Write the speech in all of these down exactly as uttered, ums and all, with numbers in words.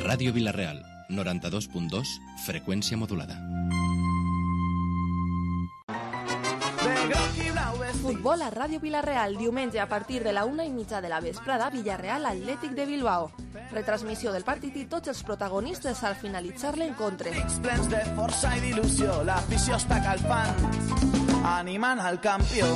Ràdio Vila-real, noranta-dos punt dos, freqüència modulada. Futbol a Ràdio Vila-real, diumenge a partir de la una i mitja de la vesprada, Villarreal Atlètic de Bilbao. Retransmissió del partit i tots els protagonistes al finalitzar l'encontre. Plens de força i d'il·lusió, l'afició està calfant, animant al campió.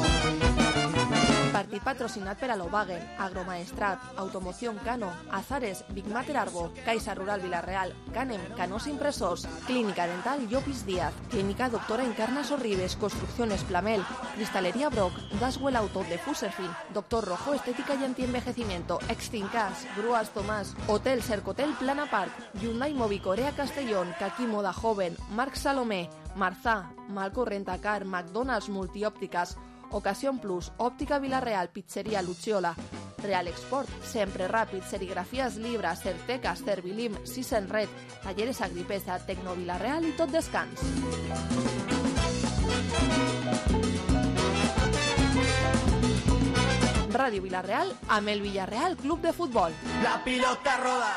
Partit patrocinat per Alobagen, Agromaestrat, Automoción Cano, Azares, Big Mater Arbo, Caixa Rural Vila-real, Canem, Canós Impresors, Clínica Dental Llopis Díaz, Clínica Doctora Encarna Sorribes, Construcciones Plamel, Cristalería Brock, Daswell Auto de Fuserfin, Doctor Rojo Estética y Antienvejecimiento, Extincas, Grúas Tomás, Hotel Cercotel Plana Park, Hyundai Movicorea Castellón, Kaki Moda Joven, Marc Salomé, Marzà, Malco Rentacar, McDonald's Multiòptiques, Ocasión Plus, Òptica Vila-real, Pizzeria Luciola, Real Export, Sempre Ràpid, Serigrafies Libra, Certeca, Servilim, Sisen Red, Talleres Agripesa, Tecno Vila-real i Tot Descans. Ràdio Vila-real amb el Villarreal Club de Futbol. La pilota roda.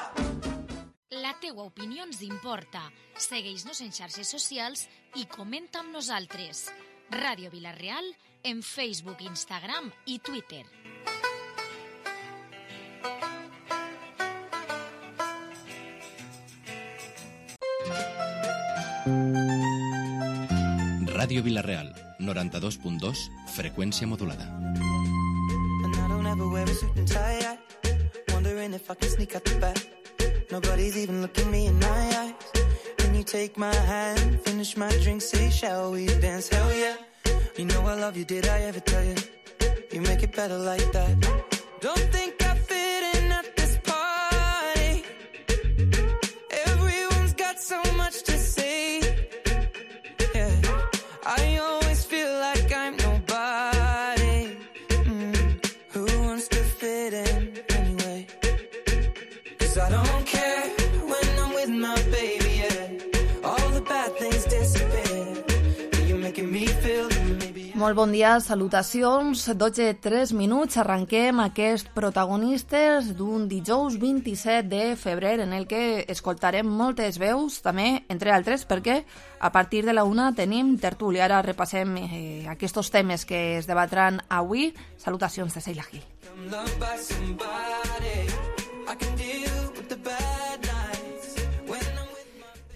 La teua opinió ens importa. Segueix-nos en xarxes socials i comenta amb nosaltres. Ràdio Vila-real en Facebook, Instagram i Twitter. Ràdio Vila-real, noranta-dos punt dos, freqüència modulada. And I don't ever wear a suit and tie, wondering if I can sneak out the back. Nobody's even looking me in my eyes. When you take my hand, finish my drink, say, shall we dance? Hell yeah. You know I love you, did I ever tell you? You make it better like that. Don't think I fit in at this party. Everyone's got so much to say. Yeah, I always feel like I'm nobody. Mm. Who wants to fit in anyway? 'Cause I don't care when I'm with my baby, yeah. All the bad things disappear. You're making me feel. Molt bon dia, salutacions, dotze i tres minuts, arrenquem aquest protagonistes d'un dijous vint-i-set de febrer en el que escoltarem moltes veus, també, entre altres, perquè a partir de la una tenim tertúlia. Ara repassem eh, aquests temes que es debatran avui. Salutacions de Seila Gil.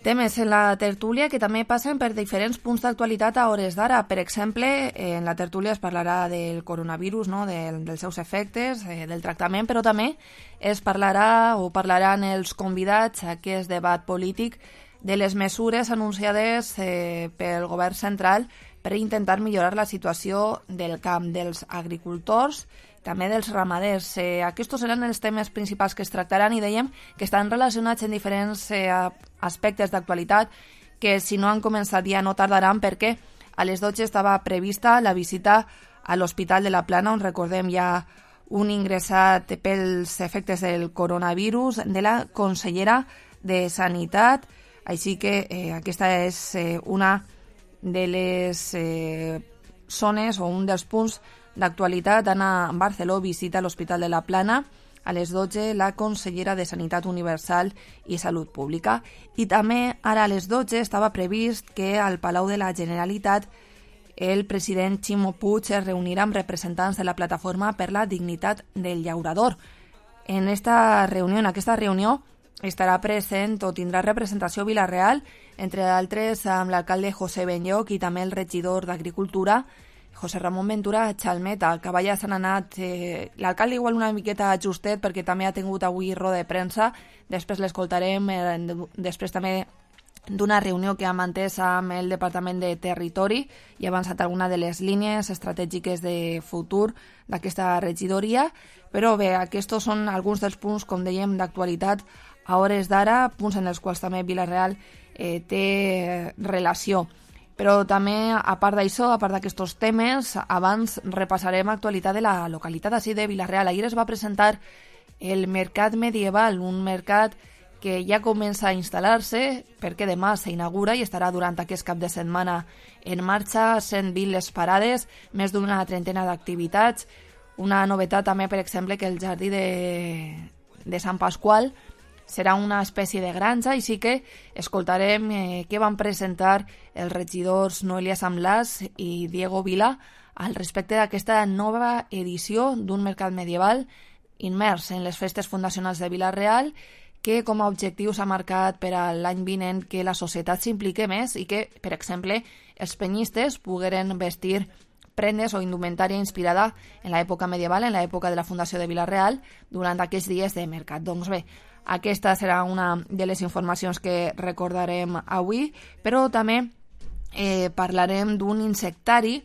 Temes en la tertúlia que també passen per diferents punts d'actualitat a hores d'ara. Per exemple, en la tertúlia es parlarà del coronavirus, no? del, dels seus efectes, eh, del tractament, però també es parlarà o parlaran els convidats a aquest debat polític de les mesures anunciades eh, pel govern central per intentar millorar la situació del camp, dels agricultors, també dels ramaders. Eh, aquests seran els temes principals que es tractaran i dèiem que estan relacionats en diferents eh, aspectes d'actualitat que si no han començat ja no tardaran perquè a les dotze estava prevista la visita a l'Hospital de la Plana on recordem ja un ingressat pels efectes del coronavirus de la consellera de Sanitat. Així que eh, aquesta és eh, una de les eh, zones o un dels punts d'actualitat. Anna Barceló visita l'Hospital de la Plana a les dotze la consellera de Sanitat Universal i Salut Pública. I també ara a les dotze estava previst que al Palau de la Generalitat el president Ximo Puig es reunirà amb representants de la Plataforma per la Dignitat del Llaurador. En esta reunió, en aquesta reunió estarà present o tindrà representació Vila-real, entre d'altres amb l'alcalde José Benlloch i també el regidor d'Agricultura, José Ramon Ventura Chalmeta. A Caballa s'han anat, eh, l'alcalde igual una miqueta justet perquè també ha tingut avui roda de premsa, després l'escoltarem, eh, després també d'una reunió que ha mantès amb el Departament de Territori i ha avançat alguna de les línies estratègiques de futur d'aquesta regidoria, però bé, aquests són alguns dels punts, com dèiem, d'actualitat a hores d'ara, punts en els quals també Vila-real eh, té relació. Però també, a part d'això, a part d'aquests temes, abans repassarem l'actualitat de la localitat així de Vila-real. Ahir es va presentar el Mercat Medieval, un mercat que ja comença a instal·lar-se perquè demà s'inaugura i estarà durant aquest cap de setmana en marxa, cent vint les parades, més d'una trentena d'activitats. Una novetat també, per exemple, que el jardí de, de Sant Pasqual serà una espècie de granja, i sí que escoltarem eh, què van presentar els regidors Noelia Samblàs i Diego Vila al respecte d'aquesta nova edició d'un mercat medieval immers en les festes fundacionals de Vila-real, que com a objectiu s'ha marcat per a l'any vinent que la societat s'implique més i que, per exemple, els penyistes pogueren vestir prendes o indumentària inspirada en l'època medieval, en l'època de la fundació de Vila-real, durant aquests dies de mercat. Doncs bé, aquesta serà una de les informacions que recordarem avui, però també eh, parlarem d'un insectari,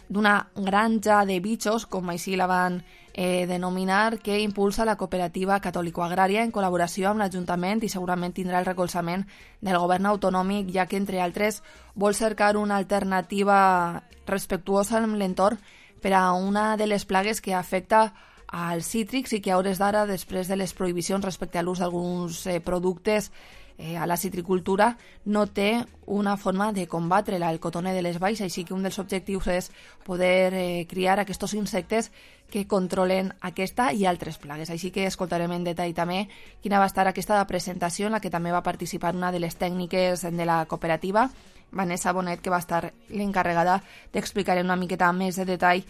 d'una granja de bitxos, com així la van eh, denominar, que impulsa la cooperativa catòlico-agrària en col·laboració amb l'Ajuntament i segurament tindrà el recolzament del govern autonòmic, ja que, entre altres, vol cercar una alternativa respectuosa amb l'entorn per a una de les plagues que afecta als cítrics i que a hores d'ara, després de les prohibicions respecte a l'ús d'alguns eh, productes Eh, a la citricultura, no té una forma de combatre-la, el cotoner de les valls, així que un dels objectius és poder eh, criar aquests insectes que controlen aquesta i altres plagues. Així que escoltarem en detall també quina va estar aquesta presentació, en la que també va participar una de les tècniques de la cooperativa, Vanessa Bonet, que va estar l'encarregada d'explicar una miqueta més de detall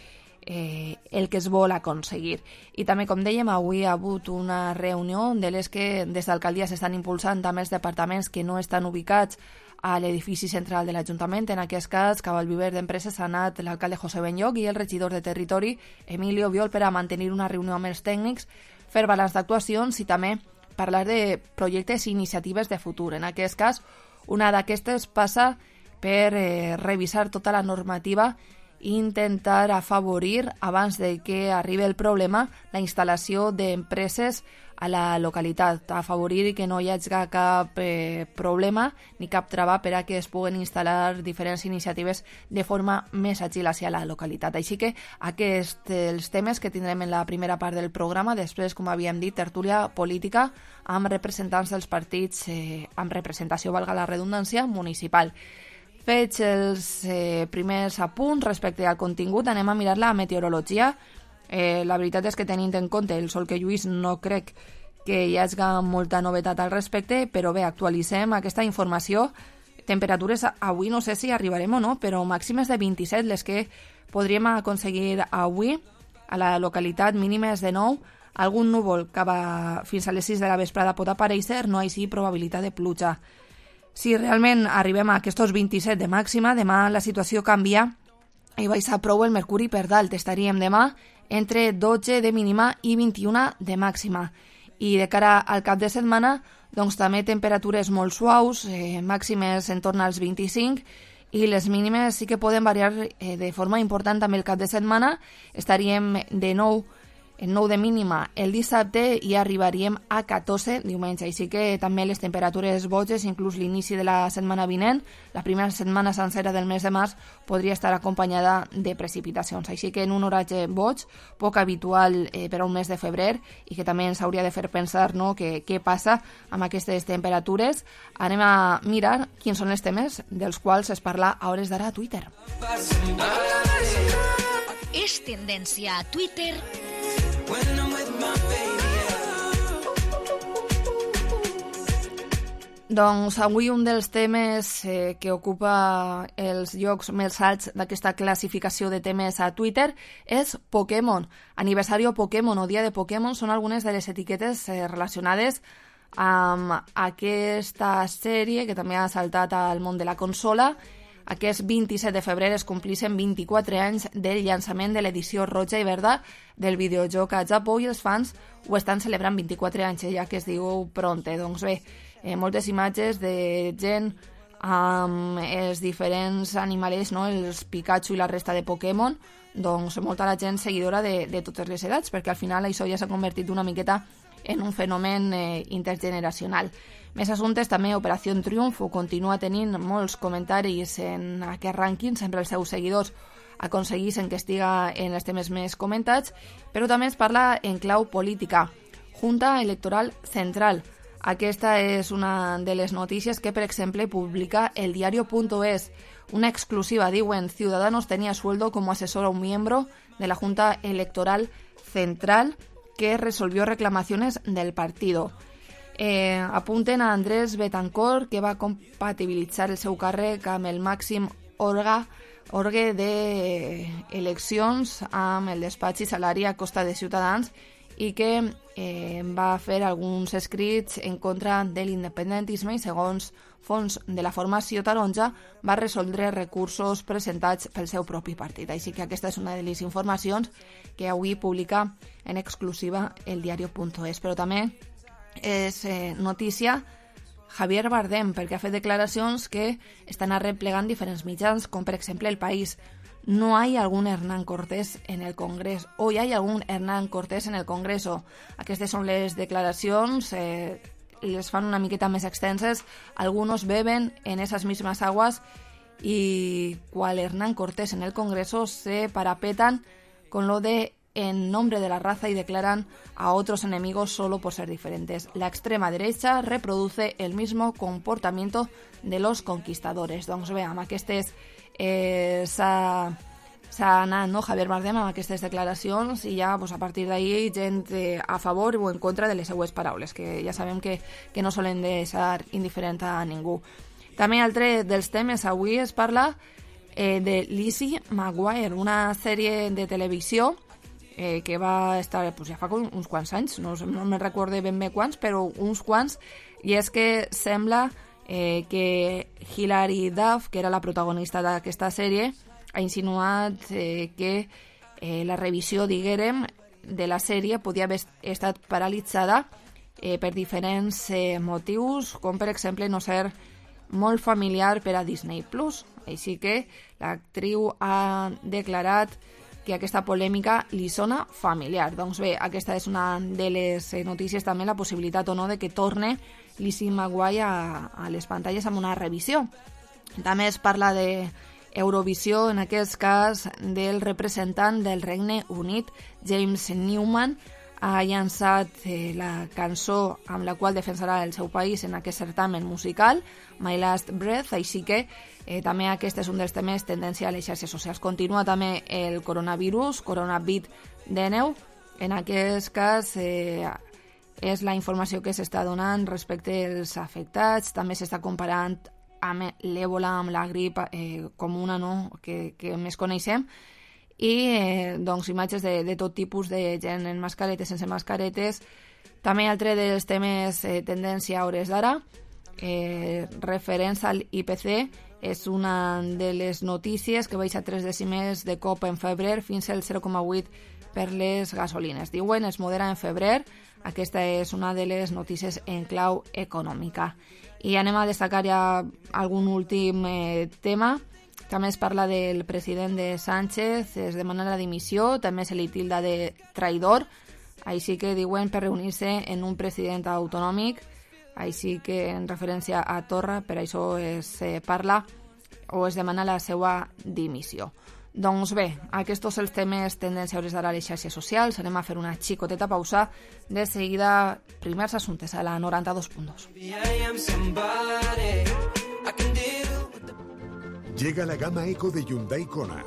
Eh, el que es vol aconseguir. I també, com dèiem, avui ha hagut una reunió de les que des d'alcaldia s'estan impulsant també els departaments que no estan ubicats a l'edifici central de l'Ajuntament. En aquest cas, cap al viver d'empreses ha anat l'alcalde José Benlloc i el regidor de Territori, Emilio Viol, per a mantenir una reunió amb els tècnics, fer balanç d'actuacions i també parlar de projectes i iniciatives de futur. En aquest cas, una d'aquestes passa per eh, revisar tota la normativa i intentar afavorir, abans de que arribi el problema, la instal·lació d'empreses a la localitat, afavorir que no hi hagi cap eh, problema ni cap trava per a que es puguen instal·lar diferents iniciatives de forma més àgil hacia la localitat. Així que aquests els temes que tindrem en la primera part del programa, després, com havíem dit, tertúlia política amb representants dels partits, eh, amb representació, valga la redundància, municipal. Fets els eh, primers apunts respecte al contingut, anem a mirar la meteorologia. Eh, la veritat és que, tenint en compte el sol que lluís, no crec que hi hagi molta novetat al respecte, però bé, actualitzem aquesta informació. Temperatures avui no sé si arribarem o no, però màximes de vint-i-set, les que podríem aconseguir avui a la localitat, mínimes de nou. Algun núvol cap a, fins a les sis de la vesprada pot aparèixer, no així probabilitat de pluja. Si realment arribem a aquests vint-i-set de màxima, demà la situació canvia i baixa prou el mercuri per dalt. Estaríem demà entre dotze de mínima i vint-i-u de màxima. I de cara al cap de setmana, doncs també temperatures molt suaus, eh, màximes en torn als vint-i-cinc, i les mínimes sí que poden variar eh, de forma important també el cap de setmana. Estaríem de nou en nou de mínima el dissabte i arribaríem a catorze diumenge. Així que també les temperatures boges, inclús l'inici de la setmana vinent, la primera setmana sencera del mes de març, podria estar acompanyada de precipitacions. Així que en un horatge boig, poc habitual eh, per a un mes de febrer, i que també ens hauria de fer pensar, no, que què passa amb aquestes temperatures. Anem a mirar quins són els temes dels quals es parla a hores d'ara a Twitter. És tendència a Twitter. Doncs avui un dels temes eh, que ocupa els llocs més alts d'aquesta classificació de temes a Twitter és Pokémon. Aniversario Pokémon o Dia de Pokémon són algunes de les etiquetes eh, relacionades amb aquesta sèrie que també ha saltat al món de la consola. Aquest vint-i-set de febrer es complixen vint-i-quatre anys del llançament de l'edició roja i verda del videojoc a Japó, i els fans ho estan celebrant vint-i-quatre anys, ja que es diu pronte. Doncs bé, eh, moltes imatges de gent amb els diferents animalets, no? Els Pikachu i la resta de Pokémon, doncs molta la gent seguidora de, de totes les edats, perquè al final això ja s'ha convertit una miqueta en un fenomen eh, intergeneracional. Més assumptes també, Operació Triunfo continua tenint molts comentaris en aquest rànquing, sempre els seus seguidors aconseguissin que estiga en els temes més comentats, però també es parla en clau política. Junta Electoral Central. Aquesta és una de les notícies que, per exemple, publica el diario.es. Una exclusiva, diuen, Ciudadanos tenía sueldo como asesor a un miembro de la Junta Electoral Central que resolvió reclamaciones del partido. Eh, apunten a Andrés Betancourt, que va compatibilitzar el seu càrrec amb el màxim orga, orgue d'eleccions amb el despatx i salari a costa de Ciutadans i que eh, va fer alguns escrits en contra de l'independentisme i, segons fons de la formació taronja, va resoldre recursos presentats pel seu propi partit. Així que aquesta és una de les informacions que avui publica en exclusiva el diario punto es. Però també és eh, notícia Javier Bardem, perquè ha fet declaracions que estan arreplegant diferents mitjans, com per exemple El País. No hay algún Hernán Cortés en el Congreso. Hoy hay algún Hernán Cortés en el Congreso. Aquestes són les declaracions, eh, les fan una miqueta més extenses. Algunos beben en esas mismas aguas y cual Hernán Cortés en el Congreso se parapetan con lo de en nombre de la raza y declaran a otros enemigos solo por ser diferentes. La extrema derecha reproduce el mismo comportamiento de los conquistadores. Doncs bé, amb aquestes eh, s'ha anat, no, Javier Bardem amb aquestes declaracions i ja pues, a partir d'ahir gent eh, a favor o en contra de les seues paraules, que ja sabem que, que no solen deixar indiferent a ningú. També altre dels temes avui es parla eh, de Lizzie McGuire, una sèrie de televisió Eh, que va estar pues, ja fa uns quants anys, no, no me recordo ben bé quants, però uns quants, i és que sembla eh, que Hilary Duff, que era la protagonista d'aquesta sèrie, ha insinuat eh, que eh, la revisió, diguérem, de la sèrie podia haver estat paralitzada eh, per diferents eh, motius, com per exemple no ser molt familiar per a Disney plus. Així que l'actriu ha declarat que aquesta polèmica li sona familiar. Doncs bé, aquesta és una de les notícies, també la possibilitat o no de que torne Lizzie McGuire a, a les pantalles amb una revisió. També es parla de Eurovisió, en aquest cas del representant del Regne Unit, James Newman, ha llançat eh, la cançó amb la qual defensarà el seu país en aquest certamen musical, My Last Breath, així que eh, també aquest és un dels temes tendència a les xarxes socials. Continua també el coronavirus, Coronavit dinou, en aquest cas eh, és la informació que s'està donant respecte als afectats, també s'està comparant amb l'èbola, amb la grip eh, comuna, no? que, que més coneixem, i eh, doncs, imatges de, de tot tipus de gent en mascaretes, sense mascaretes. També altre dels temes eh, tendència a hores d'ara, eh, referents al I P C, és una de les notícies que baixa tres dècimes de cop en febrer fins al zero coma vuit per les gasolines. Diuen es modera en febrer, aquesta és una de les notícies en clau econòmica. I anem a destacar ja algun últim eh, tema. També es parla del president de Sánchez, es demana la dimissió, també se li tilda de traïdor, així que diuen per reunir-se en un president autonòmic, així que en referència a Torra, per això es eh, parla o es demana la seva dimissió. Doncs bé, aquests són els temes tendència a hores d'ara a les xarxes socials. Anem a fer una xicoteta pausa. De seguida, primers assumptes a la noranta-dos punt dos. Llega la gama Eco de Hyundai Kona.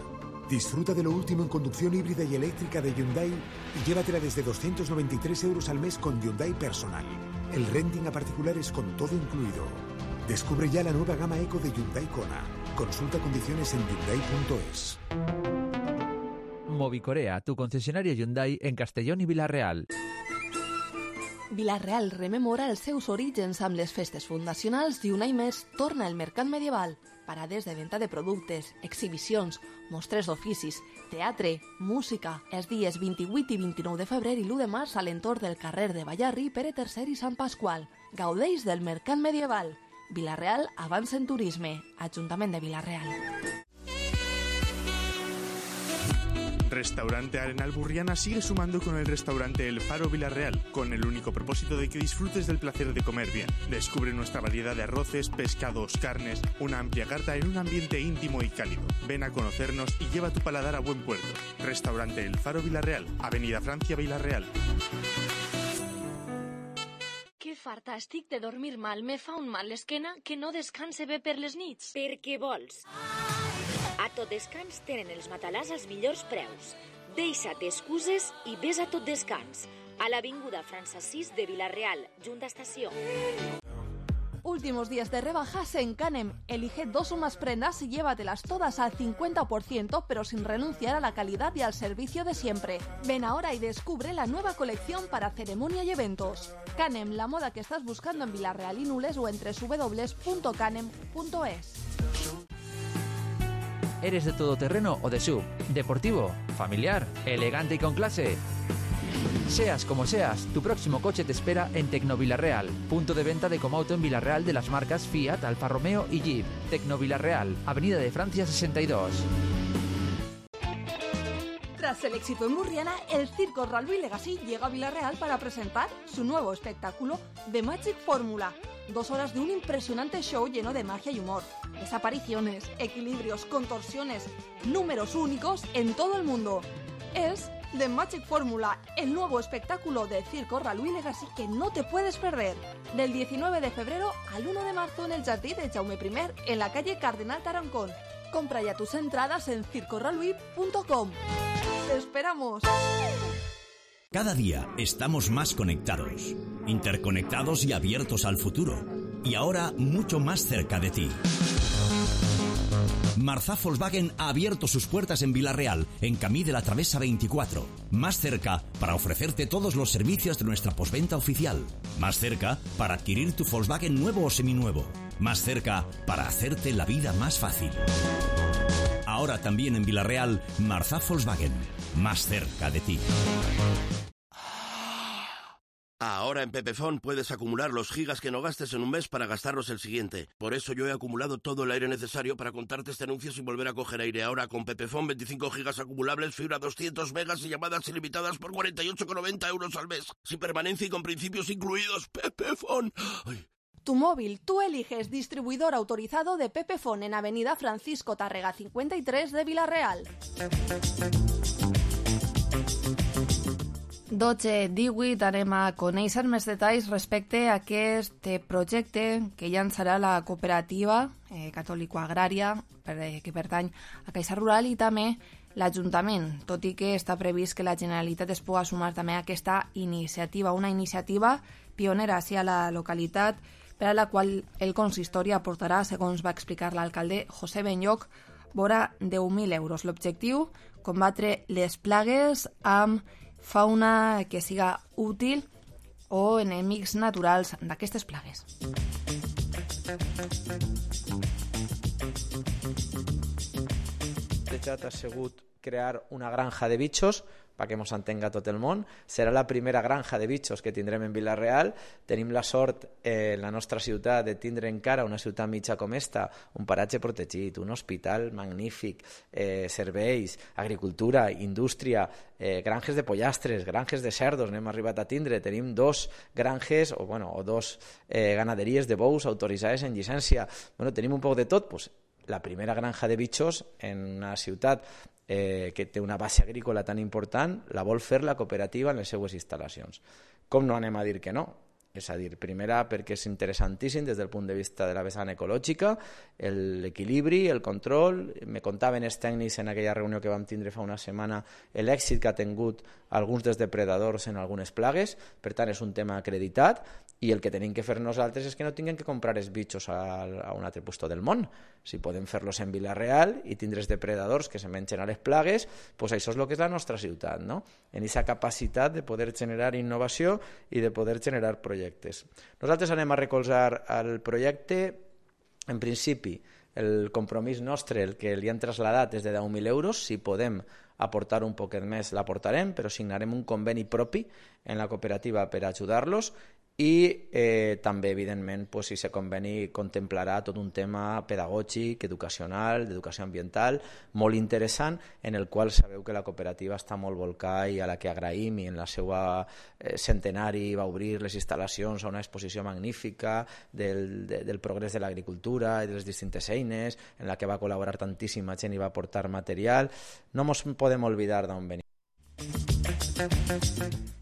Disfruta de lo último en conducción híbrida y eléctrica de Hyundai y llévatela desde doscientos noventa y tres euros al mes con Hyundai Personal. El renting a particulares con todo incluido. Descubre ya la nueva gama Eco de Hyundai Kona. Consulta condiciones en hyundai punto es. Movicorea, tu concesionario Hyundai en Castellón i Vila-real. Vila-real rememora els seus orígens amb les festes fundacionals i un any més torna el mercat medieval. Parades de venda de productes, exhibicions, mostres d'oficis, teatre, música. Els dies vint-i-vuit i vint-i-nou de febrer i l'u de març a l'entorn del carrer de Ballarri, Pere tercer i Sant Pasqual. Gaudeix del mercat medieval. Vila-real avança en turisme. Ajuntament de Vila-real. Restaurante Arenal Burriana sigue sumando con el restaurante El Faro Vila-real, con el único propósito de que disfrutes del placer de comer bien. Descubre nuestra variedad de arroces, pescados, carnes, una amplia carta en un ambiente íntimo y cálido. Ven a conocernos y lleva tu paladar a buen puerto. Restaurante El Faro Vila-real, Avenida Francia, Vila-real. Que farta estic de dormir mal. Me fa un mal l'esquena que no descanse bé per les nits. Per què vols? A Tot Descans tenen els matalàs als millors preus. Deixa't excuses i ves a tot descans. A l'avinguda França sis de Vila-real, Junta Estació. Últimos días de rebajas en Canem. Elige dos o más prendas y llévatelas todas al cincuenta por ciento, pero sin renunciar a la calidad y al servicio de siempre. Ven ahora y descubre la nueva colección para ceremonia y eventos. Canem, la moda que estás buscando en Vila-real y Nules o en doble u doble u doble u punto canem punto es. ¿Eres de todoterreno o de sub? ¿Deportivo? ¿Familiar? ¿Elegante y con clase? Seas como seas, tu próximo coche te espera en Tecno Vila-real, punto de venta de Comauto en Vila-real de las marcas Fiat, Alfa Romeo y Jeep. Tecno Vila-real, Avenida de Francia sesenta y dos. Tras el éxito en Murriana, el Circo Ralby Legacy llega a Vila-real para presentar su nuevo espectáculo The Magic Formula. Dos horas de un impresionante show lleno de magia y humor. Desapariciones, equilibrios, contorsiones, números únicos en todo el mundo. Es The Magic Formula, el nuevo espectáculo de Circo Ralby Legacy que no te puedes perder. Del diecinueve de febrero al uno de marzo en el Jardí de Jaume primer, en la calle Cardenal Tarancón. Compra ya tus entradas en circo ralby punto com. ¡Te esperamos! Cada día estamos más conectados, interconectados y abiertos al futuro. Y ahora mucho más cerca de ti. Marzá Volkswagen ha abierto sus puertas en Vila-real, en Camí de la Travesa veinticuatro. Más cerca para ofrecerte todos los servicios de nuestra postventa oficial. Más cerca para adquirir tu Volkswagen nuevo o seminuevo. Más cerca para hacerte la vida más fácil. Ahora también en Vila-real, Marzá Volkswagen. Más cerca de ti. Ahora en Pepefon puedes acumular los gigas que no gastes en un mes para gastarlos el siguiente. Por eso yo he acumulado todo el aire necesario para contarte este anuncio sin volver a coger aire. Ahora con Pepefon, veinticinco gigas acumulables, fibra doscientos megas y llamadas ilimitadas por cuarenta y ocho con noventa euros al mes. Sin permanencia y con principios incluidos. Pepefon. Ay. Tu móvil, tú eliges distribuidor autorizado de Pepefon en Avenida Francisco Tárrega cincuenta y tres de Vila-real. dotze divuit anem a conèixer més detalls respecte a aquest projecte que llançarà la cooperativa eh, catòlico-agrària eh, que pertany a Caixa Rural i també l'Ajuntament, tot i que està previst que la Generalitat es pugui sumar també a aquesta iniciativa, una iniciativa pionera hacia la localitat per a la qual el consistori aportarà, segons va explicar l'alcalde José Benlloch, vora deu mil euros. L'objectiu, combatre les plagues amb fauna que siga útil o enemics naturals d'aquestes plagues. Techat ha sigut crear una granja de bichos perquè mos entenga tot el món. Serà la primera granja de bichos que tindrem en Vila-real. Tenim la sort eh, en la nostra ciutat de tindre encara una ciutat mitja com esta, un paratge protegit, un hospital magnífic, eh, serveis, agricultura, indústria, eh, granges de pollastres, granges de cerdos, n'hem arribat a tindre. Tenim dos granges o, bueno, o dos eh, ganaderies de bous autoritzades en llicència. Bueno, tenim un poc de tot. Pues, la primera granja de bichos en una ciutat eh, que té una base agrícola tan important, la vol fer la cooperativa en les seues instal·lacions. Com no anem a dir que no? És a dir, primera, perquè és interessantíssim des del punt de vista de la vessant ecològica, l'equilibri, el control. Me contaven els tècnics en aquella reunió que vam tindre fa una setmana l'èxit que ha tingut alguns dels depredadors en algunes plagues. Per tant, és un tema acreditat i el que tenim que fer nosaltres és que no tinguem que comprar els bitxos a, a un altre puesto del món. Si podem fer-los en Vila-real i tindre els depredadors que se mengen a les plagues, doncs això és el que és la nostra ciutat, no? En aquesta capacitat de poder generar innovació i de poder generar projectes. Nosaltres anem a recolzar el projecte, en principi, el compromís nostre, el que li han traslladat és de deu mil euros. Si podem aportar un poquet més, l'aportarem, però signarem un conveni propi en la cooperativa per ajudar-los. I eh, també, evidentment, pues, si se conveni, contemplarà tot un tema pedagògic, educacional, d'educació ambiental, molt interessant, en el qual sabeu que la cooperativa està molt volcada i a la que agraïm, i en la seva eh, centenari va obrir les instal·lacions a una exposició magnífica del, de, del progrés de l'agricultura i de les distintes eines, en la que va col·laborar tantíssima gent i va aportar material. No ens podem oblidar d'on venim.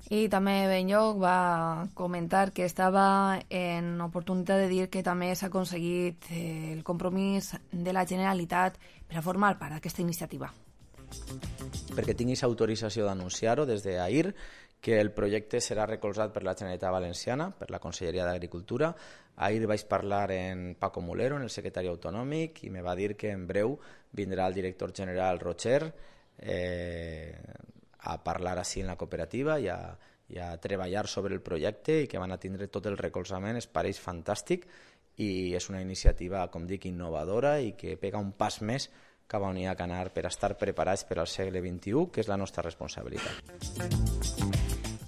I també Benlloch va comentar que estava en oportunitat de dir que també s'ha aconseguit el compromís de la Generalitat per a formar part d'aquesta iniciativa. perquè tinguis autorització d'anunciar-ho des d'ahir, que el projecte serà recolzat per la Generalitat Valenciana, per la Conselleria d'Agricultura. Ahir vaig parlar en Paco Mulero, en el secretari autonòmic, i me va dir que en breu vindrà el director general Rocher eh, a parlar així en la cooperativa i a, i a treballar sobre el projecte, i que van a tindre tot el recolzament. Es pareix fantàstic i és una iniciativa, com dic, innovadora i que pega un pas més cap on hi ha que anar per estar preparats per al segle vint-i-u, que és la nostra responsabilitat.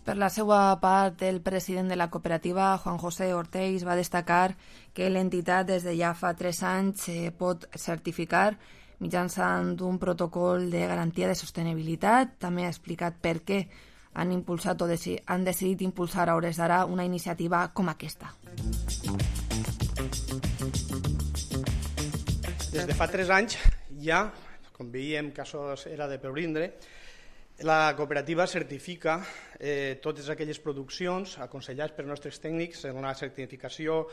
Per la seva part, el president de la cooperativa, Juan José Ortells, va destacar que l'entitat des de ja fa tres anys eh, pot certificar mitjançant un protocol de garantia de sostenibilitat. També ha explicat per què han, impulsat o deci- han decidit impulsar a hores d'ara una iniciativa com aquesta. Des de fa tres anys ja, com veiem que això era de pebrindre, la cooperativa certifica eh, totes aquelles produccions aconsellades per nostres tècnics en una certificació,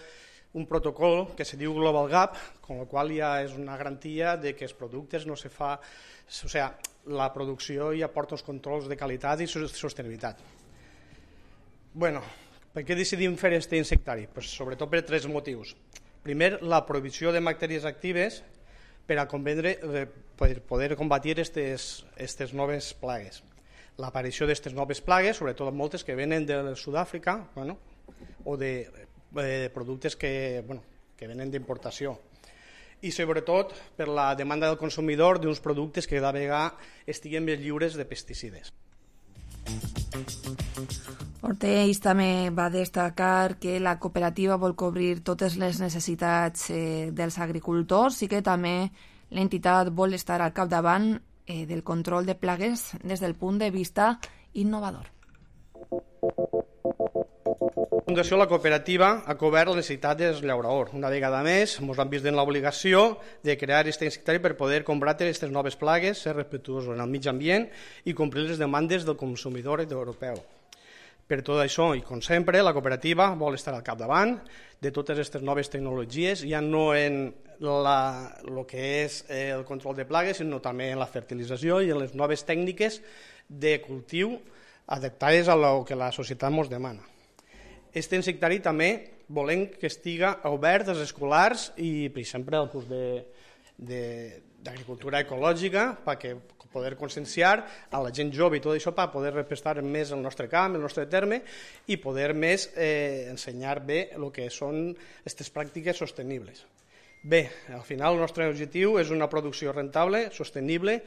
un protocol que se diu Global Gap, con lo qual ja és una garantia de que els productes no se fa, o sea, la producció ja porta uns controls de qualitat i sostenibilitat. Bueno, per què decidim fer aquest insectari? Pues sobretot per tres motius. Primer, la prohibició de bacteris actives per a convendre, per poder combatir aquestes noves plagues. L'aparició d'aquestes noves plagues, sobretot moltes que venen de Sud-àfrica, bueno, o de eh, productes que, bueno, que venen d'importació. I sobretot per la demanda del consumidor d'uns productes que cada vegada estiguen més lliures de pesticides. Ortells també va destacar que la cooperativa vol cobrir totes les necessitats eh, dels agricultors i que també l'entitat vol estar al capdavant eh, del control de plagues des del punt de vista innovador. La Fundació La Cooperativa ha cobert la necessitat dels llauradors. Una vegada més, ens han vist en l'obligació de crear aquest insectari per poder combatre aquestes noves plagues, ser respectuosos en el mig ambient i complir les demandes del consumidor europeu. Per tot això, i com sempre, la cooperativa vol estar al capdavant de totes aquestes noves tecnologies, ja no en el que és el control de plagues, sinó també en la fertilització i en les noves tècniques de cultiu adaptades a lo que la societat ens demana. Aquest insectari també volem que estiga obert als escolars i, per exemple, al curs d'agricultura ecològica, perquè poder conscienciar a la gent jove i tot això per poder respectar més el nostre camp, el nostre terme i poder més eh, ensenyar bé el que són aquestes pràctiques sostenibles. Bé, al final el nostre objectiu és una producció rentable, sostenible,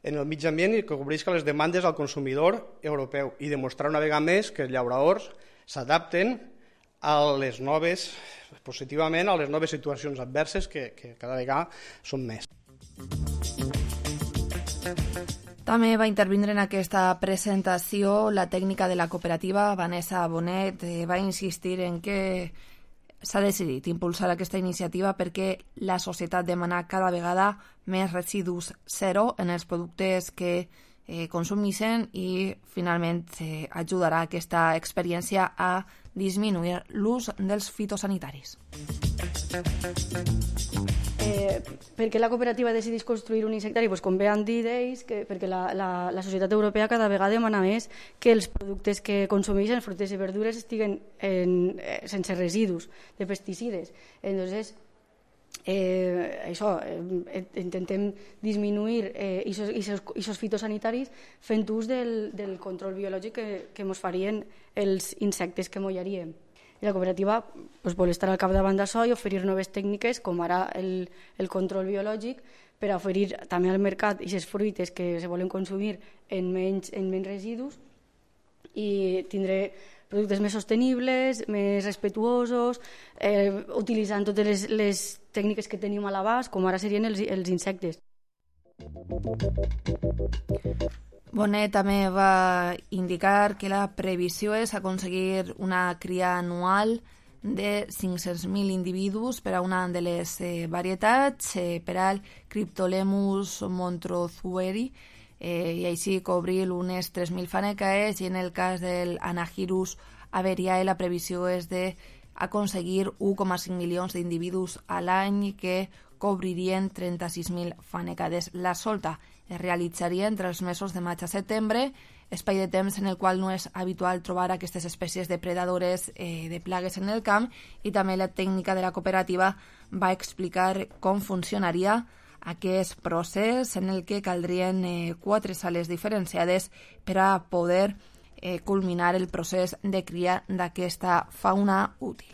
en el mig ambient i que cobrisca les demandes al consumidor europeu i demostrar una vegada més que els llauradors s'adapten a les noves, positivament a les noves situacions adverses que, que cada vegada són més. També va intervindre en aquesta presentació la tècnica de la cooperativa, Vanessa Bonet, eh, va insistir en que s'ha decidit impulsar aquesta iniciativa perquè la societat demana cada vegada més residus zero en els productes que eh, consumeixen i finalment eh, ajudarà aquesta experiència a disminuir l'ús dels fitosanitaris. Eh, per què la cooperativa decideix construir un insectari? Pues com bé han dit ells, que, perquè la, la, la societat europea cada vegada demana més que els productes que consumeixen, fruites i verdures, estiguen en, eh, sense residus de pesticides. Entonces, eh, això, eh, intentem disminuir eh, aquests fitosanitaris fent ús del, del control biològic que, que ens farien els insectes que mollaríem. I la cooperativa pues, vol estar al capdavant d'això i oferir noves tècniques, com ara el, el control biològic, per a oferir també al mercat aquestes fruites que se volen consumir en menys, en menys residus i tindré productes més sostenibles, més respectuosos, eh, utilitzant totes les, les tècniques que tenim a l'abast, com ara serien els, els insectes. Bonet també va indicar que la previsió és aconseguir una cria anual de cinc-cents mil individus per a una de les eh, varietats, eh, per al Cryptolemus montrozueri, eh, i així cobrir unes tres mil fanecaes, i en el cas del Anagyrus averiae la previsió és de aconseguir u coma cinc milions d'individus a l'any que cobririen trenta-sis mil fanecades. La solta es realitzaria entre els mesos de maig a setembre, espai de temps en el qual no és habitual trobar aquestes espècies depredadores eh, de plagues en el camp, i també la tècnica de la cooperativa va explicar com funcionaria aquest procés, en el que caldrien eh, quatre sales diferenciades per a poder eh, culminar el procés de cria d'aquesta fauna útil.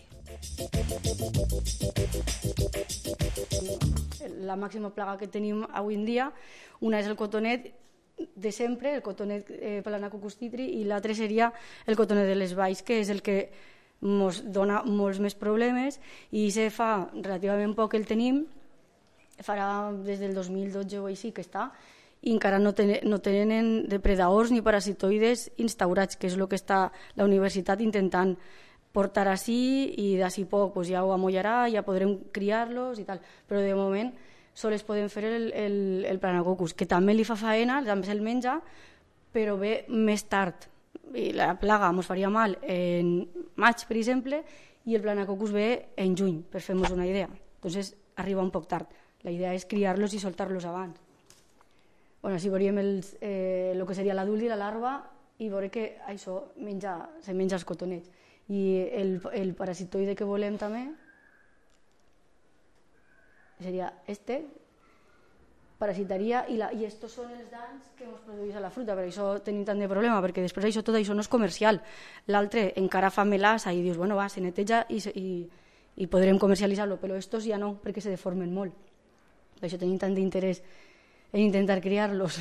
La màxima plaga que tenim avui en dia, una és el cotonet de sempre, el cotonet eh, Planacoccus titri, i l'altre seria el cotonet de les valls, que és el que ens dona molts més problemes, i se fa relativament poc que el tenim, farà des del dos mil dotze o així que està, i encara no, ten, no tenen depredadors ni parasitoides instaurats, que és el que està la universitat intentant portar així, i d'ací poc pues, ja ho amollarà, ja podrem criar-los i tal, però de moment sols podem fer el, el, el Planacoccus, que també li fa faena, també se'l menja, però ve més tard. I la plaga ens faria mal en maig, per exemple, i el Planacoccus ve en juny, per fer-nos una idea. Entonces arriba un poc tard. La idea és criar-los i soltar-los abans. Bueno, així veuríem el eh, que seria l'adult i la larva, i veurem que això menja, se menja els cotonets. I el, el parasitoide que volem també seria este, parasitaria, i, la, i estos són els danys que ens produeix a la fruta, per això tenim tant de problema, perquè després això, tot això no és comercial. L'altre encara fa melassa i dius, bueno, va, se neteja i, i, i podrem comercialitzar-lo, però estos ja no, perquè se deformen molt. Per això tenim tant d'interès en intentar criar-los.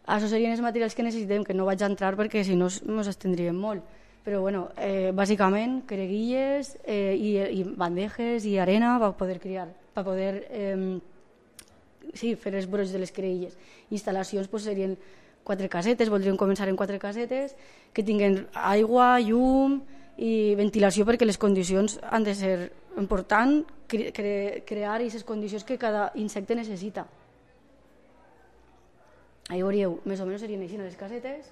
Això serien els materials que necessitem, que no vaig a entrar perquè si no ens estendríem molt. Però bueno, eh, bàsicament creguilles eh, i, i bandejes i arena per poder criar, per poder eh, sí, fer els brots de les creguilles. Instal·lacions pues, serien quatre casetes, voldríem començar en quatre casetes, que tinguen aigua, llum i ventilació, perquè les condicions han de ser importants, cre cre crear aquestes condicions que cada insecte necessita. Ahí veuríeu, més o menys serien així les casetes.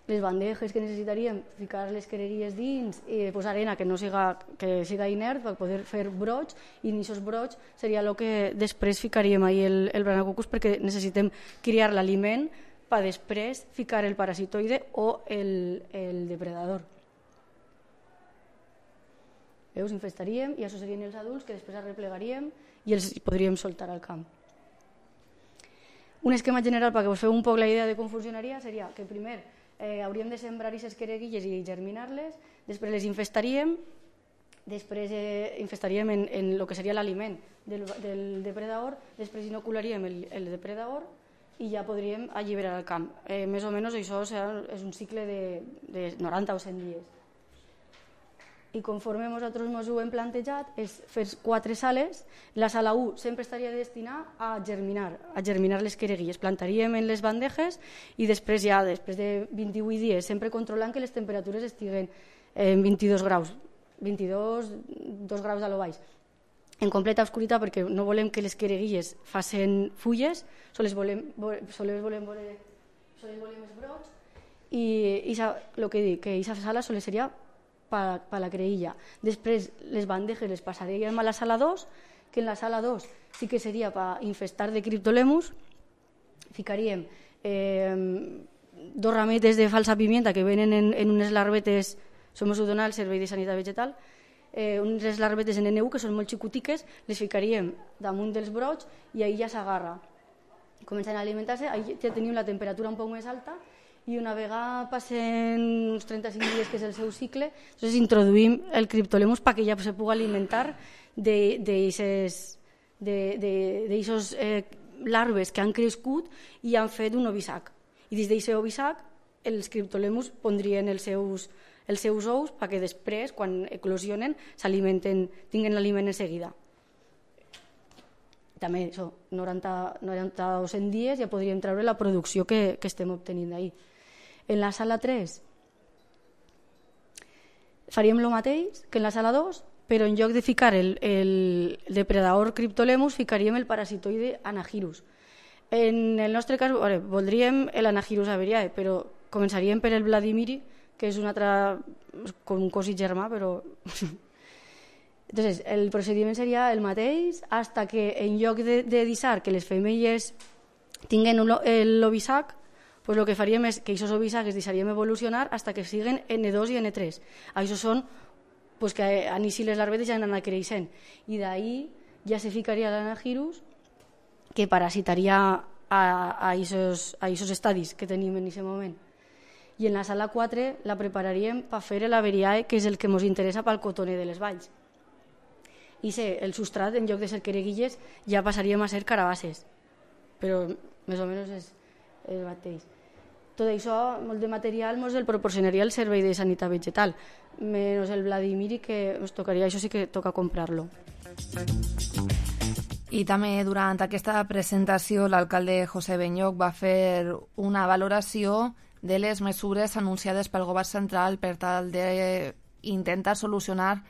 Les bandejes que necessitaríem, ficar les creguilles dins i posar arena que no siga, que siga inert per poder fer brots, i en aquests brots seria el que després ficaríem ahí el, el Planacoccus, perquè necessitem criar l'aliment per després ficar el parasitoide o el, el depredador. Veus, infestaríem i això serien els adults que després arreplegaríem i els podríem soltar al camp. Un esquema general perquè us feu un poc la idea de com funcionaria seria que primer eh, hauríem de sembrar aquestes creguilles i germinar-les, després les infestaríem, després eh, infestaríem en, en el que seria l'aliment del, del depredador, després inocularíem el, el depredador i ja podríem alliberar el camp. Eh, més o menys això és un cicle de, de noranta o cent dies. I conforme nosaltres ens ho hem plantejat és fer quatre sales. La sala u sempre estaria destinada a germinar, a germinar les creguilles. Plantaríem en les bandejes i després ja, després de vint-i-vuit dies, sempre controlant que les temperatures estiguen en vint-i-dos graus, vint-i-dos, dos graus a lo baix. En completa obscuritat, perquè no volem que les creguilles facin fulles, sols volem, sols volem, sols volem els brots, i el que dic, que aquesta sala sols seria per la creïlla. Després les bandejes les passaríem a la sala dos, que en la sala dos sí que seria per infestar de Cryptolemus. Ficaríem eh, dos rametes de falsa pimienta que venen en, en unes larvetes, som ho dona el Servei de Sanitat Vegetal, eh, unes larvetes en N U que són molt xicutiques, les ficaríem damunt dels brots i ahir ja s'agarra. Comencen a alimentar-se, ahir ja tenim la temperatura un poc més alta, i una vegada passen uns trenta-cinc dies, que és el seu cicle, doncs introduïm el Cryptolemus perquè ja se pugui alimentar d'aquestes eh, larves que han crescut i han fet un ovisac. I des d'aquest ovisac els Cryptolemus pondrien els seus, els seus ous perquè després, quan eclosionen, s'alimenten, tinguen l'aliment en seguida. També això, noranta, noranta o cent dies ja podríem treure la producció que, que estem obtenint d'ahir. En la sala tres faríem el mateix que en la sala dos, però en lloc de ficar el, el depredador Cryptolemus ficaríem el parasitoide Anagyrus. En el nostre cas, veure, voldríem l'Anagyrus averiae, però començaríem per el Vladimiri, que és un altre, com un cosí germà, però... Entonces, el procediment seria el mateix, hasta que en lloc de, de deixar que les femelles tinguen l'ovisac, pues el que faríem és que aquests ovisacs es deixaríem evolucionar hasta que siguen ene dos i ene tres. Això són pues, que a si les larvetes ja han anat creixent. I d'ahí ja se ficaria l'anagirus, que parasitaria a aquests estadis que tenim en aquest moment. I en la sala quatre la prepararíem per fer l'averiae, que és el que ens interessa pel cotoner de les valls. I sé, el substrat, en lloc de ser quereguilles, ja passaríem a ser carabasses. Però més o menys és el mateix. Tot això, molt de material, ens el proporcionaria el Servei de Sanitat Vegetal, menys el Vladimiri, que ens tocaria, això sí que toca comprar-lo. I també durant aquesta presentació l'alcalde José Benlloch va fer una valoració de les mesures anunciades pel govern central per tal d'intentar solucionar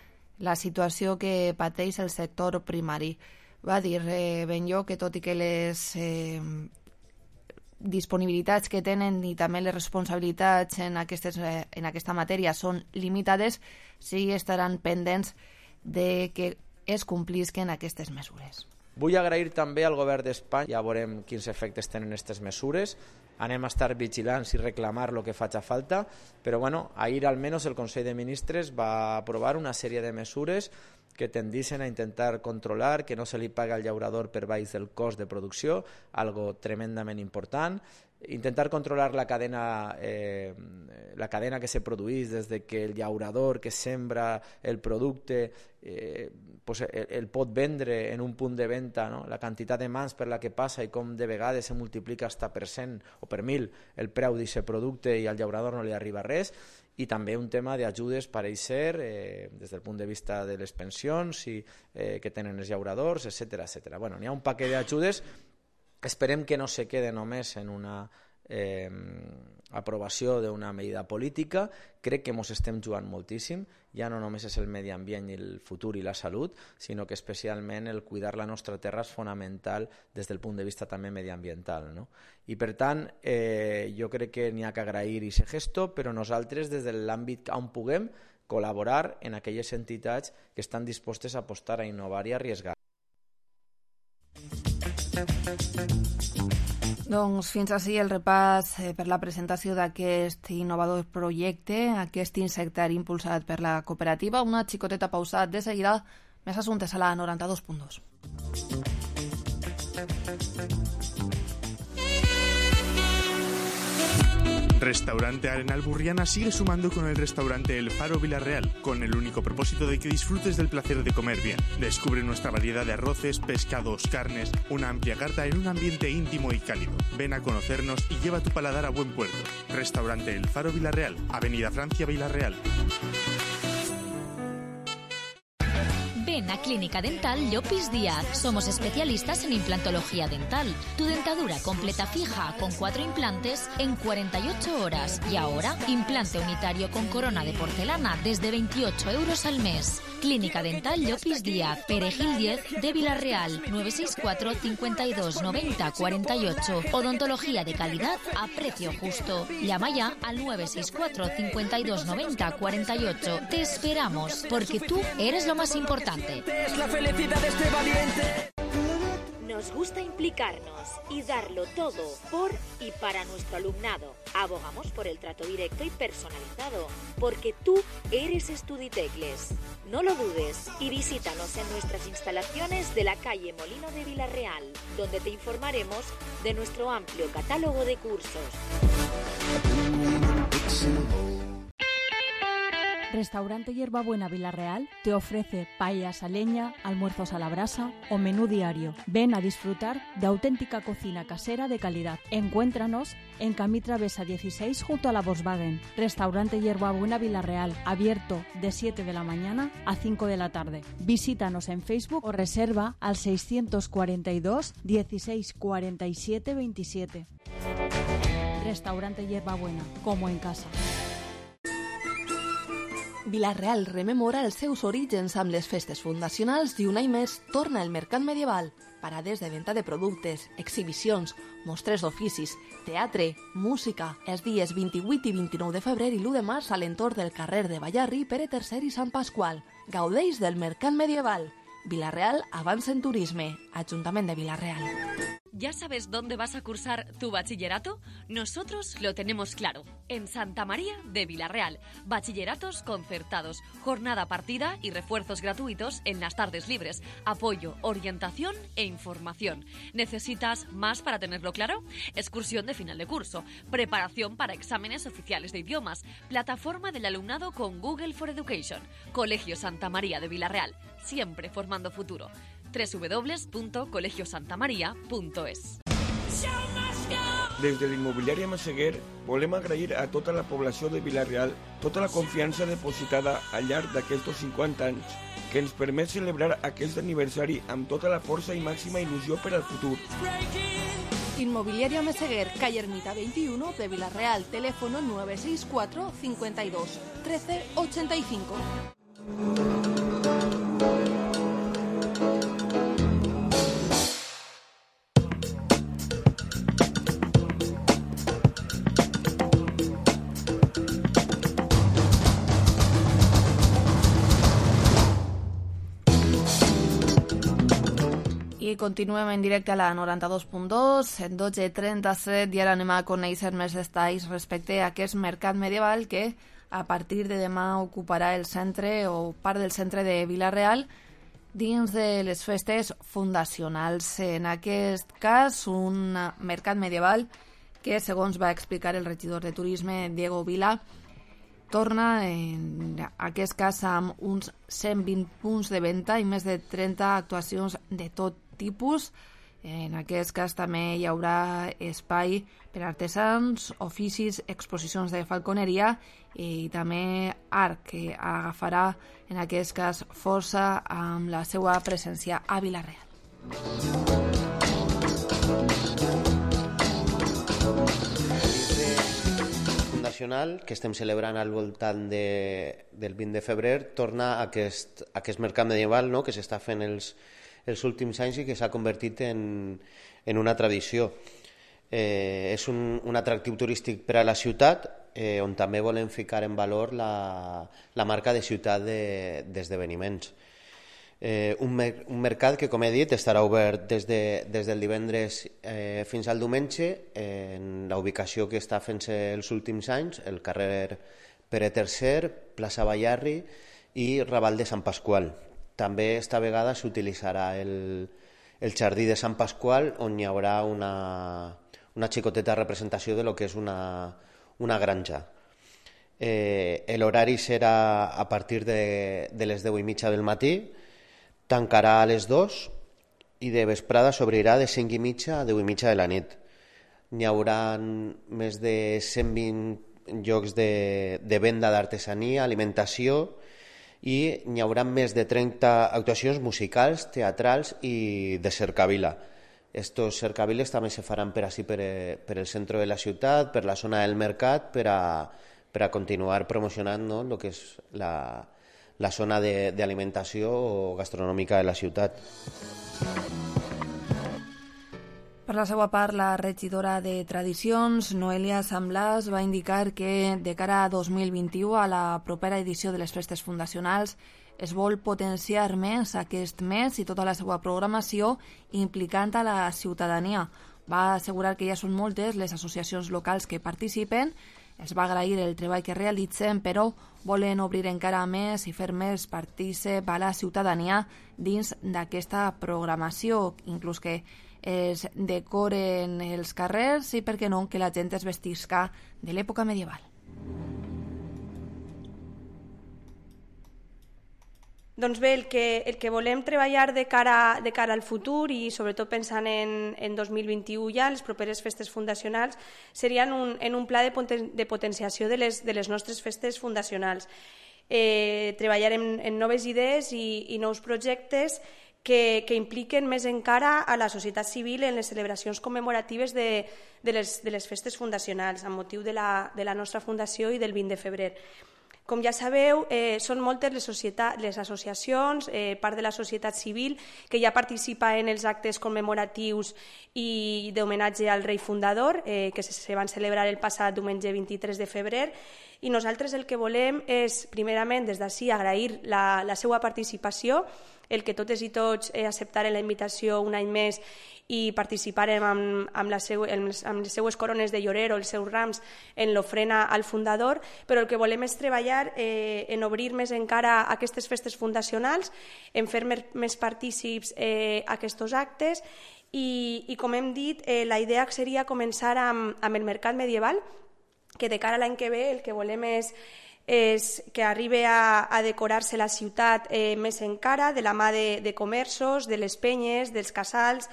la situació que pateix el sector primari. Va dir eh, Benlloch que tot i que les eh, disponibilitats que tenen i també les responsabilitats en, aquestes, eh, en aquesta matèria són limitades, sí estaran pendents de que es complisquen aquestes mesures. Vull agrair també al govern d'Espanya, ja veurem quins efectes tenen aquestes mesures, anem a estar vigilants i reclamar el que faci falta, però bueno, ahir almenys el Consell de Ministres va aprovar una sèrie de mesures que tendixen a intentar controlar que no se li paga al llaurador per baix del cost de producció, algo tremendament important, intentar controlar la cadena, eh, la cadena que se produeix des de que el llaurador que sembra el producte eh, pues el, el pot vendre en un punt de venda, no? La quantitat de mans per la que passa i com de vegades se multiplica hasta per cent o per mil el preu d'aquest producte i al llaurador no li arriba res. I també un tema d'ajudes per eixer eh, des del punt de vista de les pensions i, eh, que tenen els llauradors, etcètera, etcètera. Bueno, n'hi ha un paquet d'ajudes. Esperem que no se quede només en una eh, aprovació d'una medida política. Crec que ens estem jugant moltíssim. Ja no només és el medi ambient i el futur i la salut, sinó que especialment el cuidar la nostra terra és fonamental des del punt de vista també mediambiental, no? I per tant, eh, jo crec que n'hi ha que agrair aquest gesto, però nosaltres des de l'àmbit on puguem col·laborar en aquelles entitats que estan dispostes a apostar, a innovar i a arriesgar. Doncs fins així el repàs eh, per la presentació d'aquest innovador projecte, aquest insectari impulsat per la cooperativa. Una xicoteta pausat de seguida, més assumptes a la noranta dos punt dos. Restaurante Arenal Burriana sigue sumando con el restaurante El Faro Villarreal, con el único propósito de que disfrutes del placer de comer bien. Descubre nuestra variedad de arroces, pescados, carnes, una amplia carta en un ambiente íntimo y cálido. Ven a conocernos y lleva tu paladar a buen puerto. Restaurante El Faro Villarreal, Avenida Francia Villarreal. Ven a Clínica Dental Llopis Díaz. Somos especialistas en implantología dental. Tu dentadura completa fija con cuatro implantes en cuarenta y ocho horas. Y ahora, implante unitario con corona de porcelana desde veintiocho euros al mes. Clínica Dental Llopis Díaz, Perejil diez de Villarreal, nueve seis cuatro, cincuenta y dos, noventa, cuarenta y ocho. Odontología de calidad a precio justo. Llama ya al nueve seis cuatro, cincuenta y dos, noventa, cuarenta y ocho. Te esperamos, porque tú eres lo más importante. Es la felicidad de este valiente. Nos gusta implicarnos y darlo todo por y para nuestro alumnado. Abogamos por el trato directo y personalizado, porque tú eres Estuditecles. No lo dudes y visítanos en nuestras instalaciones de la calle Molino de Villarreal, donde te informaremos de nuestro amplio catálogo de cursos. Restaurante Hierbabuena Villarreal te ofrece paellas a leña, almuerzos a la brasa o menú diario. Ven a disfrutar de auténtica cocina casera de calidad. Encuéntranos en Camí Travesa dieciséis junto a la Volkswagen. Restaurante Hierbabuena Villarreal, abierto de siete de la mañana a cinco de la tarde. Visítanos en Facebook o reserva al seiscientos cuarenta y dos, dieciséis cuarenta y siete, veintisiete. Restaurante Hierbabuena, como en casa. Vila-real rememora els seus orígens amb les festes fundacionals i un any més torna el mercat medieval. parades de venda de productes, exhibicions, mostres d'oficis, teatre, música, els dies vint-i-vuit i vint-i-nou de febrer i l'u de març a l'entorn del carrer de Ballarri, Pere tercer i Sant Pasqual. Gaudeix del mercat medieval. Vila-real avança en turisme. Ajuntament de Vila-real. ¿Ya sabes dónde vas a cursar tu bachillerato? Nosotros lo tenemos claro. En Santa María de Vila-real. Bachilleratos concertados, jornada partida y refuerzos gratuitos en las tardes libres. Apoyo, orientación e información. ¿Necesitas más para tenerlo claro? Excursión de final de curso. Preparación para exámenes oficiales de idiomas. Plataforma del alumnado con Google for Education. Colegio Santa María de Vila-real. Siempre formando futuro. doble u doble u doble u punto colegio santa maria punto es. Des de l'immobiliària Massaguer volem agrair a tota la població de Vila-real tota la confiança depositada al llarg d'aquests cinquanta anys que ens permet celebrar aquest aniversari amb tota la força i màxima il·lusió per al futur. Inmobiliaria Meseguer, calle Ermita veintiuno de Vila-real, teléfono nueve seis cuatro, cincuenta y dos, trece ochenta y cinco. I continuem en directe a la noranta-dos punt dos, en dotze trenta-set, i ara anem a conèixer més detalls respecte a aquest mercat medieval que a partir de demà ocuparà el centre o part del centre de Vila-real dins de les festes fundacionals. En aquest cas, un mercat medieval que, segons va explicar el regidor de turisme, Diego Vila, torna en aquest cas amb uns cent vint punts de venda i més de trenta actuacions de tot tipus. En aquest cas també hi haurà espai per artesans, oficis, exposicions de falconeria i també art, que agafarà en aquest cas força amb la seva presència a Vila-real. Que estem celebrant al voltant de, del vint de febrer, torna a aquest, a aquest mercat medieval, no?, que s'està fent els, els últims anys i que s'ha convertit en, en una tradició. Eh, és un, un atractiu turístic per a la ciutat, eh, on també volem ficar en valor la, la marca de ciutat d'esdeveniments. De, Eh, un, mer un mercat que, com he dit, estarà obert des, de, des del divendres eh, fins al diumenge en la ubicació que està fent-se els últims anys, el carrer Pere tercer, plaça Ballarri i Raval de Sant Pasqual. També esta vegada s'utilitzarà el, el jardí de Sant Pasqual, on hi haurà una, una xicoteta representació de lo que és una, una granja. Eh, L'horari serà a partir de, de les deu i mitja del matí, tancarà a les dues i de vesprada s'obrirà de cinc i mitja a deu i mitja de la nit. N'hi haurà més de cent vint llocs de, de venda d'artesania, alimentació, i n'hi haurà més de trenta actuacions musicals, teatrals i de cercavila. Estos cercaviles també se faran per així, per, per el centre de la ciutat, per la zona del mercat, per a, per a continuar promocionant, no?, el que és la... la zona d'alimentació o gastronòmica de la ciutat. Per la seva part, la regidora de Tradicions, Noelia Samblàs, va indicar que de cara a dos mil vint-i-u, a la propera edició de les festes fundacionals, es vol potenciar més aquest mes i tota la seva programació implicant a la ciutadania. Va assegurar que ja són moltes les associacions locals que participen. Els va agrair el treball que realitzen, però volen obrir encara més i fer més partícip a la ciutadania dins d'aquesta programació, inclús que es decoren els carrers i, per què no, que la gent es vestisca de l'època medieval. Doncs bé, el que, el que volem treballar de cara, de cara al futur i sobretot pensant en, en dos mil vint-i-u ja, les properes festes fundacionals, serien un, en un pla de, poten, de potenciació de les, de les nostres festes fundacionals. Eh, treballar en, en noves idees i, i nous projectes que, que impliquen més encara a la societat civil en les celebracions commemoratives de, de, les, de les festes fundacionals, amb motiu de la, de la nostra fundació i del vint de febrer. Com ja sabeu, eh, són moltes les, societat, les associacions, eh, part de la societat civil, que ja participa en els actes commemoratius i d'homenatge al rei fundador, eh, que se, se van celebrar el passat diumenge vint-i-tres de febrer, i nosaltres el que volem és, primerament, des d'ací, agrair la, la seva participació, el que totes i tots eh, acceptaren la invitació un any més i participaren amb, amb, la seu, amb les seues corones de llorero, els seus rams, en l'ofrena al fundador, però el que volem és treballar eh, en obrir més encara aquestes festes fundacionals, en fer més, més partícips eh, aquests actes i, i, com hem dit, eh, la idea seria començar amb, amb el mercat medieval, que de cara a l'any que ve el que volem és, és que arribi a, a decorar-se la ciutat eh, més encara, de la mà de, de comerços, de les penyes, dels casals,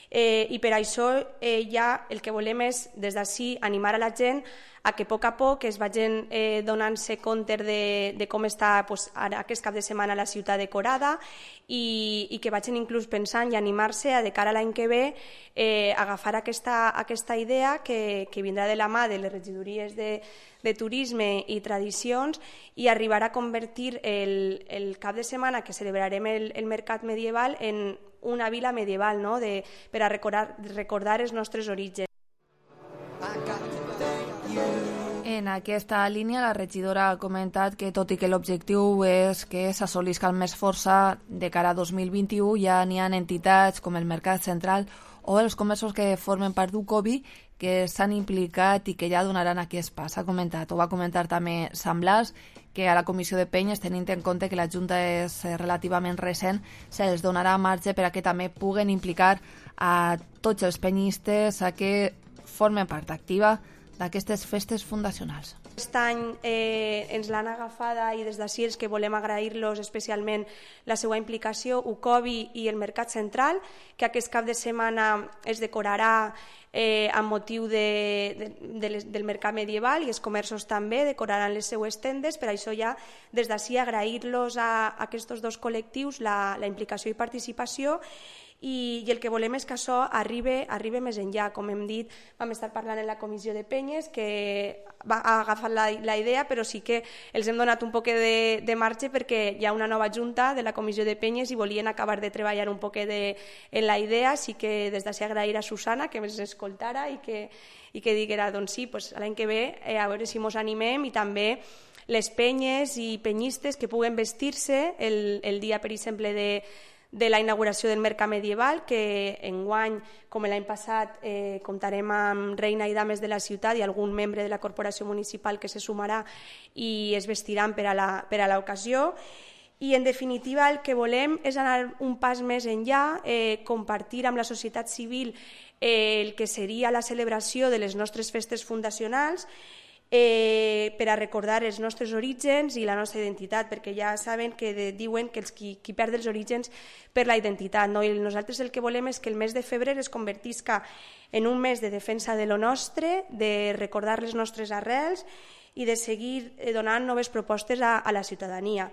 eh, i per això eh, ja el que volem és, des d'ací, animar a la gent a que a poc a poc es vagin eh, donant-se compte de, de com està pues, ara, aquest cap de setmana la ciutat decorada i, i que vagin inclús pensant i animar-se a de cara a l'any que ve eh, agafar aquesta, aquesta idea que, que vindrà de la mà de les regidories de, de turisme i tradicions i arribar a convertir el, el cap de setmana que celebrarem el, el mercat medieval en una vila medieval, no? de, per a recordar, recordar els nostres orígens. En aquesta línia, la regidora ha comentat que, tot i que l'objectiu és que s'assolisca el més força de cara a dos mil vint-i-u, ja n'hi ha entitats com el Mercat Central o els comerços que formen part d'Ucobi que s'han implicat i que ja donaran aquest pas. Ha comentat, o va comentar també Sant Blas, que a la comissió de penyes, tenint en compte que la Junta és relativament recent, se'ls donarà marge per a que també puguen implicar a tots els penyistes a que formen part activa d'aquestes festes fundacionals. Aquest any eh, ens l'han agafada i des d'ací els que volem agrair-los especialment la seva implicació, Ucobi i el Mercat Central, que aquest cap de setmana es decorarà eh, amb motiu de, de, de les, del mercat medieval i els comerços també decoraran les seues tendes. Per això ja des d'ací agrair-los a, a aquests dos col·lectius la, la implicació i participació. I, i el que volem és que això arribi, arribi més enllà. Com hem dit, vam estar parlant en la comissió de penyes, que va agafar la, la idea, però sí que els hem donat un poc de, de marge perquè hi ha una nova junta de la comissió de penyes i volien acabar de treballar un poc de, en la idea. Sí que des d'ací agrair a Susana que ens escoltara i que, i que diguera, doncs sí, pues, l'any que ve eh, a veure si mos animem, i també les penyes i penyistes que puguen vestir-se el, el dia, per exemple, de de la inauguració del mercat medieval, que enguany, com l'any passat, eh, comptarem amb reina i dames de la ciutat i algun membre de la corporació municipal que se sumarà i es vestiran per a l'ocasió. I, en definitiva, el que volem és anar un pas més enllà, eh, compartir amb la societat civil eh, el que seria la celebració de les nostres festes fundacionals, Eh, per a recordar els nostres orígens i la nostra identitat, perquè ja saben que de, diuen que els qui, qui perd els orígens per la identitat, no? I nosaltres el que volem és que el mes de febrer es convertisca en un mes de defensa de lo nostre, de recordar les nostres arrels i de seguir donant noves propostes a, a la ciutadania.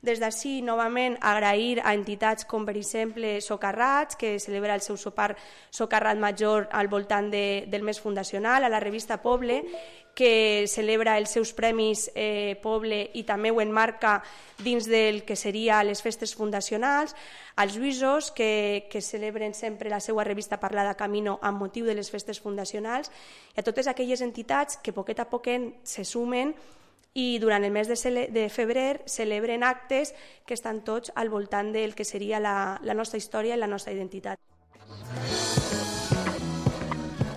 Des d'ací, novament, agrair a entitats com, per exemple, Socarrats, que celebra el seu sopar Socarrat Major al voltant de, del mes fundacional, a la revista Poble, que celebra els seus premis eh, Poble i també ho enmarca dins del que seria les festes fundacionals, als Lluïsos, que, que celebren sempre la seva revista Parlada Camino amb motiu de les festes fundacionals, i a totes aquelles entitats que poquet a poquet se sumen i durant el mes de, cele de febrer celebren actes que estan tots al voltant del que seria la, la nostra història i la nostra identitat.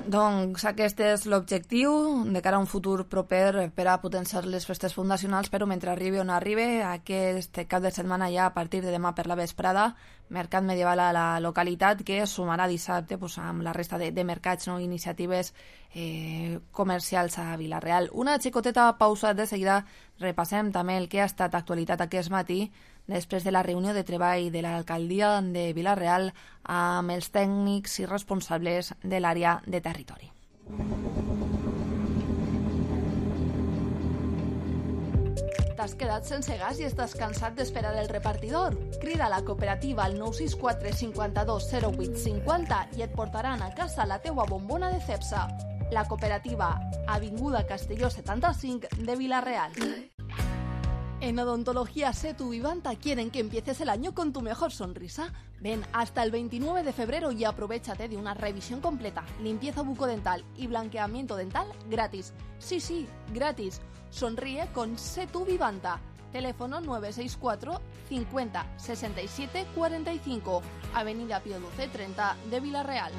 Doncs aquest és l'objectiu de cara a un futur proper per a potenciar les festes fundacionals, però mentre arribi on arribi, aquest cap de setmana ja a partir de demà per la vesprada, mercat medieval a la localitat, que es sumarà dissabte pues, amb la resta de, de mercats, no? Iniciatives eh, comercials a Vila-real. Una xicoteta pausa, de seguida repassem també el que ha estat actualitat aquest matí després de la reunió de treball de l'alcaldia de Vila-real amb els tècnics i responsables de l'àrea de territori. T'has quedat sense gas i estàs cansat d'esperar el repartidor? Crida a la cooperativa al nou sis quatre cinc dos zero vuit cinc zero i et portaran a casa la teua bombona de Cepsa. La cooperativa, Avinguda Castelló setanta-cinc de Vila-real. En Odontología Setu Vivanta quieren que empieces el año con tu mejor sonrisa. Ven hasta el veintinueve de febrero y aprovéchate de una revisión completa, limpieza bucodental y blanqueamiento dental gratis. Sí, sí, gratis. Sonríe con Setu Vivanta. Teléfono nueve seis cuatro cincuenta sesenta y siete cuarenta y cinco, Avenida Pío Duce treinta de Vila-real.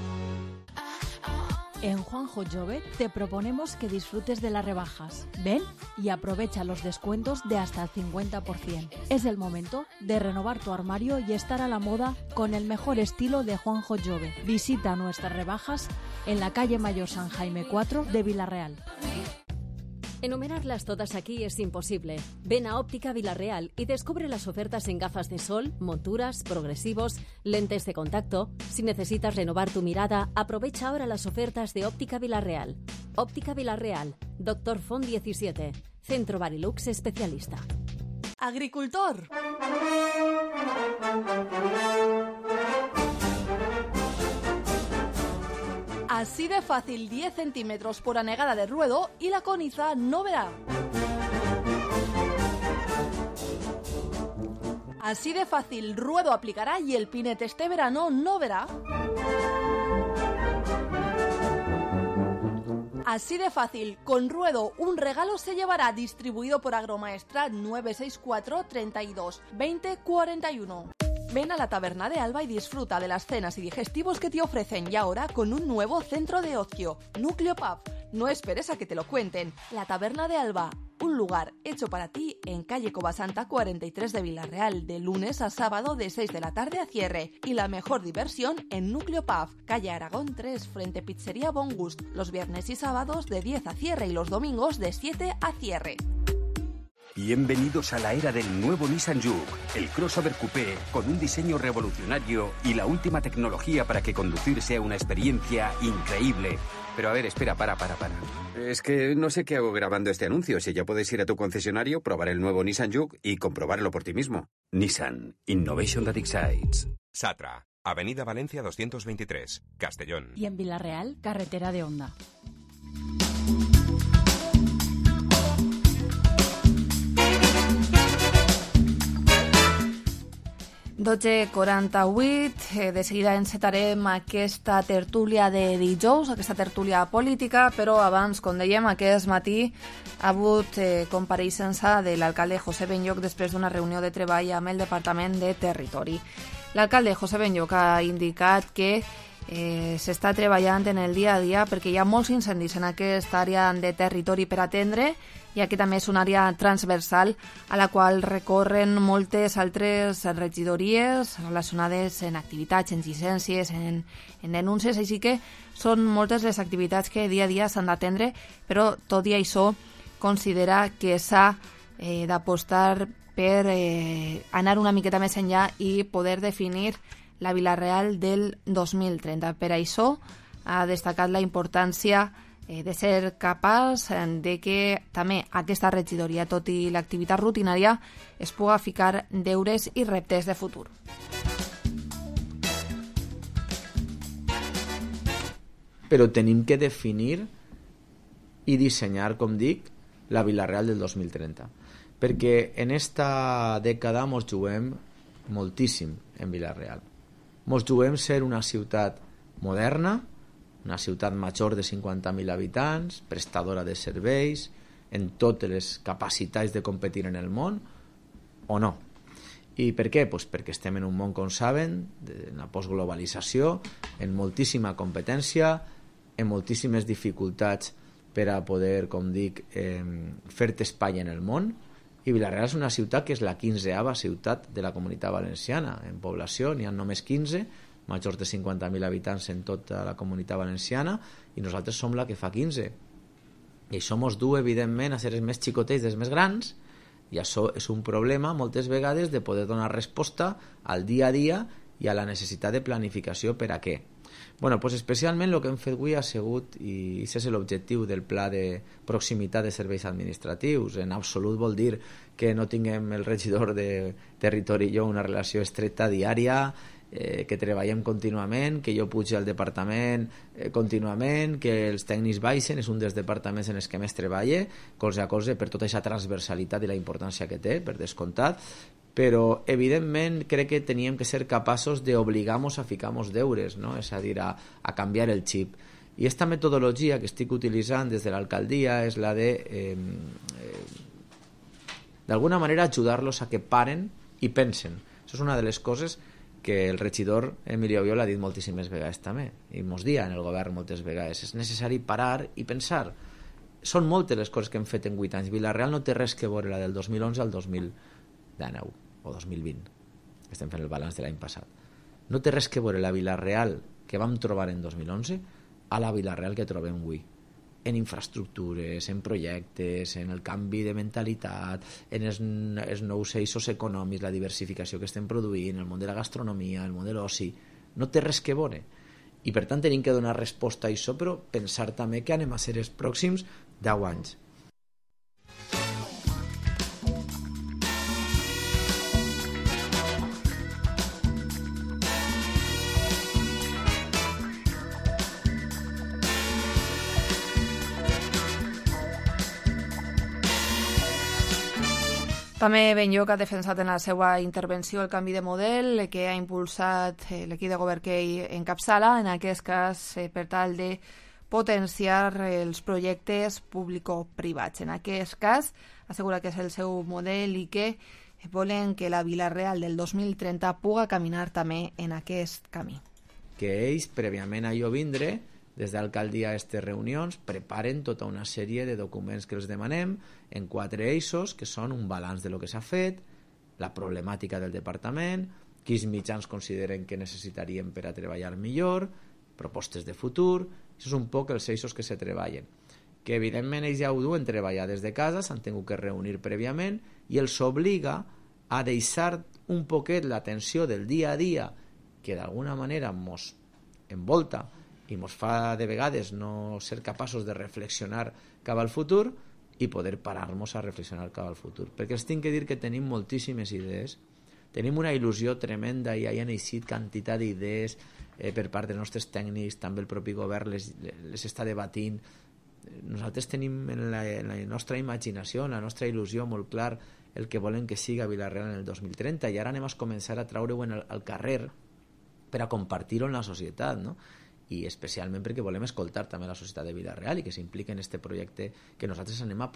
En Juanjo Jove te proponemos que disfrutes de las rebajas. Ven y aprovecha los descuentos de hasta el cincuenta por ciento. Es el momento de renovar tu armario y estar a la moda con el mejor estilo de Juanjo Jove. Visita nuestras rebajas en la calle Mayor San Jaime cuatro de Vila-real. Enumerarlas todas aquí es imposible. Ven a Óptica Vila-real y descubre las ofertas en gafas de sol, monturas, progresivos, lentes de contacto. Si necesitas renovar tu mirada, aprovecha ahora las ofertas de Óptica Vila-real. Óptica Vila-real, Doctor Font diecisiete, Centro Barilux especialista. ¡Agricultor! Así de fácil, diez centímetros por anegada de ruedo y la coniza no verá. Así de fácil, ruedo aplicará y el pinete este verano no verá. Así de fácil, con ruedo un regalo se llevará, distribuido por Agromaestrat nueve seis cuatro treinta y dos veinte cuarenta y uno. Ven a la Taberna de Alba y disfruta de las cenas y digestivos que te ofrecen, y ahora con un nuevo centro de ocio, Núcleo Pub. No esperes a que te lo cuenten. La Taberna de Alba, un lugar hecho para ti en calle Covasanta cuarenta y tres de Vila-real, de lunes a sábado de seis de la tarde a cierre. Y la mejor diversión en Núcleo Pub, calle Aragón tres, frente Pizzería Bon Gust, los viernes y sábados de diez a cierre y los domingos de siete a cierre. Bienvenidos a la era del nuevo Nissan Juke, el crossover coupé con un diseño revolucionario y la última tecnología para que conducir sea una experiencia increíble. Pero a ver, espera, para, para, para. Es que no sé qué hago grabando este anuncio. Si ya puedes ir a tu concesionario, probar el nuevo Nissan Juke y comprobarlo por ti mismo. Nissan, Innovation that excites. Satra, Avenida Valencia doscientos veintitrés, Castellón. Y en Vila-real, carretera de Onda. dotze quaranta-vuit, eh, de seguida encetarem aquesta tertúlia de dijous, aquesta tertúlia política, però abans, com dèiem, aquest matí ha hagut eh, compareixença de l'alcalde José Benlloch després d'una reunió de treball amb el Departament de Territori. L'alcalde José Benlloch ha indicat que eh, s'està treballant en el dia a dia perquè hi ha molts incendis en aquesta àrea de territori per atendre, ja que també és una àrea transversal a la qual recorren moltes altres regidories relacionades en activitats, en llicències, en, en denúncies, així que són moltes les activitats que dia a dia s'han d'atendre, però tot i això considera que s'ha eh, d'apostar per eh, anar una miqueta més enllà i poder definir la Vila-real del dos mil trenta. Per això ha destacat la importància de ser capaç de que també aquesta regidoria, tot i l'activitat rutinària, es puga ficar deures i reptes de futur. Però tenim que definir i dissenyar, com dic, la Vila-real del dos mil trenta. Perquè en esta dècada mos juguem moltíssim en Vila-real. Mos juguem ser una ciutat moderna, una ciutat major de cinquanta mil habitants, prestadora de serveis, en totes les capacitats de competir en el món, o no. I per què? Pues perquè estem en un món, com saben, de la postglobalització, en moltíssima competència, en moltíssimes dificultats per a poder, com dic, eh, fer-te espai en el món, i Vila-real és una ciutat que és la quinzeava ciutat de la Comunitat Valenciana. En població n'hi ha només quinze, majors de cinquanta mil habitants en tota la Comunitat Valenciana, i nosaltres som la que fa quinze. I això mos du, evidentment, a ser els més xicotets dels més grans, i això és un problema, moltes vegades, de poder donar resposta al dia a dia i a la necessitat de planificació per a què. Bueno, pues especialment el que hem fet avui ha sigut, i aquest és l'objectiu del pla de proximitat de serveis administratius. En absolut vol dir que no tinguem el regidor de territori i jo una relació estreta diària, eh, que treballem contínuament, que jo pugi al departament eh, contínuament, que els tècnics baixen, és un dels departaments en els que més treballa, colze a colze, per tota aquesta transversalitat i la importància que té, per descomptat, però evidentment crec que teníem que ser capaços d'obligar-nos a ficar-nos deures, no? És a dir, a, a canviar el xip. I aquesta metodologia que estic utilitzant des de l'alcaldia és la de eh, eh, d'alguna manera ajudar-los a que paren i pensen. Això és una de les coses que el regidor Emilio Oyola ha dit moltíssimes vegades també, i mos dia en el govern moltes vegades. És necessari parar i pensar. Són moltes les coses que hem fet en vuit anys. Vila-real no té res que veure la del dos mil onze al dos mil dinou o dos mil vint. Estem fent el balanç de l'any passat. No té res que veure la Vila-real que vam trobar en dos mil onze a la Vila-real que trobem avui. En infraestructures, en projectes, en el canvi de mentalitat, en els, els nous eixos econòmics, la diversificació que estem produint, el món de la gastronomia, el món de l'oci. No té res que veure. I per tant tenim que donar resposta a això, però pensar també que anem a ser els pròxims deu anys. També Benlloc ha defensat en la seva intervenció el canvi de model que ha impulsat l'equip de govern que ell encapçala, en aquest cas per tal de potenciar els projectes público-privats. En aquest cas assegura que és el seu model i que volen que la Vila-real del dos mil trenta puga caminar també en aquest camí. Que ells, prèviament a jo vindre, des d'alcaldia a aquestes reunions, preparen tota una sèrie de documents que els demanem en quatre eixos, que són un balanç de lo que s'ha fet, la problemàtica del departament, quins mitjans consideren que necessitaríem per a treballar millor, propostes de futur. Això és un poc els eixos que se treballen. Que evidentment ells ja ho duen treballar des de casa, s'han tingut que reunir prèviament i els obliga a deixar un poquet l'atenció del dia a dia que d'alguna manera mos envolta i ens fa de vegades no ser capaços de reflexionar cap al futur i poder parar-nos a reflexionar cap al futur. Perquè els tinc que dir que tenim moltíssimes idees, tenim una il·lusió tremenda i hi ha eixit quantitat d'idees eh, per part dels nostres tècnics, també el propi govern les, les està debatint. Nosaltres tenim en la, en la nostra imaginació, en la nostra il·lusió molt clar el que volen que siga Vila-real en el dos mil trenta, i ara anem a començar a traure-ho al carrer per a compartir-ho en la societat, no? I especialment perquè volem escoltar també la societat de Vila-real i que s'impliqui en aquest projecte que nosaltres anem a,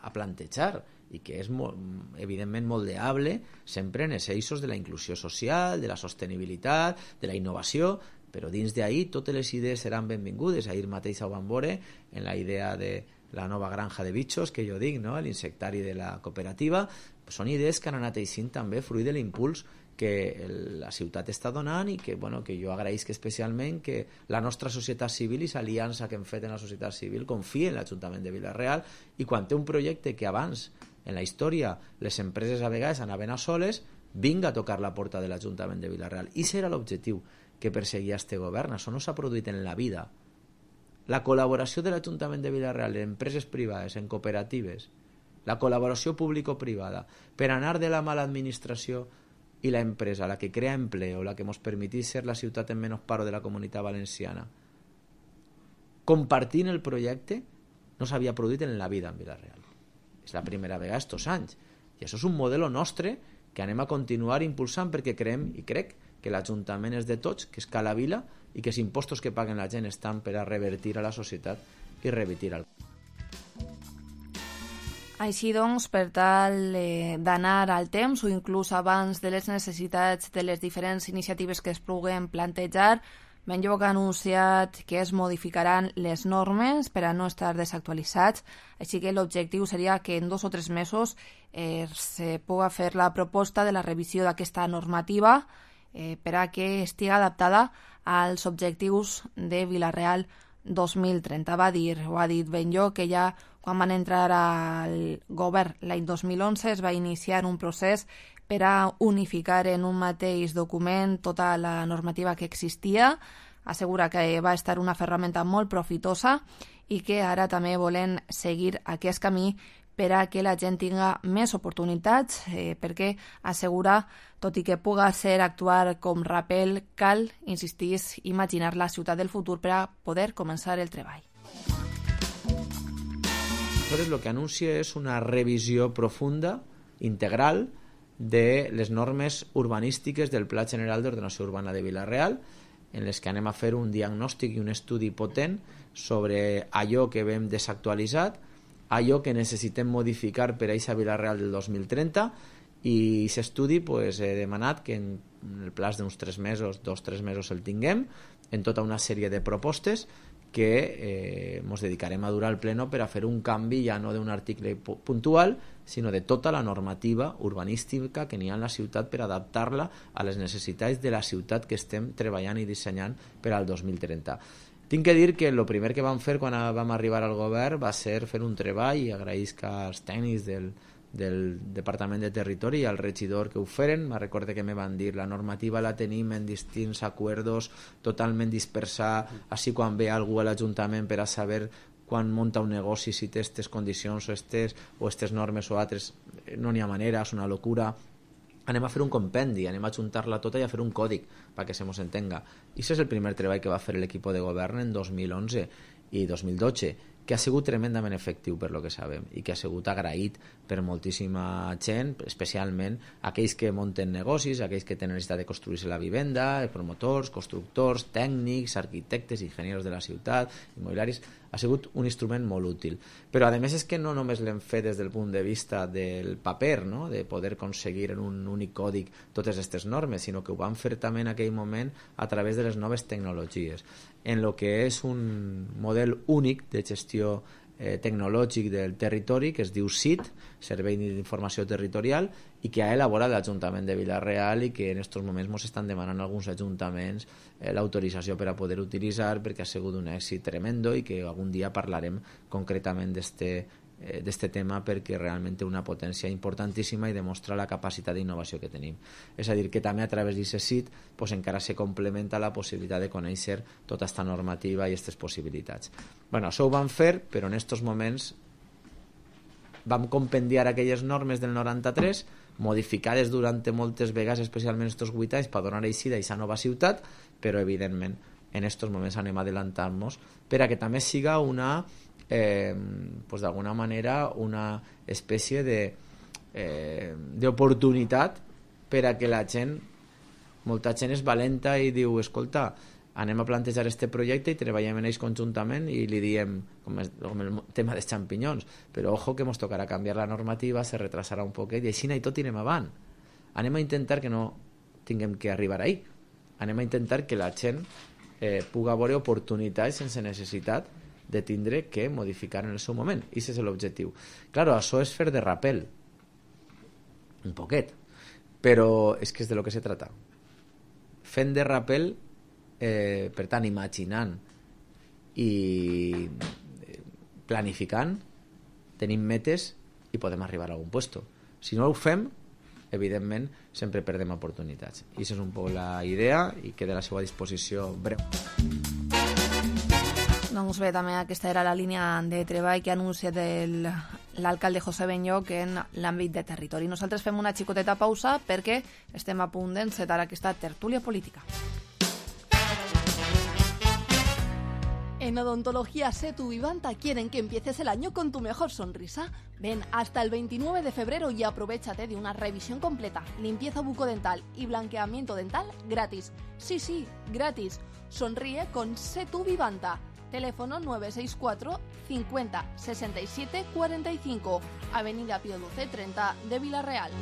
a plantejar i que és molt, evidentment moldeable sempre en els eixos de la inclusió social, de la sostenibilitat, de la innovació, però dins d'ahir totes les idees seran benvingudes. Ahir mateix ho vam veure en la idea de la nova granja de bitxos que jo dic, no? L'insectari de la cooperativa. Són idees que han anat eixint també fruit de l'impuls que la ciutat està donant i que, bueno, que jo agraïsc especialment que la nostra societat civil i l'aliança que hem fet en la societat civil confia en l'Ajuntament de Vila-real, i quan té un projecte que abans en la història les empreses a vegades anaven a soles, vinga a tocar la porta de l'Ajuntament de Vila-real. I serà l'objectiu que perseguia este govern. Això no s'ha produït en la vida. La col·laboració de l'Ajuntament de Vila-real en empreses privades, en cooperatives, la col·laboració público-privada per anar de la mala administració i la empresa, la que crea empleo, la que ens permetís ser la ciutat en menys paro de la comunitat valenciana, compartint el projecte, no s'havia produït en la vida en Vila-real. És la primera vegada estos anys. I això és un model nostre que anem a continuar impulsant perquè creiem i crec que l'Ajuntament és de tots, que és ca la vila i que els impostos que paguen la gent estan per a revertir a la societat i revertir al Així doncs, per tal eh, d'anar al temps o inclús abans de les necessitats de les diferents iniciatives que es puguen plantejar, Benlloc ha anunciat que es modificaran les normes per a no estar desactualitzats, així que l'objectiu seria que en dos o tres mesos eh, se pugui fer la proposta de la revisió d'aquesta normativa eh, per a que estigui adaptada als objectius de Vila-real dos mil trenta. Va dir, ho ha dit Benlloc, que ja quan van entrar al govern l'any dos mil onze es va iniciar un procés per a unificar en un mateix document tota la normativa que existia. Assegura que va estar una ferramenta molt profitosa i que ara també volen seguir aquest camí per a que la gent tinga més oportunitats, eh, perquè assegura, tot i que puga ser actuar com Rappel, cal, insistís, imaginar la ciutat del futur per a poder començar el treball. Entonces, lo que anuncia es una revisió profunda, integral, de les normes urbanístiques del Pla General d'Ordenació Urbana de Vila-real, en les que anem a fer un diagnòstic i un estudi potent sobre allò que vam desactualitzat, allò que necessitem modificar per a aquesta Vila-real del dos mil trenta, i aquest estudi pues, he demanat que en el plaç d'uns tres mesos, dos o tres mesos el tinguem, en tota una sèrie de propostes que ens eh, dedicarem a durar al pleno per a fer un canvi ja no d'un article puntual, sinó de tota la normativa urbanística que n'hi ha en la ciutat per adaptar-la a les necessitats de la ciutat que estem treballant i dissenyant per al dos mil trenta. Tinc que dir que el primer que vam fer quan vam arribar al govern va ser fer un treball, i agraïsc als tècnics del, del Departament de Territori i al regidor que ho feren. Me recorde que me van dir la normativa la tenim en distints acuerdos totalment dispersada, així quan ve algú a l'Ajuntament per a saber quan munta un negoci si té aquestes condicions o aquestes o aquestes normes o altres, no n'hi ha manera, és una locura. Anem a fer un compendi, anem a juntar-la tota i a fer un còdic perquè se mos entenga. I això és el primer treball que va fer l'equip de govern en dos mil onze i dos mil dotze, que ha sigut tremendament efectiu per lo que sabem i que ha sigut agraït per moltíssima gent, especialment aquells que munten negocis, aquells que tenen necessitat de construir-se la vivenda, promotors, constructors, tècnics, arquitectes, enginyers de la ciutat, immobiliaris. Ha sigut un instrument molt útil. Però a més és que no només l'hem fet des del punt de vista del paper, no? De poder aconseguir en un únic còdic totes aquestes normes, sinó que ho vam fer també en aquell moment a través de les noves tecnologies, en lo que és un model únic de gestió eh, tecnològic del territori que es diu S I T, Servei d'Informació Territorial, i que ha elaborat l'Ajuntament de Vila-real i que en aquests moments ens estan demanant alguns ajuntaments eh, l'autorització per a poder utilitzar, perquè ha sigut un èxit tremendo i que algun dia parlarem concretament d'este eh, d'este tema, perquè realment té una potència importantíssima i demostra la capacitat d'innovació que tenim. És a dir, que també a través d'aquest S I T pues, encara se complementa la possibilitat de conèixer tota aquesta normativa i aquestes possibilitats. Bueno, això ho vam fer, però en aquests moments vam compendiar aquelles normes del noranta-tres, modificades durant moltes vegades, especialment aquests vuit anys, per donar eixida a aquesta nova ciutat, però evidentment en aquests moments anem adelantant-nos per a que també siga una eh, pues d'alguna manera una espècie de eh, d'oportunitat per a que la gent, molta gent és valenta i diu, escolta, anem a plantejar este projecte i treballem en ells conjuntament i li diem, com, és, com el tema dels xampinyons, però ojo que ens tocarà canviar la normativa, se retrasarà un poquet i així i tot anirem avant. Anem a intentar que no tinguem que arribar ahí. Anem a intentar que la gent eh, puga veure oportunitats sense necessitat de tindre que modificar en el seu moment. I aquest és l'objectiu. Claro, això és fer de Rappel. Un poquet. Però és que és de lo que se trata. Fent de Rappel, eh, per tant, imaginant i planificant, tenim metes i podem arribar a algun puesto. Si no ho fem, evidentment, sempre perdem oportunitats. I això és un poc la idea i queda a la seva disposició breu. Doncs bé, també aquesta era la línia de treball que ha anunciat el, l'alcalde José Benlloch en l'àmbit de territori. Nosaltres fem una xicoteta pausa perquè estem a punt d'encetar aquesta tertúlia política. En Odontología Setu Vivanta quieren que empieces el año con tu mejor sonrisa. Ven hasta el veintinueve de febrero y aprovéchate de una revisión completa, limpieza bucodental y blanqueamiento dental gratis. Sí, sí, gratis. Sonríe con Setu Vivanta. Teléfono nueve seis cuatro cincuenta sesenta y siete cuarenta y cinco, Avenida Pío doce treinta de Vila-real.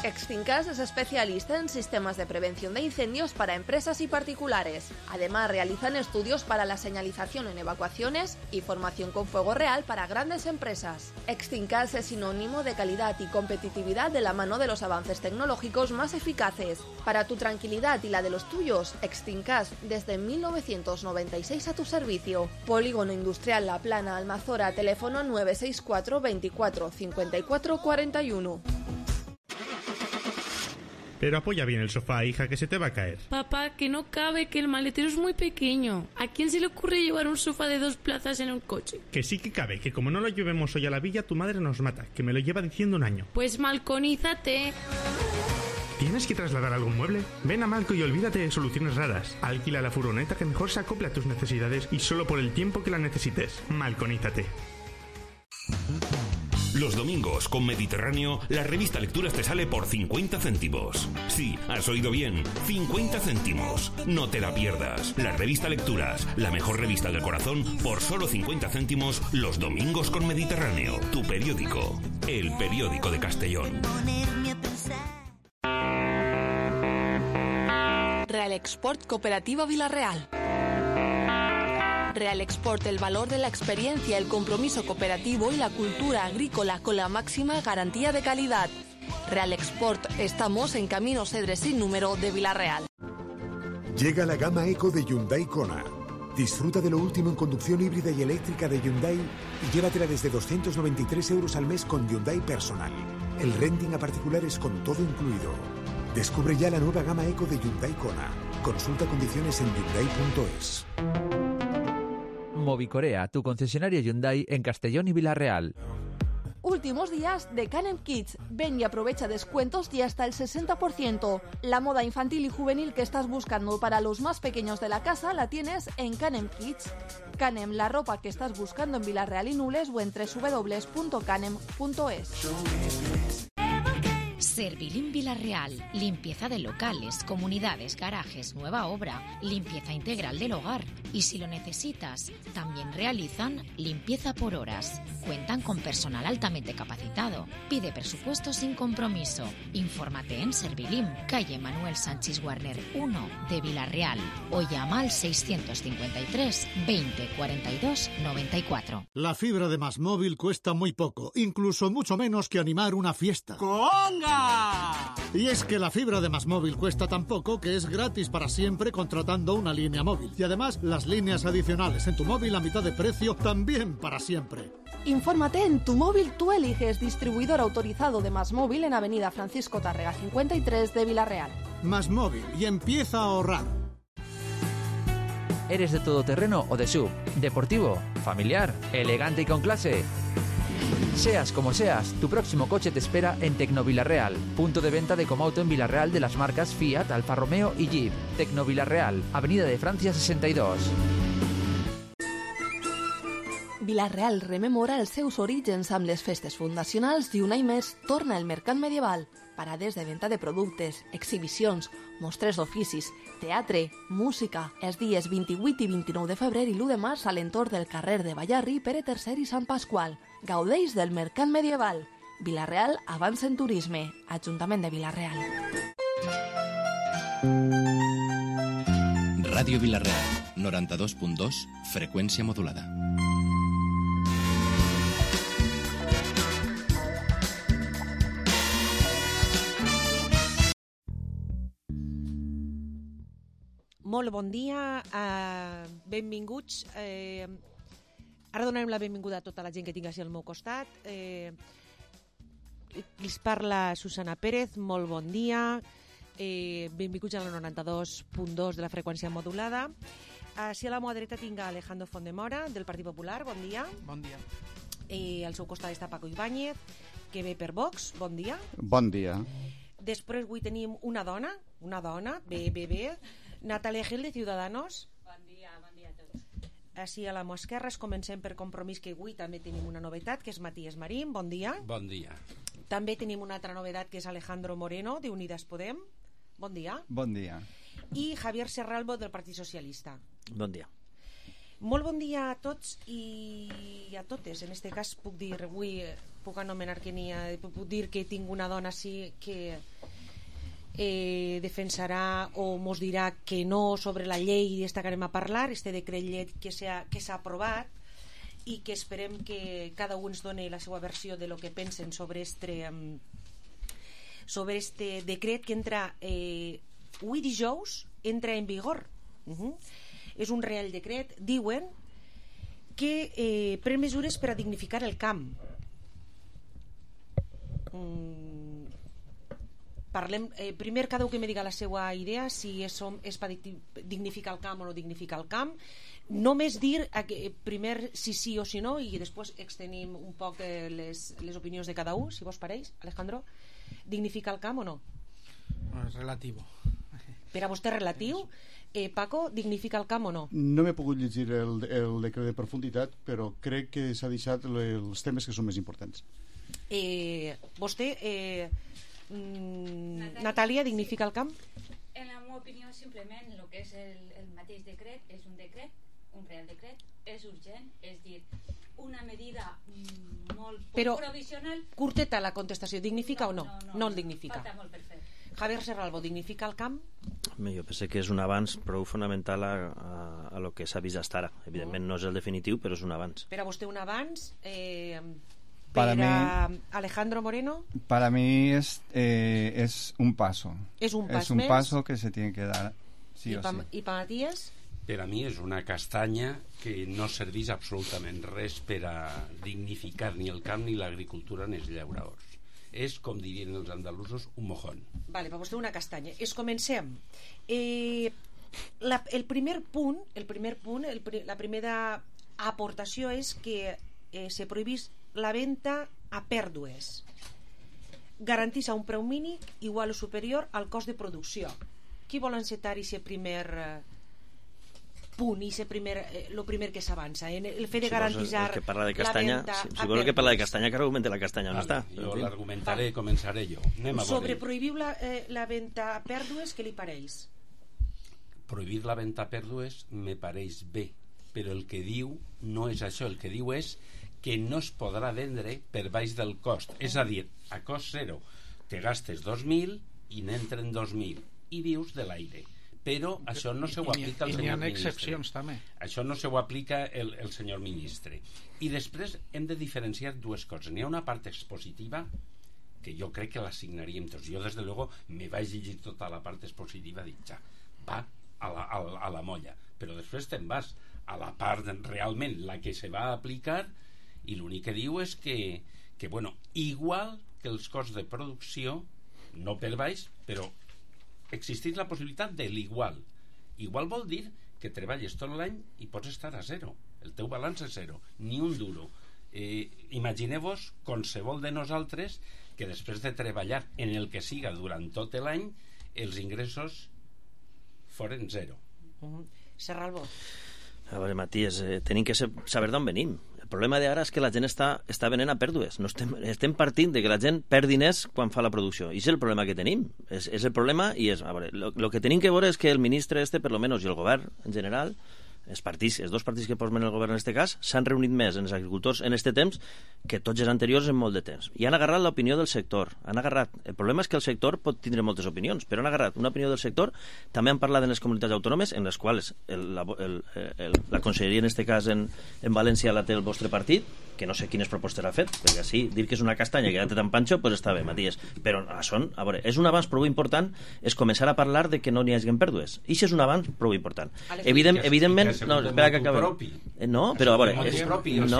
Extincas es especialista en sistemas de prevención de incendios para empresas y particulares. Además, realizan estudios para la señalización en evacuaciones y formación con fuego real para grandes empresas. Extincas es sinónimo de calidad y competitividad de la mano de los avances tecnológicos más eficaces. Para tu tranquilidad y la de los tuyos, Extincas desde mil novecientos noventa y seis a tu servicio. Polígono Industrial La Plana, Almazora, teléfono nueve seis cuatro veinticuatro cincuenta y cuatro cuarenta y uno. Pero apoya bien el sofá, hija, que se te va a caer. Papá, que no cabe, que el maletero es muy pequeño. ¿A quién se le ocurre llevar un sofá de dos plazas en un coche? Que sí que cabe, que como no lo llevemos hoy a la villa, tu madre nos mata, que me lo lleva diciendo un año. Pues malconízate. ¿Tienes que trasladar algún mueble? Ven a Malco y olvídate de soluciones raras. Alquila la furgoneta que mejor se acople a tus necesidades y solo por el tiempo que la necesites. Malconízate. Los domingos con Mediterráneo, la revista Lecturas te sale por cincuenta céntimos. Sí, has oído bien, cincuenta céntimos. No te la pierdas. La revista Lecturas, la mejor revista del corazón, por solo cincuenta céntimos los domingos con Mediterráneo. Tu periódico, el periódico de Castellón. Real Export Cooperativa Villarreal. Real Export, el valor de la experiencia, el compromiso cooperativo y la cultura agrícola con la máxima garantía de calidad. Real Export, estamos en Camino Cedres sin número de Villarreal. Llega la gama Eco de Hyundai Kona. Disfruta de lo último en conducción híbrida y eléctrica de Hyundai y llévatela desde doscientos noventa y tres euros al mes con Hyundai Personal. El renting a particulares con todo incluido. Descubre ya la nueva gama Eco de Hyundai Kona. Consulta condiciones en hyundai punto es. Movicorea, tu concesionario Hyundai en Castellón y Villarreal. Últimos días de Canem Kids. Ven y aprovecha descuentos y hasta el sesenta por ciento. La moda infantil y juvenil que estás buscando para los más pequeños de la casa la tienes en Canem Kids. Canem, la ropa que estás buscando en Villarreal y Nules o en doble u doble u doble u punto canem punto es. Servilim Villarreal, limpieza de locales, comunidades, garajes, nueva obra, limpieza integral del hogar. Y si lo necesitas, también realizan limpieza por horas. Cuentan con personal altamente capacitado. Pide presupuesto sin compromiso. Infórmate en Servilim, calle Manuel Sánchez Warner uno de Villarreal o llama al seiscientos cincuenta y tres veinte cuarenta y dos noventa y cuatro. La fibra de MásMóvil cuesta muy poco, incluso mucho menos que animar una fiesta. ¡Conga! Y es que la fibra de MásMóvil cuesta tan poco que es gratis para siempre contratando una línea móvil. Y además, las líneas adicionales en tu móvil a mitad de precio también para siempre. Infórmate en Tu Móvil Tú Eliges, distribuidor autorizado de MásMóvil en Avenida Francisco Tárrega cincuenta y tres de Villarreal. MásMóvil, y empieza a ahorrar. ¿Eres de todoterreno o de sub? ¿Deportivo? ¿Familiar? ¿Elegante y con clase? Seas como seas, tu próximo coche te espera en Tecnovillarreal, punto de venta de Comauto en Villarreal de las marcas Fiat, Alfa Romeo y Jeep. Tecnovillarreal, Avenida de Francia sesenta y dos. Villarreal rememora els seus orígens amb les festes fundacionals i un any més torna el mercat medieval. Parades de venda de productes, exhibicions, mostres d'oficis, teatre, música. Els dies vint-i-vuit i vint-i-nou de febrer i l'u de març a l'entorn del carrer de Ballarri, Pere tercer i Sant Pasqual. Gaudeix del mercat medieval. Villarreal avança en turisme. Ajuntament de Villarreal. Ràdio Villarreal, noranta-dos punt dos, freqüència modulada. Molt bon dia, uh, benvinguts. Eh, ara donarem la benvinguda a tota la gent que tinc així al meu costat. Eh, els parla Susana Pérez, molt bon dia. Eh, benvinguts a la noranta-dos punt dos de la freqüència modulada. Així a la meva dreta tinc a Alejandro Fondemora, del Partit Popular, bon dia. Bon dia. Eh, al seu costat està Paco Ibáñez, que ve per Vox, bon dia. Bon dia. Després avui tenim una dona, una dona, bé, bé, bé, Natalia Gil, de Ciudadanos. Bon dia, bon dia a tots. Així a la meva esquerra comencem per Compromís, que avui també tenim una novetat, que és Matías Marín, bon dia. Bon dia. També tenim una altra novetat, que és Alejandro Moreno, de Unidas Podem, bon dia. Bon dia. I Javier Serralbo, del Partit Socialista. Bon dia. Molt bon dia a tots i a totes. En este cas puc dir, avui puc anomenar que n'hi ha, puc dir que tinc una dona sí que eh, defensarà o mos dirà que no sobre la llei d'esta que anem a parlar, este decret llei que s'ha que s'ha aprovat i que esperem que cada un ens doni la seva versió de lo que pensen sobre este sobre este decret que entra eh, avui dijous entra en vigor. Uh-huh. És un real decret, diuen que eh, pren mesures per a dignificar el camp. Mm, parlem, eh, primer cada un que me diga la seva idea, si és, és per dignificar el camp o no dignificar el camp. Només dir eh, primer si sí o si no, i després extenim un poc eh, les, les opinions de cada un, si vos pareix. Alejandro, dignificar el camp o no? És relatiu. Per a vostè relatiu. Eh, Paco, dignifica el camp o no? No m'he pogut llegir el, el decret de profunditat, però crec que s'ha deixat els temes que són més importants. Eh, vostè, eh, mm, Natàlia, dignifica el camp? En la meva opinió, simplement, el que és el, el mateix decret és un decret, un real decret, és urgent, és dir, una medida mm, molt però, provisional. Curteta la contestació, dignifica no, o no? No, no, no, no el dignifica. Falta molt per fer. Javier Serralvo, dignifica el camp? Jo penso que és un avanç prou fonamental a, a, a lo que s'ha vist fins ara. Evidentment no és el definitiu, però és un avanç. Per a vostè un avanç? Eh, per para a mí, Alejandro Moreno? Para mí es, eh, es un paso. Es un pas Es un més? paso que se tiene que dar, sí I o pa, sí. I per Matías? Per a mi és una castanya que no serveix absolutament res per a dignificar ni el camp ni l'agricultura ni els llauradors. És, com dirien els andalusos, un mojón. Vale, per vostè una castanya. Es comencem. Eh, la, el primer punt, el primer punt, el, la primera aportació és que eh, se prohibís la venda a pèrdues. Garantís a un preu mínim igual o superior al cost de producció. Qui vol encetar aquest primer eh, punt, i el primer, eh, lo primer que s'avança en el fet de garantitzar si que parla de castanya, la venda si, si vol que parla de castanya, que argumente la castanya on vale, està. Jo l'argumentaré, començaré jo. Anem a sobre prohibir la, eh, la venda a pèrdues, què li pareix? Prohibir la venda a pèrdues me pareix bé, però el que diu no és això, el que diu és que no es podrà vendre per baix del cost, és a dir, a cost zero te gastes dos mil i n'entren dos mil i vius de l'aire, però això no se ho aplica al senyor ministre. I n'hi ha excepcions també. Això no se ho aplica el, el senyor ministre. I després hem de diferenciar dues coses. N'hi ha una part expositiva que jo crec que l'assignaríem tots. Jo, des de luego, me vaig llegir tota la part expositiva, dic, ja, va a la, a, la, a la molla. Però després te'n vas a la part realment, la que se va aplicar, i l'únic que diu és que, que bueno, igual que els costs de producció, no per baix, però existeix la possibilitat de l'igual. Igual vol dir que treballes tot l'any i pots estar a zero. El teu balanç és zero, ni un duro. Eh, imagineu-vos qualsevol de nosaltres que després de treballar en el que siga durant tot l'any, els ingressos foren zero. Uh-huh. Serralvo. A veure, Matías, eh, tenim que saber d'on venim. El problema d'ara és que la gent està, està venent a pèrdues. No estem, estem partint de que la gent perd diners quan fa la producció. I és el problema que tenim. És, és el problema i és... A veure, el que tenim que veure és que el ministre este, per lo menos, i el govern en general, els partits, els dos partits que formen el govern en aquest cas, s'han reunit més en els agricultors en aquest temps que tots els anteriors en molt de temps. I han agarrat l'opinió del sector. Han agarrat... El problema és que el sector pot tindre moltes opinions, però han agarrat una opinió del sector. També han parlat en les comunitats autònomes, en les quals el, la, el, el, la conselleria, en aquest cas en, en València, la té el vostre partit, que no sé quines propostes ha fet, perquè així dir que és una castanya que ja té tan panxo, pues està bé, Matías. Però són, a veure, és un avanç prou important, és començar a parlar de que no n'hi hagi pèrdues. I això és un avanç prou important. Evident, evidentment, no, espera que acabi. No, però a veure, és, no, no,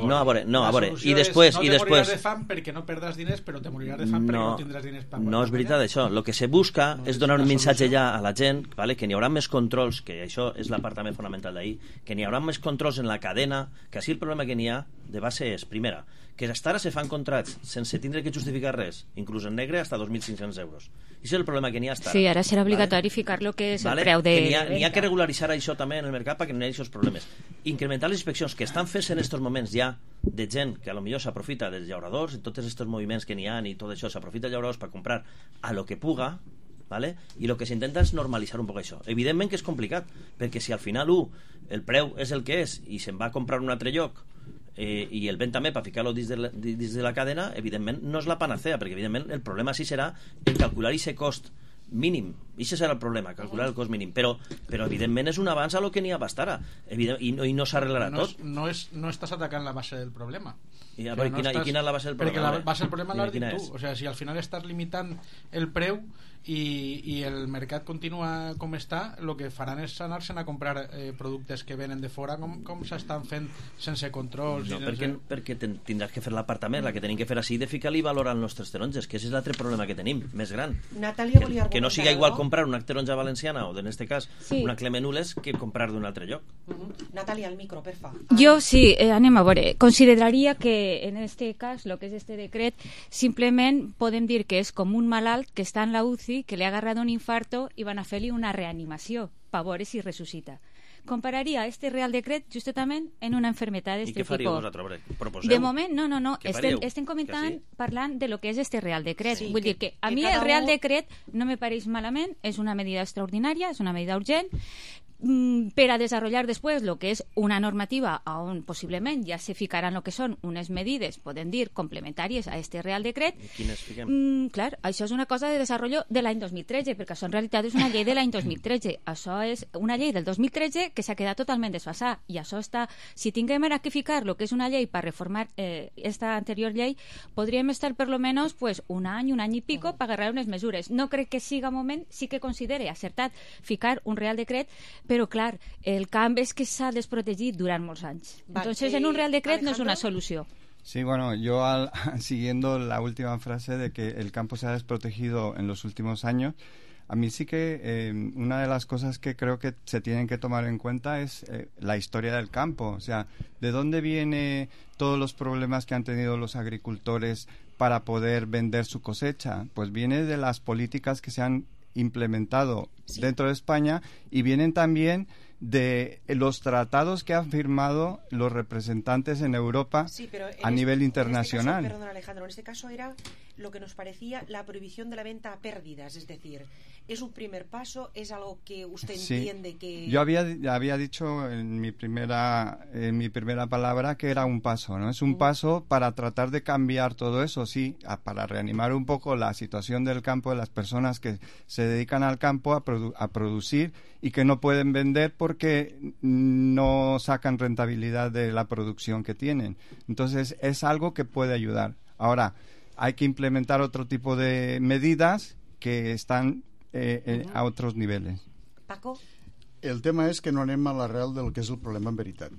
no, a veure, no, a veure, i després, i després. No te moriràs de fam perquè no perdràs diners, però te moriràs de fam perquè no tindràs diners per no és veritat això. El que se busca és donar un missatge ja a la gent, vale, que n'hi haurà més controls, que això és la part també fonamental d'ahir, que n'hi haurà més controls en la cadena, que així el problema que n'hi ha de base és, primera, que fins ara se fan contrats sense tindre que justificar res, inclús en negre, hasta dos mil cinc-cents euros. I això és el problema que n'hi ha hasta ara. Sí, ara serà obligatori vale? Ficar lo que és vale? El preu de... N'hi ha, n'hi ha que regularitzar això també en el mercat perquè no hi hagi aquests problemes. Incrementar les inspeccions que estan fent en aquests moments ja de gent que a lo millor s'aprofita dels llauradors, i tots aquests moviments que n'hi ha i tot això, s'aprofita dels llauradors per comprar a lo que puga, ¿vale? I el que s'intenta és normalitzar un poc això. Evidentment que és complicat, perquè si al final u, el preu és el que és i se'n va a comprar un altre lloc eh, i el ven també per ficar-lo dins de, la, dins de la cadena, evidentment no és la panacea, perquè evidentment el problema sí serà el calcular aquest cost mínim Això serà el problema, calcular el cost mínim. Però, però evidentment, és un avanç a lo que n'hi ha bastarà. Evident, I no, i no s'arreglarà no tot. És, no, és, no estàs atacant la base del problema. I, a veure, no quina, estàs... I quina és la base del problema? Perquè la base del problema l'has dit tu. És? O sea, si al final estàs limitant el preu i, i el mercat continua com està, el que faran és anar-se'n a comprar eh, productes que venen de fora com, com s'estan fent sense controls. No, i perquè, sense... perquè ten, tindràs que fer l'apartament, la que tenim que fer així de ficar-li valor als nostres taronges, que és l'altre problema que tenim, més gran. Natàlia que, volia que no siga igual no? comprar una taronja valenciana o, en este cas, sí. una Clemenules que comprar d'un altre lloc. Uh -huh. Natàlia, al micro, per fa. Jo sí, eh, anem a veure. Consideraria que en este cas, lo que és este decret, simplement podem dir que és com un malalt que està en la U C I, que li ha agarrat un infarto i van a fer-li una reanimació per veure si ressuscita. Compararia este Real Decret justament en una enfermedad d'este tipus. I què faríeu vosaltres? Proposeu? De moment, no, no, no. Estem, estem comentant, sí? parlant de lo que és este Real Decret. Sí, Vull que, dir que a que mi el Real un... Decret no me pareix malament, és una medida extraordinària, és una medida urgent, per a desenvolupar després el que és una normativa on possiblement ja se ficaran el que són unes medides, podem dir, complementàries a este Real Decret. I quines fiquem? Mm, clar, això és una cosa de desenvolupament de l'any dos mil tretze, perquè això en realitat és una llei de l'any dos mil tretze. Això és una llei del dos mil tretze que s'ha quedat totalment desfasada, i això està... Si tinguem ara que ficar el que és una llei per reformar eh, esta anterior llei, podríem estar per lo menos pues, un any, un any i pico per agarrar unes mesures. No crec que siga moment, sí que considere acertat ficar un Real Decret, però clar, el camp és que s'ha desprotegit durant molts anys. Vale. Entonces, en un Real Decret Alejandro? No es una solució. Sí, bueno, yo al, siguiendo la última frase de que el campo se ha desprotegido en los últimos años, a mí sí que eh, una de las cosas que creo que se tienen que tomar en cuenta es eh, la historia del campo. O sea, ¿de dónde vienen todos los problemas que han tenido los agricultores para poder vender su cosecha? Pues viene de las políticas que se han implementado sí. dentro de España, y vienen también de los tratados que han firmado los representantes en Europa sí, pero en a este, nivel internacional. En este caso, perdón, Alejandro, en este caso era lo que nos parecía la prohibición de la venta a pérdidas, es decir, es un primer paso, es algo que usted sí. entiende que... Yo había, había dicho en mi primera en mi primera palabra que era un paso, ¿no? Es un uh-huh. paso para tratar de cambiar todo eso, sí, a, para reanimar un poco la situación del campo, de las personas que se dedican al campo a, produ- a producir y que no pueden vender porque no sacan rentabilidad de la producción que tienen. Entonces, es algo que puede ayudar. Ahora, hay que implementar otro tipo de medidas que están eh, eh, a otros niveles. Paco? El tema és que no anem a l'arrel del que és el problema en veritat.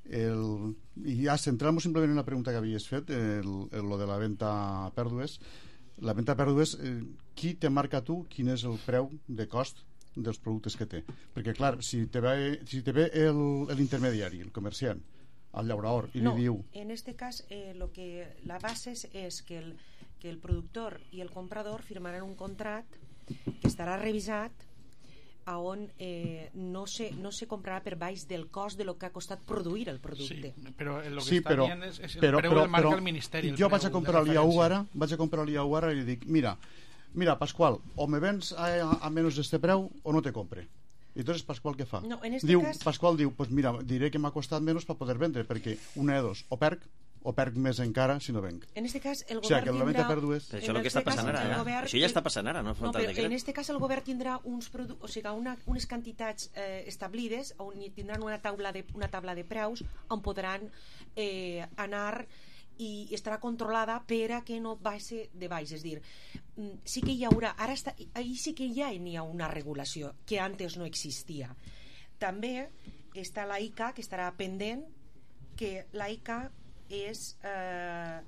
El, I ja centrant-nos simplement en la pregunta que havies fet, el, el, lo de la venda a pèrdues. La venda a pèrdues, eh, qui te marca tu quin és el preu de cost dels productes que té? Perquè, clar, si te ve, si te ve el, l'intermediari, el comerciant, al llaurador, i no, li diu... en este cas, eh, lo que, la base és, és que, el, que el productor i el comprador firmaran un contracte que estarà revisat a on eh, no, se, no se comprarà per baix del cost de lo que ha costat produir el producte. Sí, però el que sí, està però, dient és, és el però, preu però, del marca però, el Ministeri. Jo vaig a comprar l'I A U ara, vaig a comprar l'I A U ara i li dic, mira, mira, Pascual, o me vens a, a, a menos d'este preu o no te compre. I entonces Pascual què fa? No, en este diu, cas... Pascual diu, pues mira, diré que m'ha costat menys per poder vendre, perquè una de dos, o perc, o perc més encara si no venc. En este cas el o sigui, govern que tindrà... Pèrdues... Però això és el que està passant ara, eh? Govern... Això ja està passant ara, no no, però en este cas el govern tindrà uns produ... o sigui, una, unes quantitats eh, establides, on tindran una taula de, una taula de preus on podran eh, anar i estarà controlada per a que no baixi de baix, és dir, sí que hi haurà, ara està, ahí sí que ja n'hi ha una regulació que antes no existia. També està la I C A, que estarà pendent, que la I C A és eh,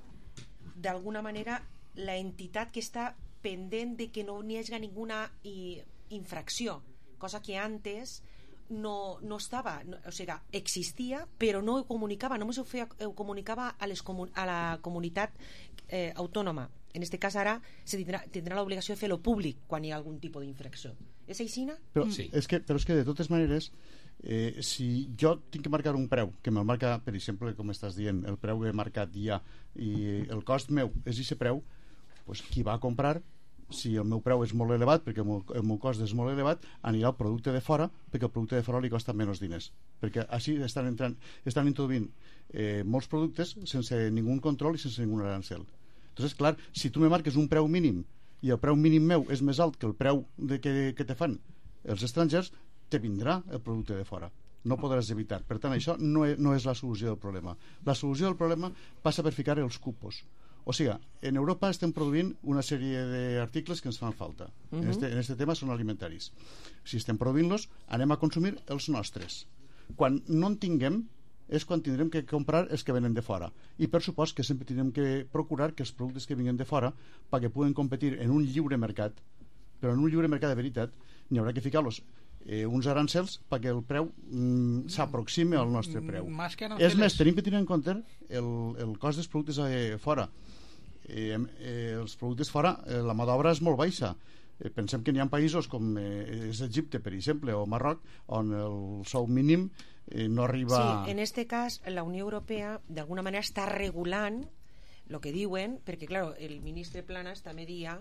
d'alguna manera la entitat que està pendent de que no n'hi hagi ninguna i, infracció, cosa que antes no, no estava, no, o sigui, existia però no ho comunicava, només ho, feia, ho comunicava a, les comun, a la comunitat eh, autònoma. En aquest cas ara se tindrà, tindrà l'obligació de fer-lo públic quan hi ha algun tipus d'infracció. És així? Però, sí. és que, però és que de totes maneres eh, si jo tinc que marcar un preu que me'l marca, per exemple, com estàs dient, el preu que he marcat ja i el cost meu és aquest preu, doncs qui va a comprar, si el meu preu és molt elevat perquè el meu, el meu cost és molt elevat, anirà al producte de fora perquè el producte de fora li costa menys diners, perquè així estan, entrant, estan introduint eh, molts productes sense ningú control i sense ningú arancel. Entonces, clar, si tu me marques un preu mínim i el preu mínim meu és més alt que el preu de que, que te fan els estrangers, te vindrà el producte de fora. No podràs evitar. Per tant, això no és, no és la solució del problema. La solució del problema passa per ficar els cupos. O sigui, en Europa estem produint una sèrie d'articles que ens fan falta. Uh-huh. En, este, en este tema són alimentaris. Si estem produint-los, anem a consumir els nostres. Quan no en tinguem, és quan tindrem que comprar els que venen de fora. I per supost que sempre tindrem que procurar que els productes que vinguen de fora, perquè puguen competir en un lliure mercat, però en un lliure mercat de veritat, n'hi haurà que ficar-los eh, uns arancels perquè el preu mm, s'aproxime al nostre preu. És més, tenim que tenir en compte el, el cost dels productes eh, fora. Eh, eh, els productes fora, eh, la mà d'obra és molt baixa. Eh, pensem que n'hi ha països com eh, és Egipte, per exemple, o Marroc, on el sou mínim eh, no arriba... Sí, en este cas, la Unió Europea d'alguna manera està regulant el que diuen, perquè, clar, el ministre Planas també dia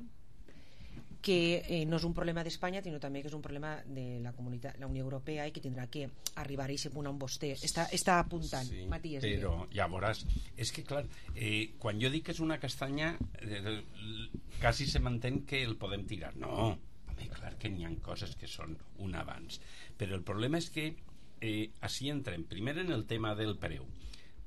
que eh, no és un problema d'Espanya, sinó també que és un problema de la comunitat, la Unió Europea, i que tindrà que arribar a aquest punt on vostè està, està apuntant. Sí, Matías, però llavors, és que clar, eh, quan jo dic que és una castanya, eh, quasi se m'entén que el podem tirar. No, home, clar que n'hi ha coses que són un avanç, però el problema és que eh, així entrem, primer en el tema del preu,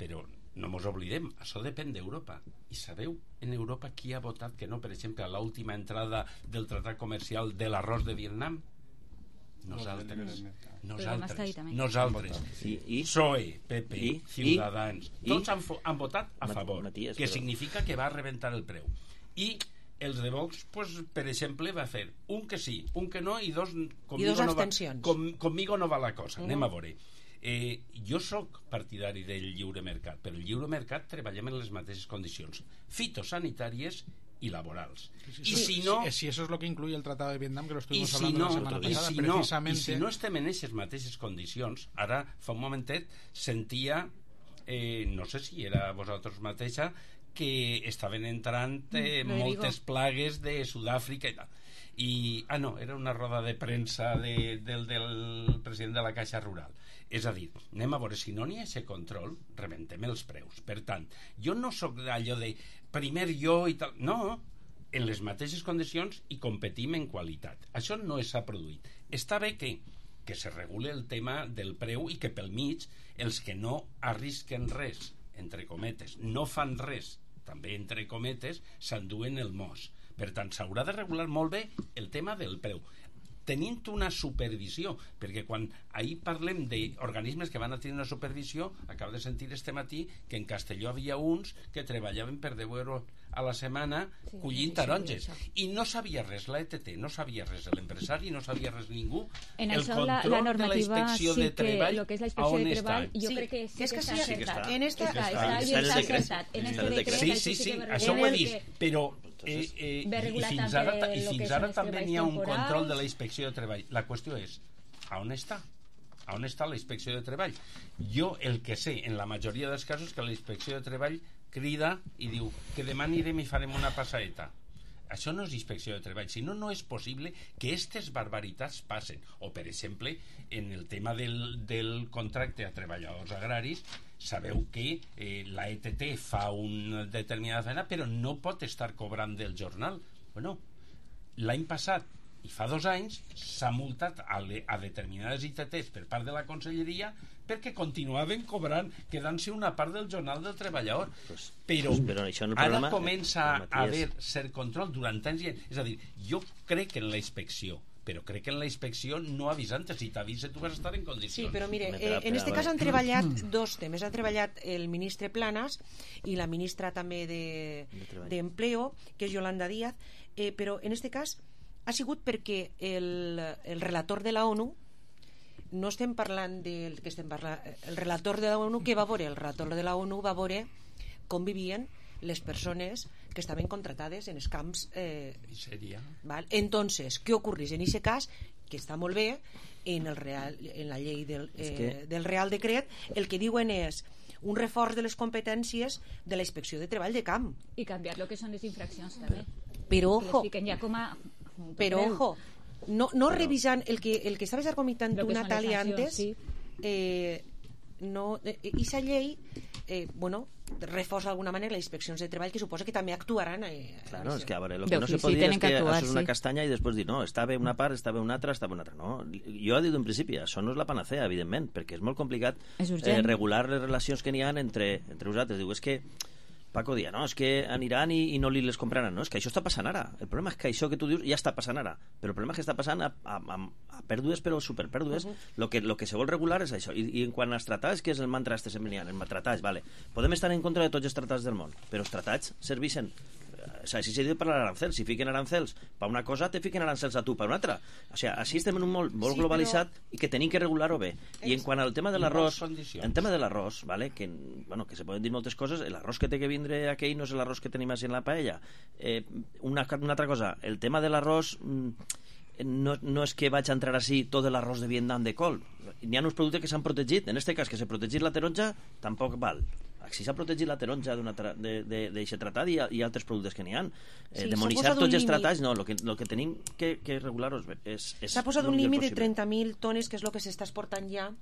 però no mos oblidem, això depèn d'Europa. I sabeu en Europa qui ha votat que no, per exemple, a l'última entrada del tractat comercial de l'arròs de Vietnam? Nosaltres. Nosaltres. Nosaltres. I, i, P S O E, P P, i, Ciutadans. I, tots han, han votat a favor, Matías, que però... significa que va a reventar el preu. I els de Vox, pues, per exemple, va fer un que sí, un que no, i dos, I dos abstencions. No va, com, conmigo no va la cosa. Uh-huh. Anem a veure. Eh, jo sóc partidari del lliure mercat, però el lliure mercat treballem en les mateixes condicions fitosanitàries i laborals. Sí, I sí, si no... Si eso es lo que incluye el Tratado de Vietnam, que lo estuvimos si hablando no, la semana pasada, si precisamente... No, I si no estem en aquestes mateixes condicions, ara fa un momentet sentia, eh, no sé si era vosaltres mateixa, que estaven entrant eh, mm, moltes plagues de Sud-àfrica i tal. I, ah no, era una roda de premsa de, del, del president de la Caixa Rural. És a dir, anem a veure, si no n'hi ha aquest control, rebentem els preus. Per tant, jo no sóc d'allò de primer jo i tal, no, en les mateixes condicions i competim en qualitat. Això no s'ha produït. Està bé que, que se regule el tema del preu i que pel mig els que no arrisquen res, entre cometes, no fan res, també entre cometes, s'enduen el mos. Per tant, s'haurà de regular molt bé el tema del preu, tenint una supervisió, perquè quan ahir parlem d'organismes que van a tenir una supervisió, acabo de sentir este matí que en Castelló havia uns que treballaven per deu euros a la setmana sí, collint taronges, i no sabia res la E T T, no sabia res l'empresari, no sabia res ningú. En el això control la, la normativa de la inspecció sí de treball, que, lo que es la inspecció de treball, està? jo sí, crec que sí és que, que sí, està sí, acertat. en esta, està, està, està, està, està està acertat. En este decret, sí, sí, sí, això ho he vist, però eh, eh, i fins ara, i fins ara també n'hi ha un control de la inspecció de treball. La qüestió és, a on està? A on està la inspecció de treball? Jo el que sé, en la majoria dels casos, que la inspecció de treball crida i diu que demà anirem i farem una passaeta. Això no és inspecció de treball, sinó no és possible que aquestes barbaritats passen. O, per exemple, en el tema del, del contracte a treballadors agraris, sabeu que eh, la E T T fa una determinada feina, però no pot estar cobrant del jornal. Bueno, l'any passat i fa dos anys s'ha multat a, le, a determinades I T Ts per part de la Conselleria perquè continuaven cobrant, quedant-se una part del jornal del treballador. Pues, però, però això no ara problema, comença eh, a haver cert control durant anys. És a dir, jo crec en la inspecció, però crec que en la inspecció no avisa antes. Si t'avisa tu vas estar en condicions. Sí, però mire, eh, en este cas han treballat dos temes. Han treballat el ministre Planas i la ministra també d'Empleo, de, que és Yolanda Díaz, eh, però en este cas ha sigut perquè el, el relator de la ONU, no estem parlant del que estem parlant, el relator de la ONU, que va veure? El relator de la ONU va veure com vivien les persones que estaven contratades en els camps eh, val? Entonces, què ocorreix en aquest cas? Que està molt bé en, el real, en la llei del, eh, que... del Real Decret, el que diuen és un reforç de les competències de la inspecció de treball de camp. I canviar lo que són les infraccions també. Però ojo, ja com a però ojo, no, no però, revisant el que, el que estaves argumentant tu, Natàlia, antes, sí. eh, no, eh, esa llei, eh, bueno, reforça d'alguna manera les inspeccions de treball, que suposa que també actuaran. Eh, claro, és que a veure, lo que no se pot dir és que això és una castanya i després dir, no, està bé una part, està bé una altra, està bé una altra. No, jo he dit en principi, això no és la panacea, evidentment, perquè és molt complicat eh, regular les relacions que n'hi ha entre, entre vosaltres. Diu, és que Paco dia, no, és que aniran i, i no li les compraran. No, és que això està passant ara. El problema és que això que tu dius ja està passant ara. Però el problema és que està passant a, a, a, a pèrdues, però superpèrdues. Uh -huh. Lo que, lo que se vol regular és això. I, i en quant als tractats, que és el mantra este sempre n'hi ha, els tractats, vale. Podem estar en contra de tots els tractats del món, però els tractats serveixen. O sea, si se diu per l'arancel, si fiquen arancels per una cosa, te fiquen arancels a tu per una altra. O sea, així estem en un món molt sí, globalitzat però... i que tenim que regular-ho bé. I en quant al tema de l'arròs, en tema de l'arròs, vale, que, bueno, que se poden dir moltes coses, l'arròs que té que vindre aquell no és l'arròs que tenim així en la paella. Eh, una, una altra cosa, el tema de l'arròs... No, no és que vaig a entrar així tot l'arròs de Vietnam de col. N'hi ha uns productes que s'han protegit. En aquest cas, que s'ha protegit la taronja, tampoc val. Si s'ha protegit la taronja d'aquest tractat i, i altres productes que n'hi ha. Eh, sí, demonitzar tots els tractats, no. El que, lo que tenim que, que regular-ho és... S'ha posat un límit de trenta mil tones, que és el que s'està exportant ja.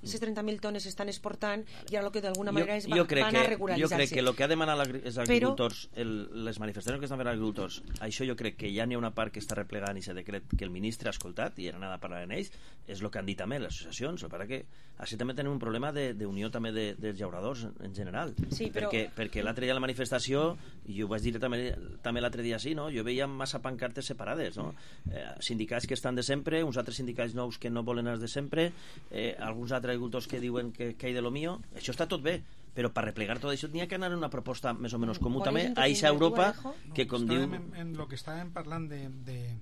I aquestes trenta mil tones s'estan exportant i ara el que d'alguna manera es va, van a regularitzar-se. Jo crec que el que ha demanat els agricultors, Però... el, les manifestacions que estan fent els agricultors, això jo crec que ja n'hi ha una part que està replegant i s'ha decret que el ministre ha escoltat i era anada a parlar en ells, és el que han dit també les associacions. El que així també tenim un problema d'unió també de, dels llauradors en general. Sí, però... perquè, perquè l'altre dia a la manifestació, i jo ho vaig dir també, també l'altre dia així, no? Jo veia massa pancartes separades, no? Eh, sindicats que estan de sempre, uns altres sindicats nous que no volen els de sempre, eh, alguns altres agricultors que diuen que, que hay de lo mío. Això està tot bé, però per replegar tot això n'hi ha que anar una proposta més o menys comú també a eixa Europa que com diu... En, en lo que estàvem parlant de, de,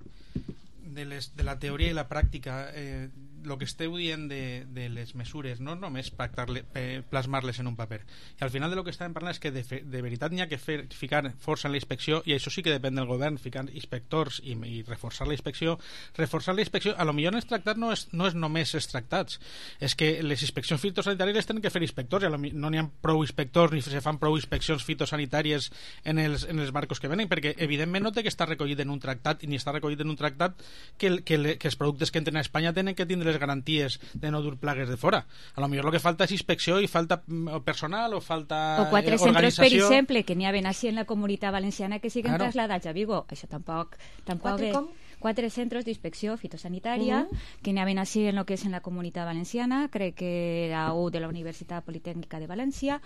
de, les, de la teoria i la pràctica, eh, el que esteu dient de, de les mesures no només plasmar-les en un paper, i al final de lo que estàvem parlant és que de, fe, de veritat n'hi ha que fer, ficar força en la inspecció, i això sí que depèn del govern, ficar inspectors i, i reforçar la inspecció. Reforçar la inspecció, a lo millor en els tractats no és, no és només els tractats, és que les inspeccions fitosanitàries les tenen que fer inspectors, i a lo, no n'hi ha prou inspectors ni se fan prou inspeccions fitosanitàries en els, en els barcos que venen, perquè evidentment no té que estar recollit en un tractat, ni està recollit en un tractat que, que, le, que els productes que entren a Espanya tenen que tindre les garanties de no dur plagues de fora. A lo millor el que falta és inspecció i falta personal o falta o quatre eh, centres, per exemple, que n'hi ha ben així en la Comunitat Valenciana que siguen claro. Trasladats a Vigo. Això tampoc... tampoc quatre, com? Quatre centros d'inspecció fitosanitària uh -huh. que n'hi ha ben així en el que és en la Comunitat Valenciana, crec que era un de la Universitat Politècnica de València,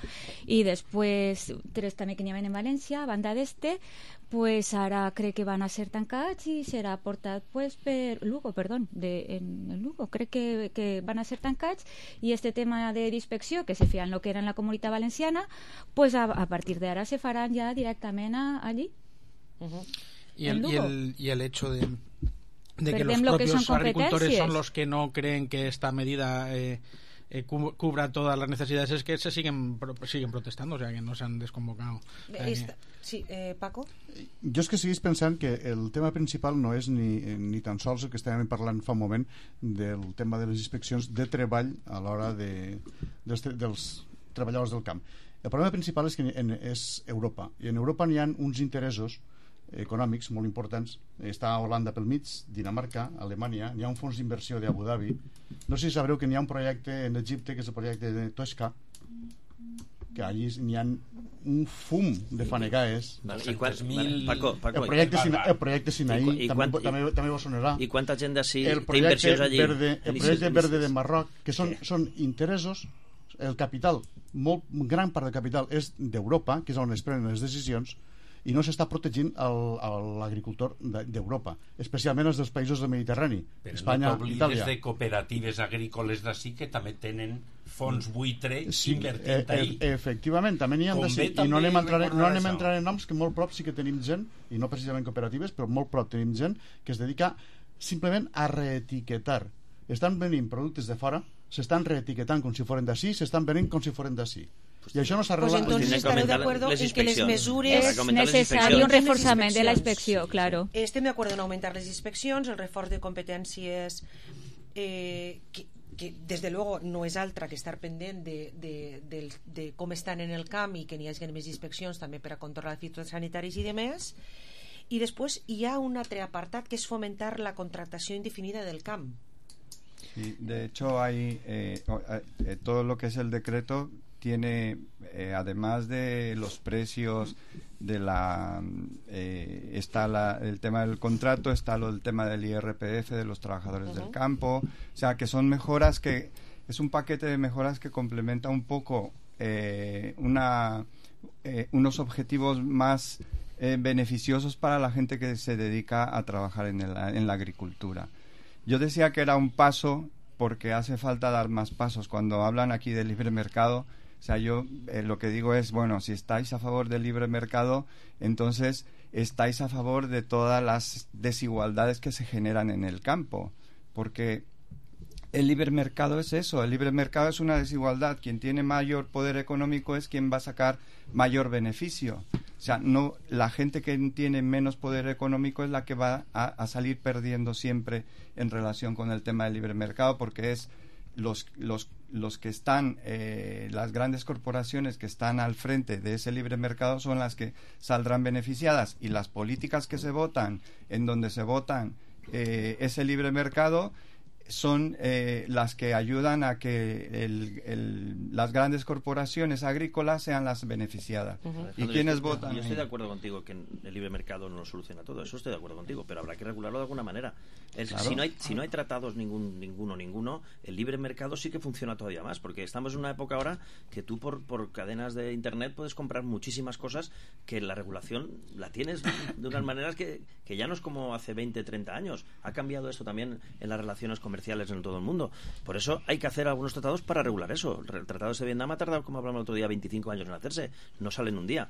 i després tres també que n'hi ha en València, a banda d'este, pues ara crec que van a ser tancats i serà portat pues, per Lugo, perdó, de, en, en Lugo, crec que, que van a ser tancats, i este tema de d'inspecció que se feia en lo que era en la Comunitat Valenciana, pues a, a partir d'ara se faran ja directament a, allí. Uh -huh. Y el, y, el, y el hecho de, de que los propios agricultores son los que no creen que esta medida eh, eh, cubra todas las necesidades, es que se siguen siguen protestando, o sea, que no se han desconvocado. Esta, sí, eh, Paco? Jo és que seguís pensant que el tema principal no és ni, ni tan sols el que estàvem parlant fa un moment del tema de les inspeccions de treball a l'hora de, dels, dels treballadors del camp. El problema principal és que en, és Europa, i en Europa n'hi ha uns interessos econòmics molt importants. Està Holanda pel mig, Dinamarca, Alemanya, hi ha un fons d'inversió d'Abu Dhabi. No sé si sabreu que n'hi ha un projecte en Egipte que és el projecte de Tosca, que allí n'hi ha un fum de fanegaes. I quants mil... Paco, Paco, el projecte, Sina, el projecte Sinaí I, i també, quant, també, també vos sonarà. I quanta gent d'ací té inversions allí? Verde, el projecte verde de Marroc, que són, sí. són interessos, el capital, molt gran part del capital és d'Europa, que és on es prenen les decisions, i no s'està protegint l'agricultor d'Europa, especialment els dels països del Mediterrani, però Espanya, no Itàlia. Però de cooperatives agrícoles d'ací que també tenen fons buitre sí, invertint eh, ahí. Efectivament, també n'hi ha d'ací, i no anem a entrar, no anem a entrar en noms, que molt prop sí que tenim gent, i no precisament cooperatives, però molt prop tenim gent que es dedica simplement a reetiquetar. Estan venint productes de fora, s'estan reetiquetant com si foren d'ací, s'estan venint com si foren d'ací. I això no s'arregla. Pues entonces estareu de acuerdo en que les mesures... Es necessari un reforçament de la inspecció, claro. Estem d'acord en augmentar les inspeccions, el reforç de competències eh, que, que des de luego no és altra que estar pendent de, de, de, de com estan en el camp i que n'hi hagi més inspeccions també per a controlar fitosanitaris i demés. I després hi ha un altre apartat que és fomentar la contractació indefinida del camp. Sí, de hecho hay eh, eh, todo lo que es el decreto tiene, eh, además de los precios, de la eh, está la, el tema del contrato, está lo, el tema del I R P F de los trabajadores uh-huh. del campo, o sea que son mejoras que es un paquete de mejoras que complementa un poco eh, una eh, unos objetivos más eh, beneficiosos para la gente que se dedica a trabajar en, el, en la agricultura. Yo decía que era un paso porque hace falta dar más pasos. Cuando hablan aquí del libre mercado, o sea, yo eh, lo que digo es, bueno, si estáis a favor del libre mercado, entonces estáis a favor de todas las desigualdades que se generan en el campo, porque el libre mercado es eso, el libre mercado es una desigualdad. Quien tiene mayor poder económico es quien va a sacar mayor beneficio. O sea, no, la gente que tiene menos poder económico es la que va a, a salir perdiendo siempre en relación con el tema del libre mercado, porque es los, los, los que están, eh, las grandes corporaciones que están al frente de ese libre mercado son las que saldrán beneficiadas, y las políticas que se votan, en donde se votan eh, ese libre mercado, son eh, las que ayudan a que el, el, las grandes corporaciones agrícolas sean las beneficiadas. Uh-huh. ¿Y quiénes votan? Yo estoy de acuerdo contigo que el libre mercado no lo soluciona todo, eso estoy de acuerdo contigo, pero habrá que regularlo de alguna manera. El, claro. Si no hay, si no hay tratados ningún, ninguno, ninguno, el libre mercado sí que funciona todavía más, porque estamos en una época ahora que tú por, por cadenas de internet puedes comprar muchísimas cosas que la regulación la tienes de unas maneras que, que ya no es como hace veinte, treinta años. Ha cambiado esto también en las relaciones comerciales comerciales en todo el mundo. Por eso hay que hacer algunos tratados para regular eso. El tratado de Vietnam ha tardado, como hablamos el otro día, veinticinco años en hacerse. No sale en un día.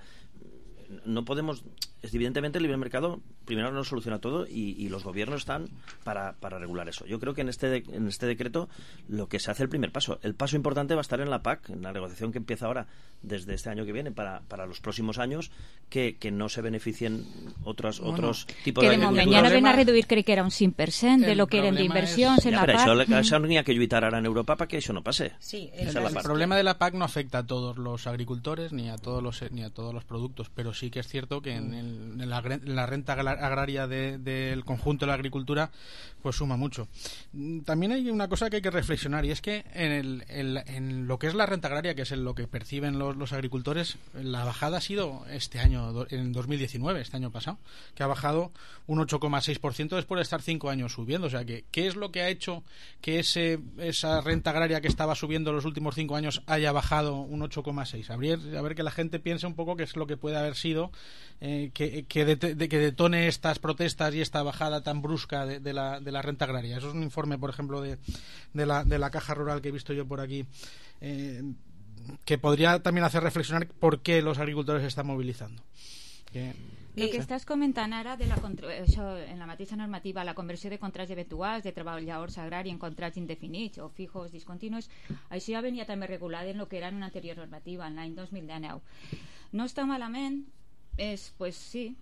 No podemos... Evidentemente el libre mercado primero no soluciona todo y, y los gobiernos están para, para regular eso. Yo creo que en este, de, en este decreto lo que se hace el primer paso. El paso importante va a estar en la P A C, en la negociación que empieza ahora desde este año que viene para, para los próximos años, que, que no se beneficien otros, bueno, otros tipos que de agricultura. Que de moment ja no ven a reduir, crec que era un cinc per cent de lo que eren d'inversions es... en ja, la P A C. Això, això n'hi ha que lluitar ara en Europa para que eso no pase. Sí, el, el, el problema de la P A C no afecta a todos los agricultores ni a todos los, ni a todos los productos, pero sí que es cierto que en, el, en, la, en la renta agraria del de, de conjunto de la agricultura pues suma mucho. También hay una cosa que hay que reflexionar, y es que en, el, el, en lo que es la renta agraria, que es en lo que perciben los, los agricultores, la bajada ha sido este año, en dos mil diecinueve, este año pasado, que ha bajado un ocho coma seis por ciento después de estar cinco años subiendo. O sea, que ¿qué es lo que ha hecho que ese, esa renta agraria que estaba subiendo los últimos cinco años haya bajado un ocho coma seis? A ver, a ver que la gente piense un poco qué es lo que puede haber sido eh, que, que, de, de, que detone estas protestas y esta bajada tan brusca de, de, la, de la renta agraria. Eso es un informe, por ejemplo, de, de, la, de la Caja Rural que he visto yo por aquí, eh, que podría también hacer reflexionar por qué los agricultores se están movilizando. Que, el que estàs comentant ara de la, això, en la mateixa normativa, la conversió de contrats eventuals de treballadors agrari en contrats indefinits o fijos discontinus, això ja venia també regulat en el que era en una anterior normativa, en l'any dos mil dinou. No està malament, és, pues sí,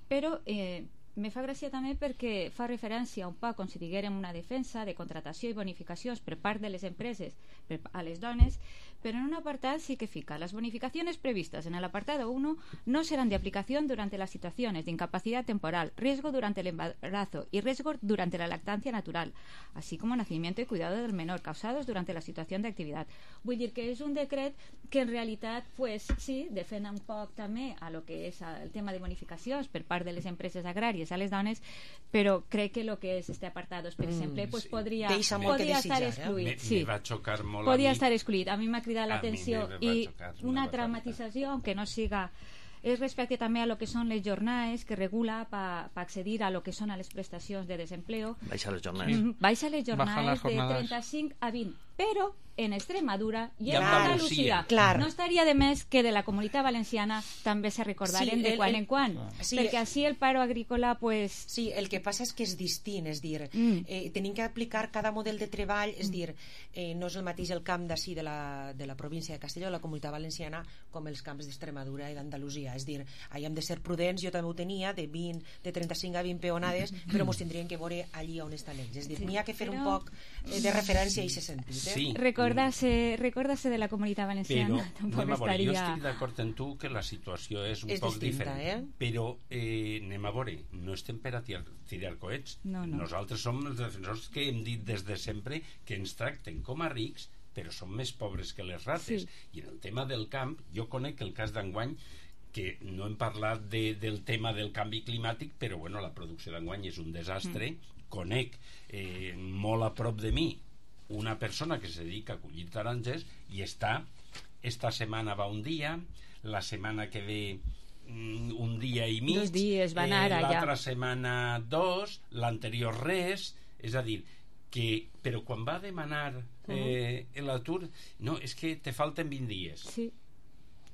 però eh, me fa gràcia també perquè fa referència un poc com si diguérem una defensa de contratació i bonificacions per part de les empreses per a les dones, pero en un apartado sí que fica: las bonificaciones previstas en el apartado uno no serán de aplicación durante las situaciones de incapacidad temporal, riesgo durante el embarazo y riesgo durante la lactancia natural, así como nacimiento y cuidado del menor causados durante la situación de actividad. Vull dir que és un decret que en realitat, pues, sí, defensa un poc també a lo que és el tema de bonificacions per part de les empreses agràries a les dones, però crec que lo que és este apartado, per exemple, mm, pues, sí. podria, podria estar excluït. Eh? Sí. Me, me va xocar molt podria a mi. estar excluït. A mi m'ha cridat l'atenció, i una traumatizació, aunque no siga, és respecte també a lo que són les jornades que regula per pa accedir a lo que són a les prestacions de desempleo. Baixa les jornades. Mm, baixa les jornades de trenta-cinc a vint, però en Extremadura i en Andalusia. Clar. No estaria de més que de la Comunitat Valenciana també se recordaren sí, de quan el, en quan, sí, perquè així el paro agrícola, pues... Sí, el que passa és que és distint, és dir, mm. eh, tenim que aplicar cada model de treball, és dir, eh, no és el mateix el camp d'ací de, la, de la província de Castelló, la Comunitat Valenciana, com els camps d'Extremadura i d'Andalusia, és dir, allà hem de ser prudents, jo també ho tenia, de, vint, de trenta-cinc a vint peonades, però mos tindrien que veure allí on estan ells, és dir, n'hi ha que fer un poc de referència a aquest sentit. Eh? Sí. Recordarse, recordarse de la Comunitat Valenciana. Però, tampoc estaria... jo estic estaria... d'acord amb tu que la situació és un és poc distinta, diferent, eh? però eh, anem a veure, no estem per a tirar, tirar coets. No, no. Nosaltres som els defensors que hem dit des de sempre que ens tracten com a rics però són més pobres que les rates. Sí. I en el tema del camp, jo conec el cas d'enguany, que no hem parlat de, del tema del canvi climàtic, però bueno, la producció d'enguany és un desastre. Mm. Conec eh, molt a prop de mi una persona que se dedica a collir taronges i està, esta setmana va un dia, la setmana que ve un dia i mig, dos dies van ara, eh, l'altra ja. setmana dos, l'anterior res, és a dir, que, però quan va demanar eh, uh-huh. l'atur, no, és que te falten vint dies. Sí.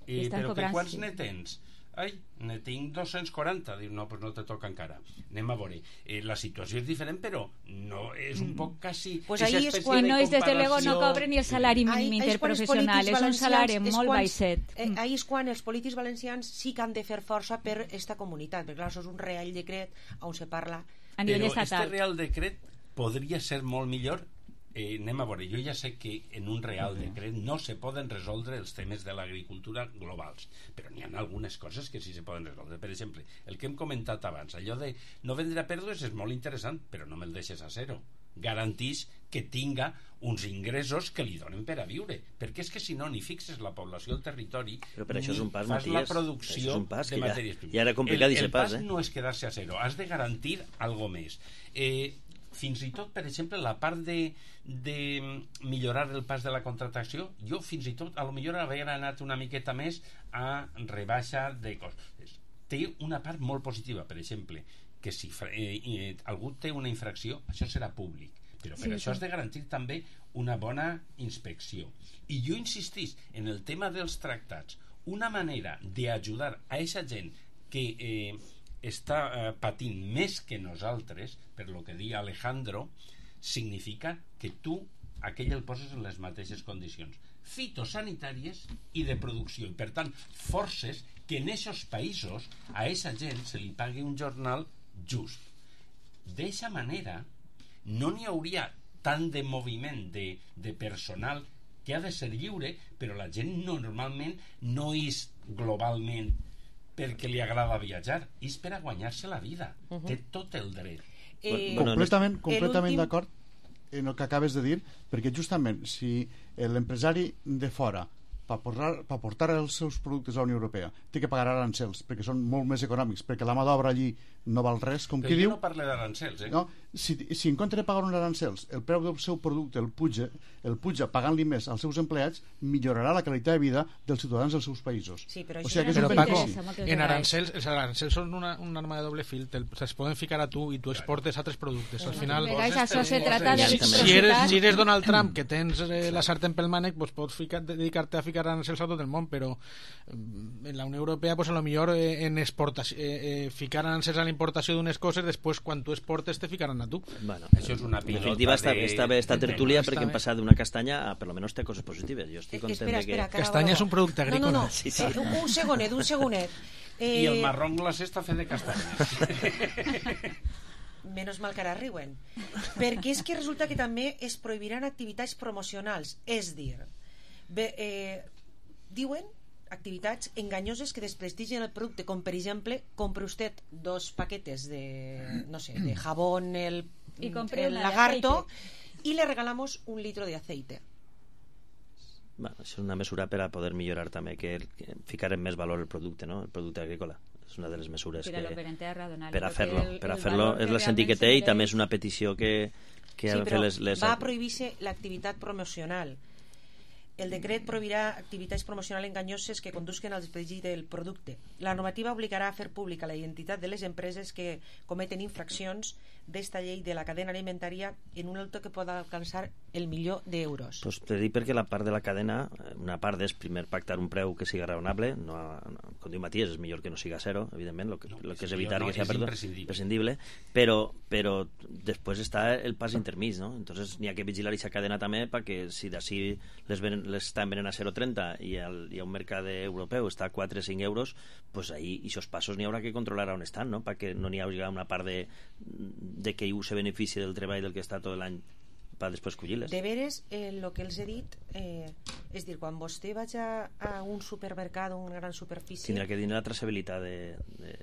Eh, però que quants ne tens? Ai, ne tinc dos-cents quaranta. Diu, no, pues no te toca encara. Anem a veure. Eh, la situació és diferent, però no és un poc quasi... Pues ahí es quan no és, desde luego, no cobren ni el salari mínim interprofessional, és un salari molt baixet. Eh, ahí és quan els polítics valencians sí que han de fer força per esta comunitat, perquè clar, això és un real decret on se parla a nivell però estatal. Este real decret podria ser molt millor. Eh, anem a veure, jo ja sé que en un real decret no se poden resoldre els temes de l'agricultura globals, però n'hi ha algunes coses que sí se poden resoldre. Per exemple, el que hem comentat abans, allò de no vendre a pèrdues és molt interessant, però no me'l deixes a zero. Garantís que tinga uns ingressos que li donen per a viure, perquè és que si no ni fixes la població al territori, però per això és un pas, fas Matías, la producció pas de matèries primeres. Ja era complicat el, el pas, pas eh? no és quedar-se a zero, has de garantir algo més. Eh, fins i tot, per exemple, la part de, de millorar el pas de la contractació, jo fins i tot a lo millor havia anat una miqueta més a rebaixa de costes. Té una part molt positiva, per exemple, que si eh, eh, algú té una infracció, això serà públic, però per sí, això sí. has de garantir també una bona inspecció. I jo insistís en el tema dels tractats, una manera d'ajudar a aquesta gent que eh, està eh, patint més que nosaltres, per lo que diu Alejandro, significa que tu aquell el poses en les mateixes condicions fitosanitàries i de producció, i per tant forces que en aquests països a aquesta gent se li pagui un jornal just. D'eixa manera no n'hi hauria tant de moviment de, de personal que ha de ser lliure, però la gent no, normalment no és globalment perquè li agrada viatjar, és per a guanyar-se la vida. Uh-huh. Té tot el dret. Eh, completament completament d'acord en el que acabes de dir, perquè justament si l'empresari de fora per portar, per portar els seus productes a la Unió Europea té que pagar arancels perquè són molt més econòmics, perquè la mà d'obra allí no val res, com però qui diu... diu... no parle d'arancels, eh? No, si, si en compte de pagar uns arancels el preu del seu producte el puja, el puja pagant-li més als seus empleats, millorarà la qualitat de vida dels ciutadans dels seus països. Sí, però o sigui, que és però un Paco, benefici. en arancels, els arancels són una, una arma de doble fil, te'ls poden ficar a tu i tu exportes altres productes. Al final, això se trata de si, si, eres, si eres Donald Trump, que tens eh, la sartén pel mànec, pues pots ficar, dedicar-te a ficar arancels a tot el món, però en la Unió Europea pues a lo millor eh, en exportació, eh, eh, ficar arancels a la importació d'unes coses, després quan tu exportes te ficaran a tu. Bueno, això és una pilota. En definitiva està, de... està bé esta tertúlia perquè hem passat d'una castanya a per lo menos té coses positives. Jo estic content espera, de que... Espera, castanya és un producte agrícola. No, no, no. Sí, sí. Un, un segonet, un segonet. Eh... I el marrón glacé està fet de castanyes. Menos mal que ara riuen. Perquè és que resulta que també es prohibiran activitats promocionals. És dir, bé, eh, diuen activitats enganyoses que desprestigien el producte, com per exemple, compre usted dos paquetes de, no sé, de jabón el, el lagarto y le regalamos un litro de aceite. Bueno, és una mesura per a poder millorar també, que, que ficar en més valor el producte, no? El producte agrícola. És una de les mesures que, per a fer-lo. Per a fer-lo és el sentit que té i també és una petició que, que sí, han fet les, les... va a prohibir-se l'activitat promocional. El decret prohibirà activitats promocionals enganyoses que condusquen al desplegui del producte. La normativa obligarà a fer pública la identitat de les empreses que cometen infraccions d'esta llei de la cadena alimentària en un alto que pot alcançar el milió d'euros. Pues te dic perquè la part de la cadena, una part és primer pactar un preu que siga raonable, no, no, com diu Matías, és millor que no siga zero, evidentment, lo que, no, lo que és evitar no, que sea perdó, imprescindible, però, però després està el pas intermig, no? Entonces n'hi ha que vigilar aquesta cadena també perquè si d'ací les, ven, les estan venent a zero coma trenta i el, hi ha un mercat europeu està a quatre o cinc euros, pues ahí aquests passos n'hi haurà que controlar on estan, no? Perquè no n'hi hagi una part de de que se benefici del treball del que està tot l'any per després collir-les. De veres, el eh, que els he dit, eh, és dir, quan vostè vaig a, a un supermercat o una gran superfície... Tindrà que tenir la traçabilitat de, de,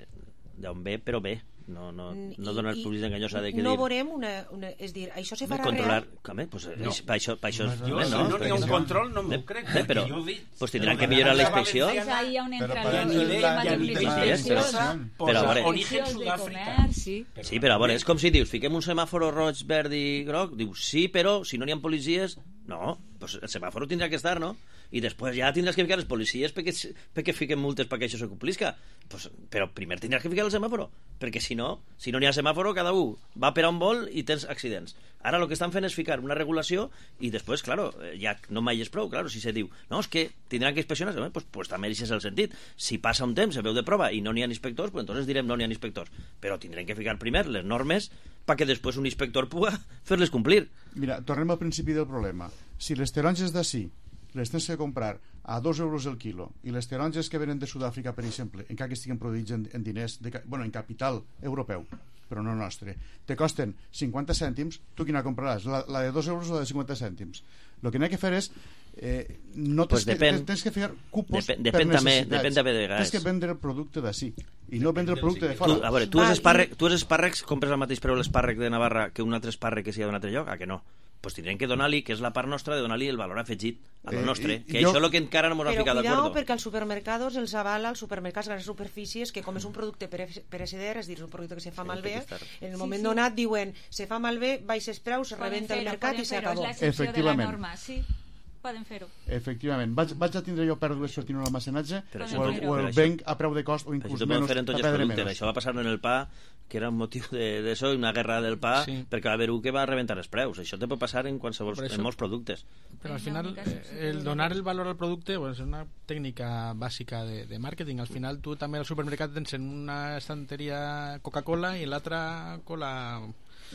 d'on ve, però bé, no, no, no donar publicitat enganyosa de que no dir... veurem una, una... És dir, això se farà controlar, real? Com, pues, No. és, per això, per això és... Jo, si no n'hi ha un control, no m'ho crec, Eh, però, perquè jo he dit... pues tindran que millorar la inspecció. És ahí on entra Però, el però, tema ja de ni publicitat. Però, a veure, origen de Sud-àfrica. comerç, sí. Sí, però a veure, és com si dius, fiquem un semàforo roig, verd i groc, dius, sí, però si no n'hi ha policies, no, pues el semàforo tindrà que estar, no? I després ja tindràs que ficar les policies perquè, perquè fiquen multes perquè això se complisca. Pues, però primer tindràs que ficar el semàforo, perquè si no, si no n'hi ha semàforo, cada un va per on vol i tens accidents. Ara el que estan fent és ficar una regulació i després, claro, ja no mai és prou, claro, si se diu, no, és que tindran que inspeccionar, pues, pues també és el sentit. Si passa un temps, se veu de prova i no n'hi ha inspectors, pues entonces direm no n'hi ha inspectors. Però tindrem que ficar primer les normes perquè després un inspector pugui fer-les complir. Mira, tornem al principi del problema. Si les taronges d'ací les tens que comprar a dos euros el quilo i les taronges que venen de Sud-àfrica, per exemple, encara que estiguin produïts en, en diners, de, bueno, en capital europeu, però no nostre, te costen cinquanta cèntims, tu quina compraràs? La, la de dos euros o la de cinquanta cèntims? El que n'hi ha que fer és eh, no tens, pues depèn, que, tens que fer cupos depèn, per depèn també, necessitats. depèn també de vegades. Tens que vendre el producte d'ací i no vendre el producte de fora. Tu, a veure, tu els espàrrecs, tu els espàrrecs compres al mateix preu l'espàrrec de Navarra que un altre espàrrec que sigui d'un altre lloc? A que no? Pues tindrem que donar-li, que és la part nostra, de donar-li el valor afegit a lo Eh, nostre, i- que jo- això és el que encara no ens ha Però ficat cuidao, d'acord. perquè als supermercados els avala, als supermercats, grans superfícies, que com és un producte pere- pereceder, és a dir, és un producte que se fa malbé, en el Sí, moment sí. donat diuen se fa malbé, baixes preus, se Poden rebenta el fer-ho, mercat poden i se fer-ho, acabó. és l'excepció de la Efectivament. norma, sí. Poden fer-ho. Efectivament. Vaig, vaig a tindre jo pèrdues sortint un almacenatge Però o això el, no- o però el això- venc a preu de cost o Però inclús això t'ho poden menys fer en tots a els perdre productes. menys. Això va passar en el pa, que era un motiu d'això, de, una guerra del pa, Sí. perquè va haver un que va rebentar els preus. Això te pot passar en qualsevol, Per això- en molts productes. Però al final, eh, el donar el valor al producte pues, és una tècnica bàsica de, de màrqueting. Al final, tu també al supermercat tens en una estanteria Coca-Cola i en l'altra cola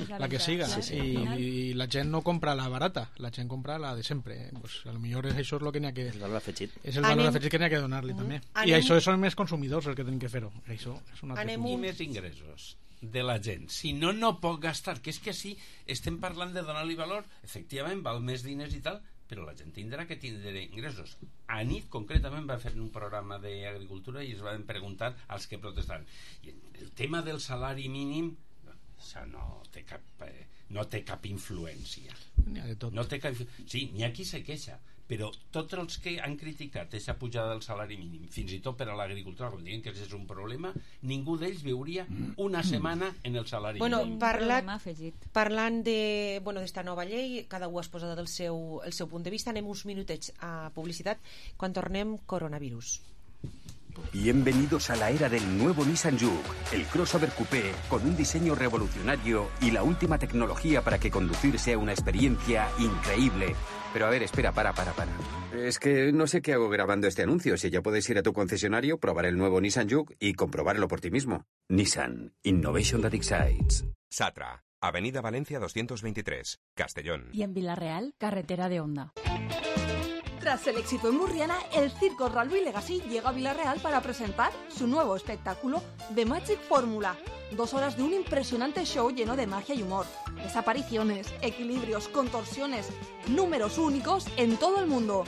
La la que veritat, siga. sí, sí. I, Al final- I la gent no compra la barata, la gent compra la de sempre. Pues, a lo millor això és el que n'hi ha que... El valor afegit. És el valor Anem- afegit que n'hi ha que donar-li també. I Anem- això són més consumidors els que tenen que fer-ho. Això és un altre Anem punt. I més ingressos de la gent. Si no, no pot gastar. Que és que sí, estem parlant de donar-li valor. Efectivament, val més diners i tal, però la gent tindrà que tindre ingressos. A nit, concretament, va fer un programa d'agricultura i es van preguntar als que protestaven. I el tema del salari mínim, això no té cap... Eh, no té cap influència. N'hi ha de tot. No té cap... Sí, n'hi ha qui se queixa, però tots els que han criticat aquesta pujada del salari mínim, fins i tot per a l'agricultura, com diuen que és un problema, ningú d'ells viuria una setmana en el salari Bueno, mínim. parlat, Problema afegit. parlant de, bueno, d'esta nova llei, cada un ha exposat el seu, el seu punt de vista. Anem uns minutets a publicitat. Quan tornem, coronavirus. Bienvenidos a la era del nuevo Nissan Juke, el crossover coupé con un diseño revolucionario y la última tecnología para que conducir sea una experiencia increíble. Pero a ver, espera, para, para, para. Es que no sé qué hago grabando este anuncio. Si ya puedes ir a tu concesionario, probar el nuevo Nissan Juke y comprobarlo por ti mismo. Nissan, Innovation that excites. Satra, Avenida Valencia doscientos veintitrés, Castellón. Y en Villarreal, carretera de Onda. Tras el éxito en Murriana, el Circo Ralby Legacy llega a Villarreal para presentar su nuevo espectáculo The Magic Formula. Dos horas de un impresionante show lleno de magia y humor. Desapariciones, equilibrios, contorsiones, números únicos en todo el mundo.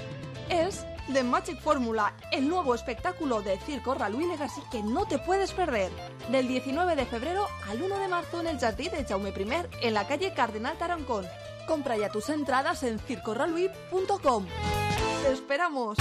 Es The Magic Formula, el nuevo espectáculo de Circo Ralby Legacy que no te puedes perder. Del diecinueve de febrero al uno de marzo en el Jardí de Jaume primer, en la calle Cardenal Tarancón. Compra ya tus entradas en circo ralby punto com. ¡Te esperamos!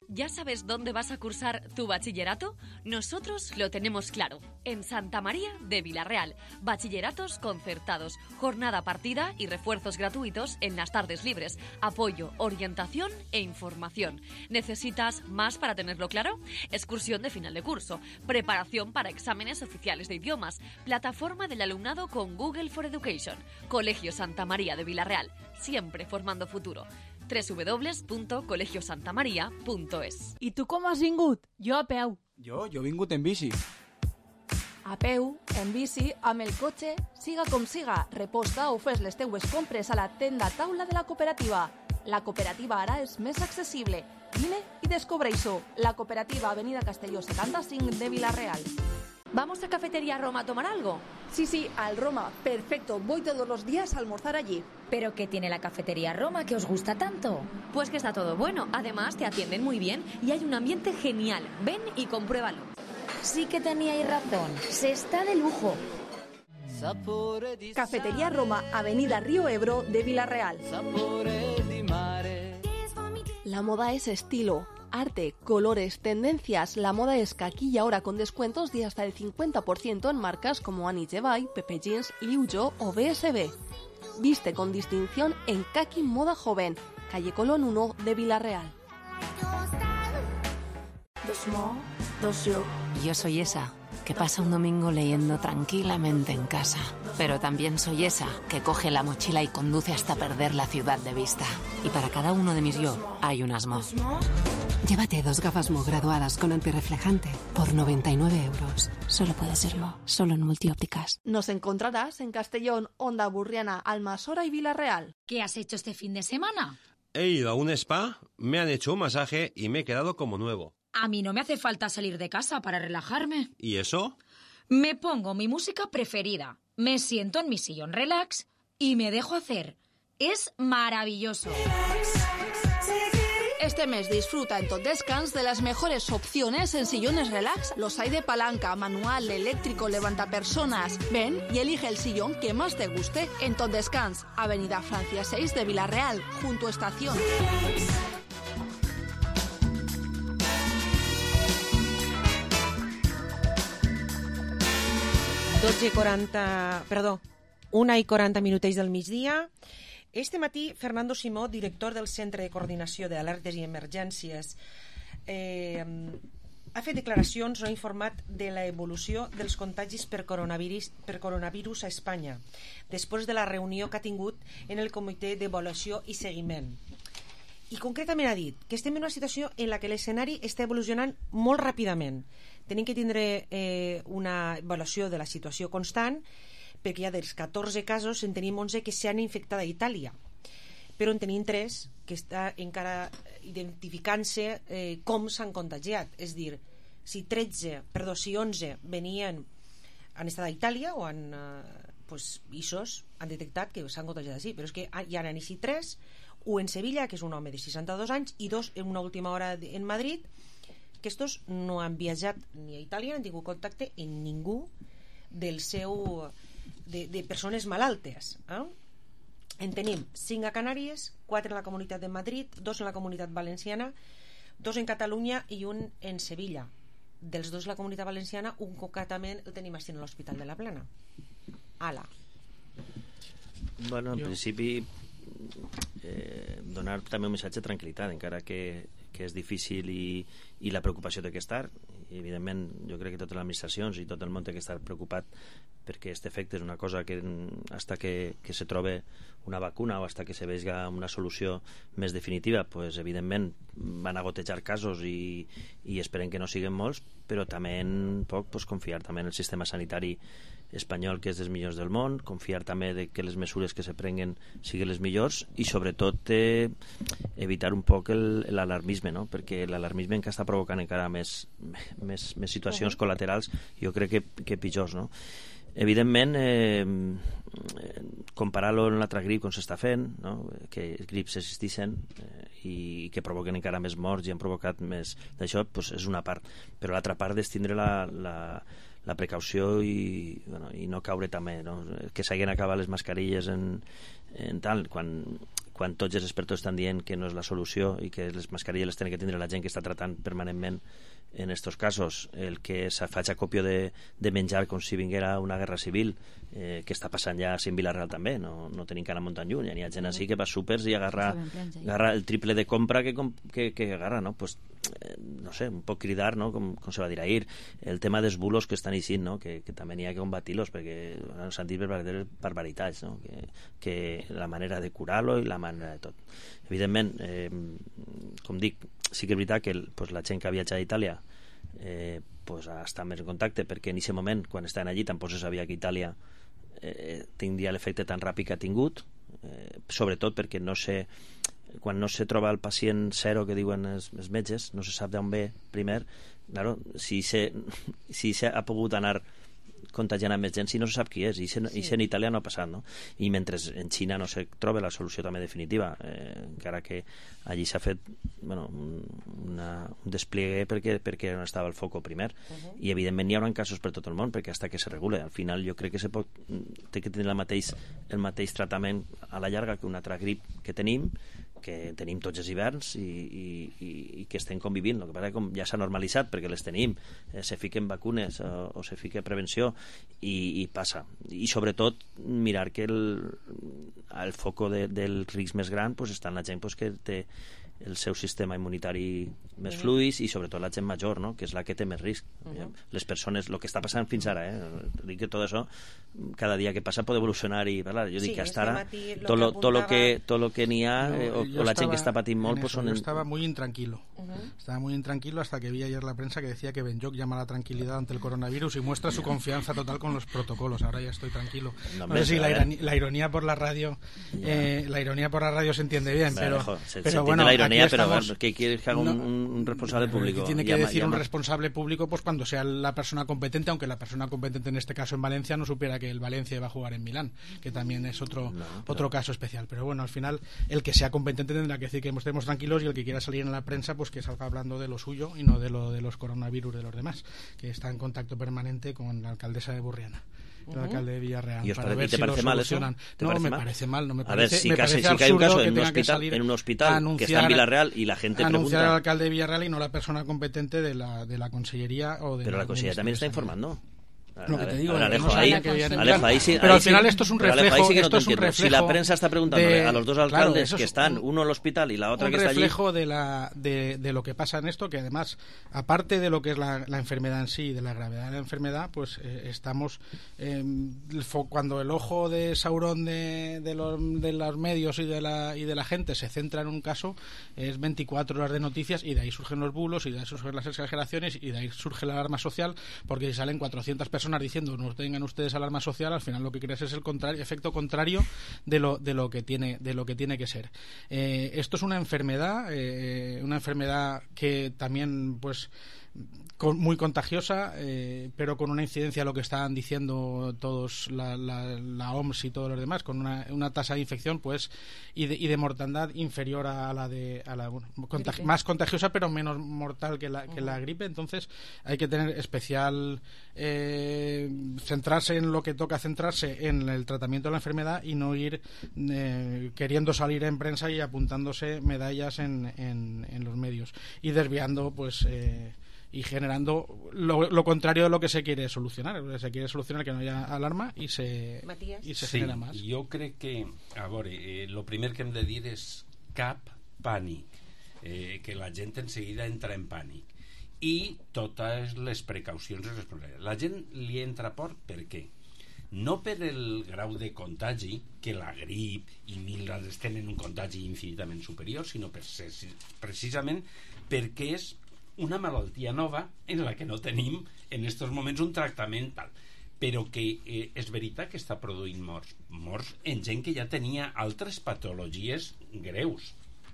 ¿Ya sabes dónde vas a cursar tu bachillerato? Nosotros lo tenemos claro. En Santa María de Villarreal. Bachilleratos concertados, jornada partida y refuerzos gratuitos en las tardes libres. Apoyo, orientación e información. ¿Necesitas más para tenerlo claro? Excursión de final de curso. Preparación para exámenes oficiales de idiomas. Plataforma del alumnado con Google for Education. Colegio Santa María de Villarreal. Siempre formando futuro. doble u doble u doble u punto colegio santa maria punto es. I tu com has vingut? Jo a peu. Jo, jo he vingut en bici. A peu, en bici, amb el cotxe, siga com siga, reposta o fes les teues compres a la tenda taula de la cooperativa. La cooperativa ara és més accessible. Vine i descobreix-ho. La cooperativa Avenida Castelló setanta-cinc de Villarreal. ¿Vamos a Cafetería Roma a tomar algo? Sí, sí, al Roma. Perfecto. Voy todos los días a almorzar allí. ¿Pero qué tiene la Cafetería Roma que os gusta tanto? Pues que está todo bueno. Además, te atienden muy bien y hay un ambiente genial. Ven y compruébalo. sí que teníais razón. Se está de lujo. Cafetería Roma, Avenida Río Ebro de Villarreal. La moda es estilo, arte, colores, tendencias. La moda es aquí y ahora con descuentos de hasta el cincuenta por ciento en marcas como Annie Jevay, Pepe Jeans, Liu Jo o B S B. Viste con distinción en Kaki Moda Joven, calle Colón uno de Villarreal. Yo soy esa que pasa un domingo leyendo tranquilamente en casa, pero también soy esa que coge la mochila y conduce hasta perder la ciudad de vista. Y para cada uno de mis yo hay un Asmo. Llévate dos gafas Mo graduadas con antirreflejante por noventa y nueve euros. Solo puede ser Mo, solo en Multiópticas. Nos encontrarás en Castellón, Onda Burriana, Almasora y Villarreal. ¿Qué has hecho este fin de semana? He ido a un spa, me han hecho un masaje y me he quedado como nuevo. A mí no me hace falta salir de casa para relajarme. ¿Y eso? Me pongo mi música preferida, me siento en mi sillón relax y me dejo hacer. Es maravilloso. Este mes disfruta en Tot Descans de las mejores opciones en sillones relax. Los hay de palanca, manual, eléctrico, levantapersonas. Ven y elige el sillón que más te guste en Tot Descans, Avenida Francia seis de Villarreal, junto a Estación. dotze i quaranta... Perdó, una i quaranta minutets del migdia. Este matí, Fernando Simó, director del Centre de Coordinació d'Alertes i Emergències, eh, ha fet declaracions o ha informat de l'evolució dels contagis per coronavirus, per coronavirus a Espanya, després de la reunió que ha tingut en el Comitè d'Avaluació i Seguiment. I concretament ha dit que estem en una situació en la que l'escenari està evolucionant molt ràpidament. Tenim que tindre eh, una avaluació de la situació constant, perquè ja dels catorze casos en tenim onze que s'han infectat a Itàlia, però en tenim tres que està encara identificant-se eh, com s'han contagiat. És a dir, si tretze, perdó, si onze venien, han estat a Itàlia o han, eh, pues, isos han detectat que s'han contagiat així, però és que hi han així tres, un en Sevilla, que és un home de seixanta-dos anys, i dos en una última hora en Madrid, que estos no han viatjat ni a Itàlia, no han tingut contacte amb ningú del seu... De, de persones malaltes. Eh? En tenim cinc a Canàries, quatre en la Comunitat de Madrid, dos en la Comunitat Valenciana, dos en Catalunya i un en Sevilla. Dels dos de la Comunitat Valenciana, un concretament el tenim així en l'Hospital de la Plana. Ala. Bueno, en jo. principi eh, donar també un missatge de tranquil·litat, encara que, que és difícil i, i la preocupació té que estar. I, evidentment, jo crec que totes les administracions i tot el món té que estar preocupat perquè aquest efecte és una cosa que hasta que, que se trobe una vacuna o hasta que se vegi una solució més definitiva, pues, evidentment van a gotejar casos i, i esperem que no siguin molts, però també en poc pues, confiar també en el sistema sanitari espanyol, que és dels millors del món, confiar també de que les mesures que se prenguen siguin les millors i sobretot eh, evitar un poc l'alarmisme, no? Perquè l'alarmisme que està provocant encara més, més, més situacions col·laterals, jo crec que, que pitjors, no? Evidentment, eh, comparar-lo amb l'altra grip com s'està fent, no? Que grips existeixen eh, i que provoquen encara més morts i han provocat més d'això, pues és una part, però l'altra part és tindre la, la, la precaució i, bueno, i no caure també, no? Que s'hagin acabat les mascarilles en, en tal, quan, quan tots els experts estan dient que no és la solució i que les mascarilles les tenen que tindre la gent que està tratant permanentment en estos casos, el que se faig acopio de, de menjar com si vinguera una guerra civil, eh, que està passant ja en Vilareal també, no, no tenim que anar muntant lluny, hi ha gent així que va a súpers i agarra, agarra el triple de compra que, que, que agarra, no? Pues, eh, no sé, un poc cridar, no? Com, com se va dir ahir, el tema dels bulos que estan eixint, no? Que, que també n'hi ha que combatir-los perquè bueno, s'han dit barbaritats, no? Que, que la manera de curar-lo i la manera de tot. Evidentment, eh, com dic, sí que és veritat que pues, la gent que ha viatjat a Itàlia eh, pues, està més en contacte perquè en aquest moment, quan estaven allí, tampoc se sabia que Itàlia eh, tindria l'efecte tan ràpid que ha tingut, eh, sobretot perquè no sé, quan no se troba el pacient zero que diuen els, els metges, no se sap d'on ve primer, claro, si se, si se ha pogut anar contagiant a més gent si no se sap qui és, i sí. en Itàlia no ha passat, no? I mentre en Xina no se troba la solució també definitiva, eh, encara que allí s'ha fet bueno, una, un despliegue perquè, perquè no estava el foco primer, uh-huh. i evidentment hi haurà casos per tot el món, perquè hasta que se regule, al final jo crec que se pot, té que tenir el mateix, el mateix tractament a la llarga que un altre grip que tenim, que tenim tots els hiverns i, i, i, i que estem convivint. El que passa que com ja s'ha normalitzat perquè les tenim, eh, se fiquen vacunes o, o se fica prevenció i, i passa. I sobretot mirar que el, el foco de, del risc més gran pues, està en la gent pues, que té el seu sistema immunitari més fluix i sobretot la gent major, no? Que és la que té més risc. Uh-huh. Les persones, el que està passant fins ara, eh? dic que tot això cada dia que passa pot evolucionar i parlar. Jo dic sí, que hasta ara tot lo, tot lo que, tot lo que n'hi ha no, eh, o, o la gent que està patint molt en pues, eso, són... Yo estaba muy intranquilo. Uh-huh. Estaba muy intranquilo hasta que vi ayer la prensa que decía que Benyoc llama a la tranquilidad ante el coronavirus y muestra su confianza total con los protocolos. Ahora ya estoy tranquilo. No, no sé si la ironía, la ironía por la radio eh, la ironía por la radio se entiende bien, pero, lejos, se, pero se bueno, la ironía, pero estamos, ¿qué quieres que haga un, no, un responsable público? ¿Qué tiene que llama, decir llama. un responsable público pues cuando sea la persona competente, aunque la persona competente en este caso en Valencia no supiera que el Valencia iba a jugar en Milán, que también es otro no, pero... otro caso especial. Pero bueno, al final el que sea competente tendrá que decir que estemos tranquilos y el que quiera salir en la prensa pues que salga hablando de lo suyo y no de lo de los coronavirus de los demás, que está en contacto permanente con la alcaldesa de Burriana. El uh-huh. alcalde de Villarreal. ¿Y os para parece, ver te si parece lo mal eso? No, parece me mal? parece mal, no me a parece. ver, si, me casi, parece si hay un caso que en un, tenga hospital, que en un hospital que está en Villarreal y la gente anunciar pregunta... al alcalde de Villarreal y no la persona competente de la, de la consellería o de Pero la, la consellería también está informando. Lo que te digo, ver, Alejo, no ahí, que Alejo, ahí sí, pero ahí al final sí, esto es un Alejo, reflejo, sí que no esto es un reflejo si la prensa está preguntándole de, a los dos alcaldes claro, que están, un, uno al hospital y la otra que está allí, un reflejo de, la, de, de lo que pasa en esto, que además, aparte de lo que es la, la enfermedad en sí, de la gravedad de la enfermedad, pues eh, estamos eh, cuando el ojo de Saurón de, de, los, de los medios y de, la, y de la gente se centra en un caso, es veinticuatro horas de noticias y de ahí surgen los bulos y de ahí surgen las exageraciones y de ahí surge la alarma social, porque si salen cuatrocientas personas diciendo no tengan ustedes alarma social, al final lo que crees es el contrario, efecto contrario de lo, de lo que tiene de lo que tiene que ser. Eh, esto es una enfermedad, eh, una enfermedad que también pues con, muy contagiosa, eh, pero con una incidencia, lo que están diciendo todos la, la, la O M S y todos los demás, con una, una tasa de infección pues y de, y de mortandad inferior a la de a la bueno, contagi- más contagiosa pero menos mortal que la, que la gripe. Entonces hay que tener especial eh, centrarse en lo que toca centrarse en el tratamiento de la enfermedad y no ir eh, queriendo salir en prensa y apuntándose medallas en, en, en los medios y desviando pues eh, y generando lo, lo contrario de lo que se quiere solucionar. Se quiere solucionar que no haya alarma y se, Matías. i se sí, genera més. Jo crec que, a veure, eh, lo primer que hem de dir és cap pànic, eh, que la gent en seguida entra en pànic i totes les precaucions i responsabilitats. La gent li entra por per què? No per el grau de contagi, que la grip i mil altres tenen un contagi infinitament superior, sinó per ser, precisament perquè és una malaltia nova en la que no tenim en aquests moments un tractament tal, però que eh, és veritat que està produint morts morts en gent que ja tenia altres patologies greus.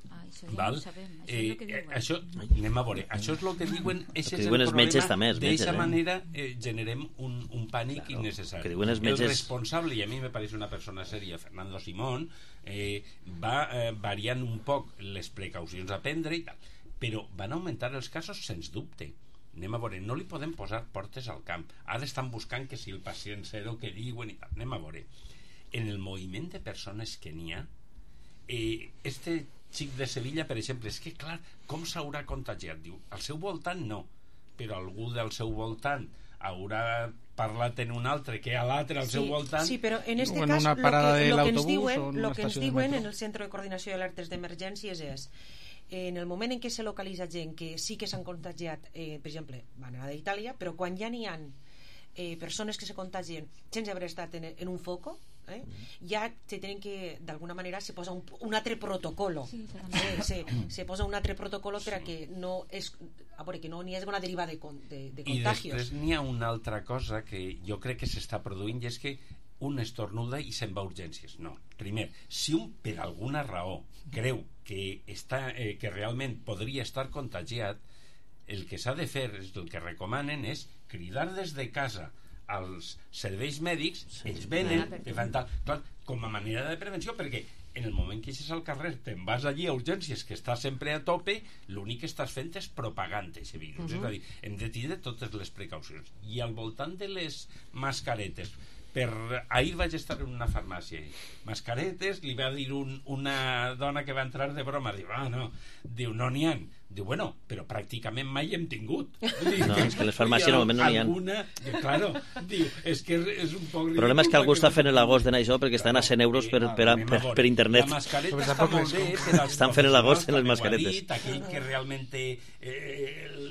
Ah, això ja Val? no ho sabem. Això, Eh, és eh, això, anem a veure, això és el que diuen, és el diuen els metges també, els metges, d'aquesta eh? manera eh, generem un, un pànic claro, innecessari. Que diuen els metges... El responsable, i a mi me pareix una persona sèria, Fernando Simón, eh, va eh, variant un poc les precaucions a prendre i tal, però van augmentar els casos sens dubte. Anem a veure, no li podem posar portes al camp, ara estan buscant que si el pacient zero que diuen i tal. Anem a veure, en el moviment de persones que n'hi ha, eh, este xic de Sevilla, per exemple, és que clar, com s'haurà contagiat? Diu, al seu voltant no, però algú del seu voltant haurà parlat en un altre que a l'altre al sí, seu voltant. Sí, però en este o en cas una parada lo que, de lo que ens l'autobús diuen, o en lo una que ens estació de diuen metro. en el Centre de Coordinació d'Alertes d'Emergències és en el moment en què se localitza gent que sí que s'han contagiat, eh, per exemple, van a d'Itàlia, però quan ja n'hi ha eh, persones que se contagien sense haver estat en, en un foco, eh, ja se tenen que, d'alguna manera, se posa un, un altre protocolo. Sí, eh, se, se posa un altre protocolo per a que no és, a veure, que no n'hi hagi una deriva de, de, de contagios. I després n'hi ha una altra cosa que jo crec que s'està produint i és que un estornuda i se'n va a urgències. No. Primer, si un per alguna raó creu que, està, eh, que realment podria estar contagiat, el que s'ha de fer, el que recomanen és cridar des de casa als serveis mèdics, ells venen, te fan tal, clar, com a manera de prevenció, perquè en el moment que eixes al carrer te'n vas allí a urgències, que estàs sempre a tope, l'únic que estàs fent és propagant aquest virus. Uh-huh. És a dir, hem de tindre totes les precaucions. I al voltant de les mascaretes, per... ahir vaig estar en una farmàcia, mascaretes, li va dir un, una dona que va entrar de broma, diu, ah, no, diu, no n'hi ha. Diu, bueno, però pràcticament mai hem tingut. Diu, no, és que les farmàcies normalment no n'hi ha. Alguna, diu, claro, diu, és que és un poc... El problema és que algú està fent l'agost de això perquè estan a cent euros per, per, per, per internet. La mascareta està molt bé, però estan fent l'agost en les mascaretes. Aquell que realment té eh, el,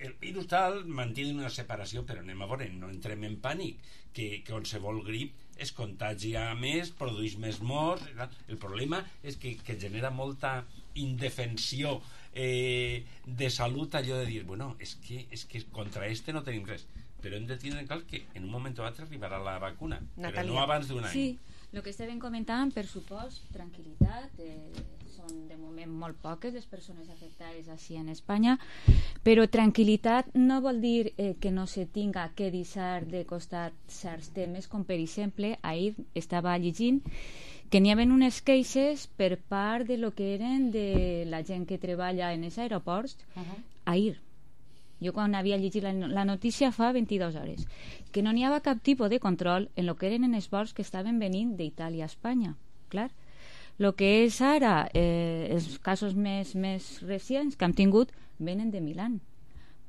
el virus tal, manté una separació, però anem a veure, no entrem en pànic, que, que qualsevol grip es contagia més, produeix més morts. El problema és que, que genera molta indefensió eh, de salut, allò de dir, bueno, és que, és que contra este no tenim res, però hem de tindre en clar que en un moment o altre arribarà la vacuna, Natalia. Però no abans d'un any. Sí, el que estàvem comentant, per supost, tranquil·litat, eh, són de moment molt poques les persones afectades així en Espanya, però tranquil·litat no vol dir eh, que no se tinga que deixar de costat certs temes, com per exemple, ahir estava llegint que n'hi havia unes queixes per part de lo que eren de la gent que treballa en els aeroports uh-huh. ahir. Jo quan havia llegit la, la notícia fa vint-i-dues hores, que no n'hi havia cap tipus de control en lo que eren els vols que estaven venint d'Itàlia a Espanya. Clar, el que és ara eh, els casos més, més recents que hem tingut venen de Milán.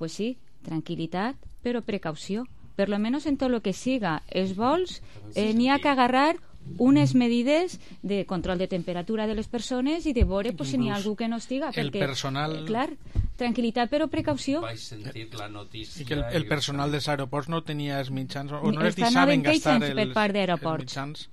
Pues sí, tranquil·litat, però precaució. Per lo menos en tot el que siga els vols eh, n'hi ha que agarrar unes medides de control de temperatura de les persones i de veure pues, si n'hi ha algú que no estiga el perquè, personal... eh, clar, tranquil·litat però precaució. Vaig sentir la notícia i que el, el personal dels aeroports no tenia els mitjans o no les Estan deixaven gastar els, per part els mitjans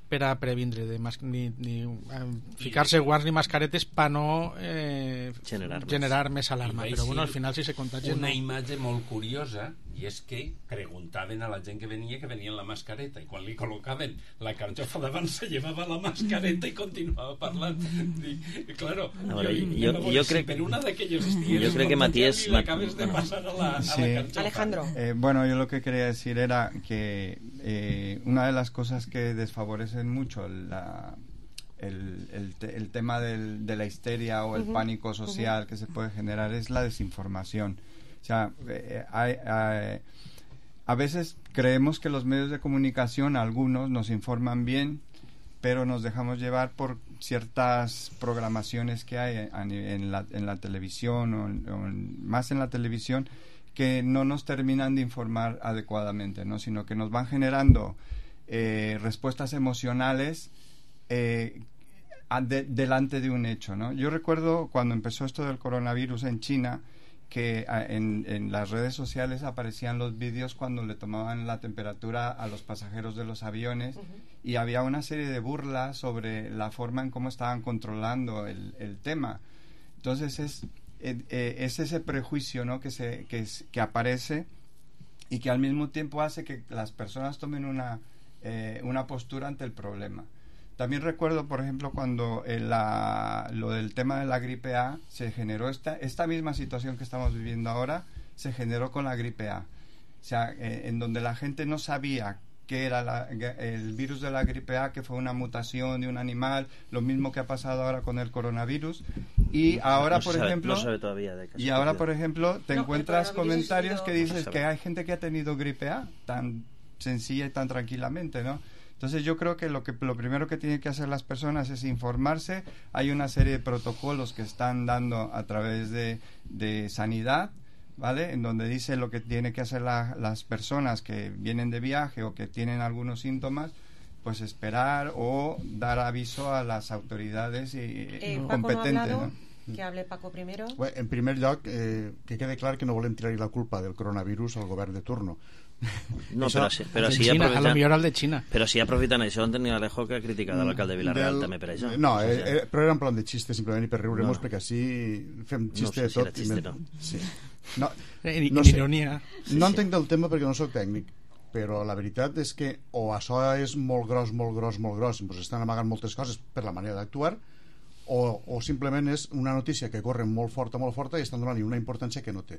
per a previndre de mas, ni, ni eh, ficar-se guants ni mascaretes per no eh, generar, generar més alarma, però bueno, al final si se contagien una no... imatge molt curiosa, i és que preguntaven a la gent que venia que venien la mascareta i quan li col·locaven la carxofa davant se llevava la mascareta i continuava parlant. Dic, claro, a veure, jo, jo, jo crec si per una d'aquelles estigues jo crec que Matías i l'acabes de passar a la, a sí. la carxofa. Alejandro. Eh, bueno, yo lo que quería decir era que eh, una de las cosas que desfavorecen mucho la, el, el, te, el tema del, de la histeria o el uh-huh. pánico social uh-huh. que se puede generar es la desinformación. O sea, eh, hay, hay, a veces creemos que los medios de comunicación, algunos, nos informan bien, pero nos dejamos llevar por ciertas programaciones que hay en, en, la, en la televisión o, en, o en, más en la televisión que no nos terminan de informar adecuadamente, ¿no? Sino que nos van generando eh, respuestas emocionales eh, de, delante de un hecho, ¿no? Yo recuerdo cuando empezó esto del coronavirus en China que en, en las redes sociales aparecían los vídeos cuando le tomaban la temperatura a los pasajeros de los aviones uh-huh. y había una serie de burlas sobre la forma en cómo estaban controlando el, el tema. Entonces es, eh, eh, es ese prejuicio, ¿no? que, se, que, es, que aparece y que al mismo tiempo hace que las personas tomen una, eh, una postura ante el problema. También recuerdo, por ejemplo, cuando eh, la, lo del tema de la gripe A se generó, esta, esta misma situación que estamos viviendo ahora, se generó con la gripe A. O sea, eh, en donde la gente no sabía qué era la, el virus de la gripe A, que fue una mutación de un animal, lo mismo que ha pasado ahora con el coronavirus. Y ahora, no por sabe, ejemplo, no sabe todavía de y ahora, por ejemplo, te no, encuentras comentarios que dices no que hay gente que ha tenido gripe A tan sencilla y tan tranquilamente, ¿no? Entonces yo creo que lo que lo primero que tienen que hacer las personas es informarse. Hay una serie de protocolos que están dando a través de, de sanidad, ¿vale? En donde dice lo que tiene que hacer la, las personas que vienen de viaje o que tienen algunos síntomas, pues esperar o dar aviso a las autoridades y, eh, competentes, Paco no ha hablado, ¿no? Que hable Paco primero. Bé, en primer lloc, eh, que quede clar que no volem tirar-hi la culpa del coronavirus al govern de turno. No, Això, però, si, però si Xina, aprofitant, a lo millor el de Xina. Però si aprofitant això, en tenia Alejo que ha criticat l'alcalde de Vilareal del, també per això. No, eh, eh, però era en plan de xiste, simplement, i per riure-nos, no. perquè així fem xiste no sé de tot. si xiste, i no. Sí. No, Ni, no ni sé. ironia. Sí, no entenc sí. del tema perquè no sóc tècnic, però la veritat és que o això és molt gros, molt gros, molt gros, doncs estan amagant moltes coses per la manera d'actuar, o, o simplement és una notícia que corre molt forta, molt forta i estan donant-hi una importància que no té.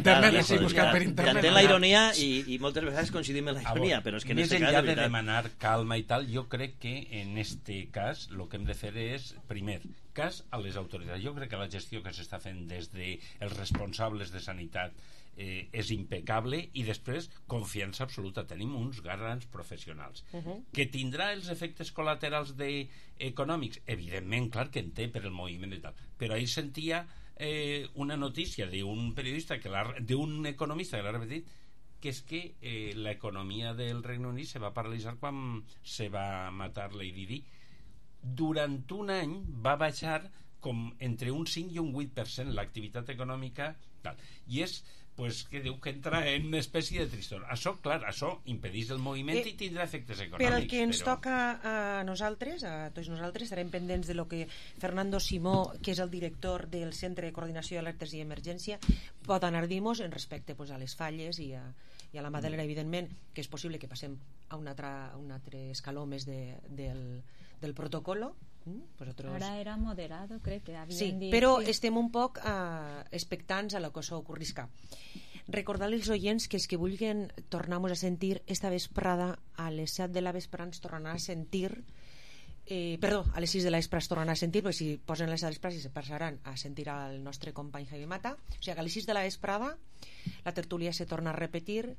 internet, veritat, sí, buscat per internet. Entenc la ironia i, i moltes vegades coincidim en la ironia, veure, però és que en més este cas, enllà de de veritat... demanar calma i tal, jo crec que en este cas el que hem de fer és, primer, cas a les autoritats. Jo crec que la gestió que s'està fent des dels responsables de sanitat eh, és impecable, i després confiança absoluta, tenim uns grans professionals. Uh-huh. Que tindrà els efectes col·laterals de, econòmics? Evidentment, clar que en té per el moviment i tal, però ahir sentia eh, una notícia d'un periodista, que d'un economista que l'ha repetit, que és que eh, l'economia del Regne Unit se va paralitzar quan se va matar Lady Di. Durant un any va baixar com entre un cinc i un vuit per cent l'activitat econòmica tal. I és pues, que diu que entra en una espècie de tristor. Això, clar, això impedeix el moviment eh, i tindrà efectes econòmics. Per al que ens però... toca a nosaltres, a tots nosaltres, estarem pendents de lo que Fernando Simó, que és el director del Centre de Coordinació d'Alertes i Emergència, pot anar-nos en respecte pues, a les falles i a, i a la Madalena, evidentment, que és possible que passem a un altre, a un altre escaló més de, del, del protocolo. Vosotros... Ara era moderado, crec que havien sí, dit... però sí. estem un poc uh, expectants a lo que això ocorrisca. Recordar als oients que els que vulguin tornar-nos a sentir esta vesprada a les set de la vesprada ens tornaran a sentir eh, perdó, a les sis de la vesprada es tornaran a sentir, perquè si posen les vesprades se passaran a sentir al nostre company Javi Mata, o sigui que a les sis de la vesprada la tertúlia se torna a repetir.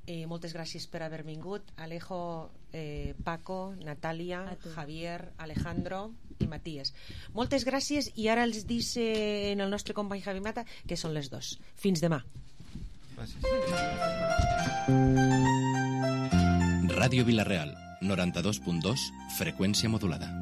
Eh, moltes gràcies per haver vingut, Alejo, eh, Paco, Natàlia, Javier, Alejandro i Matías. Moltes gràcies, i ara els dice en el nostre company Javi Mata que són les dos. Fins demà. Gràcies. Ràdio Vila-real, noranta-dos punt dos, freqüència modulada.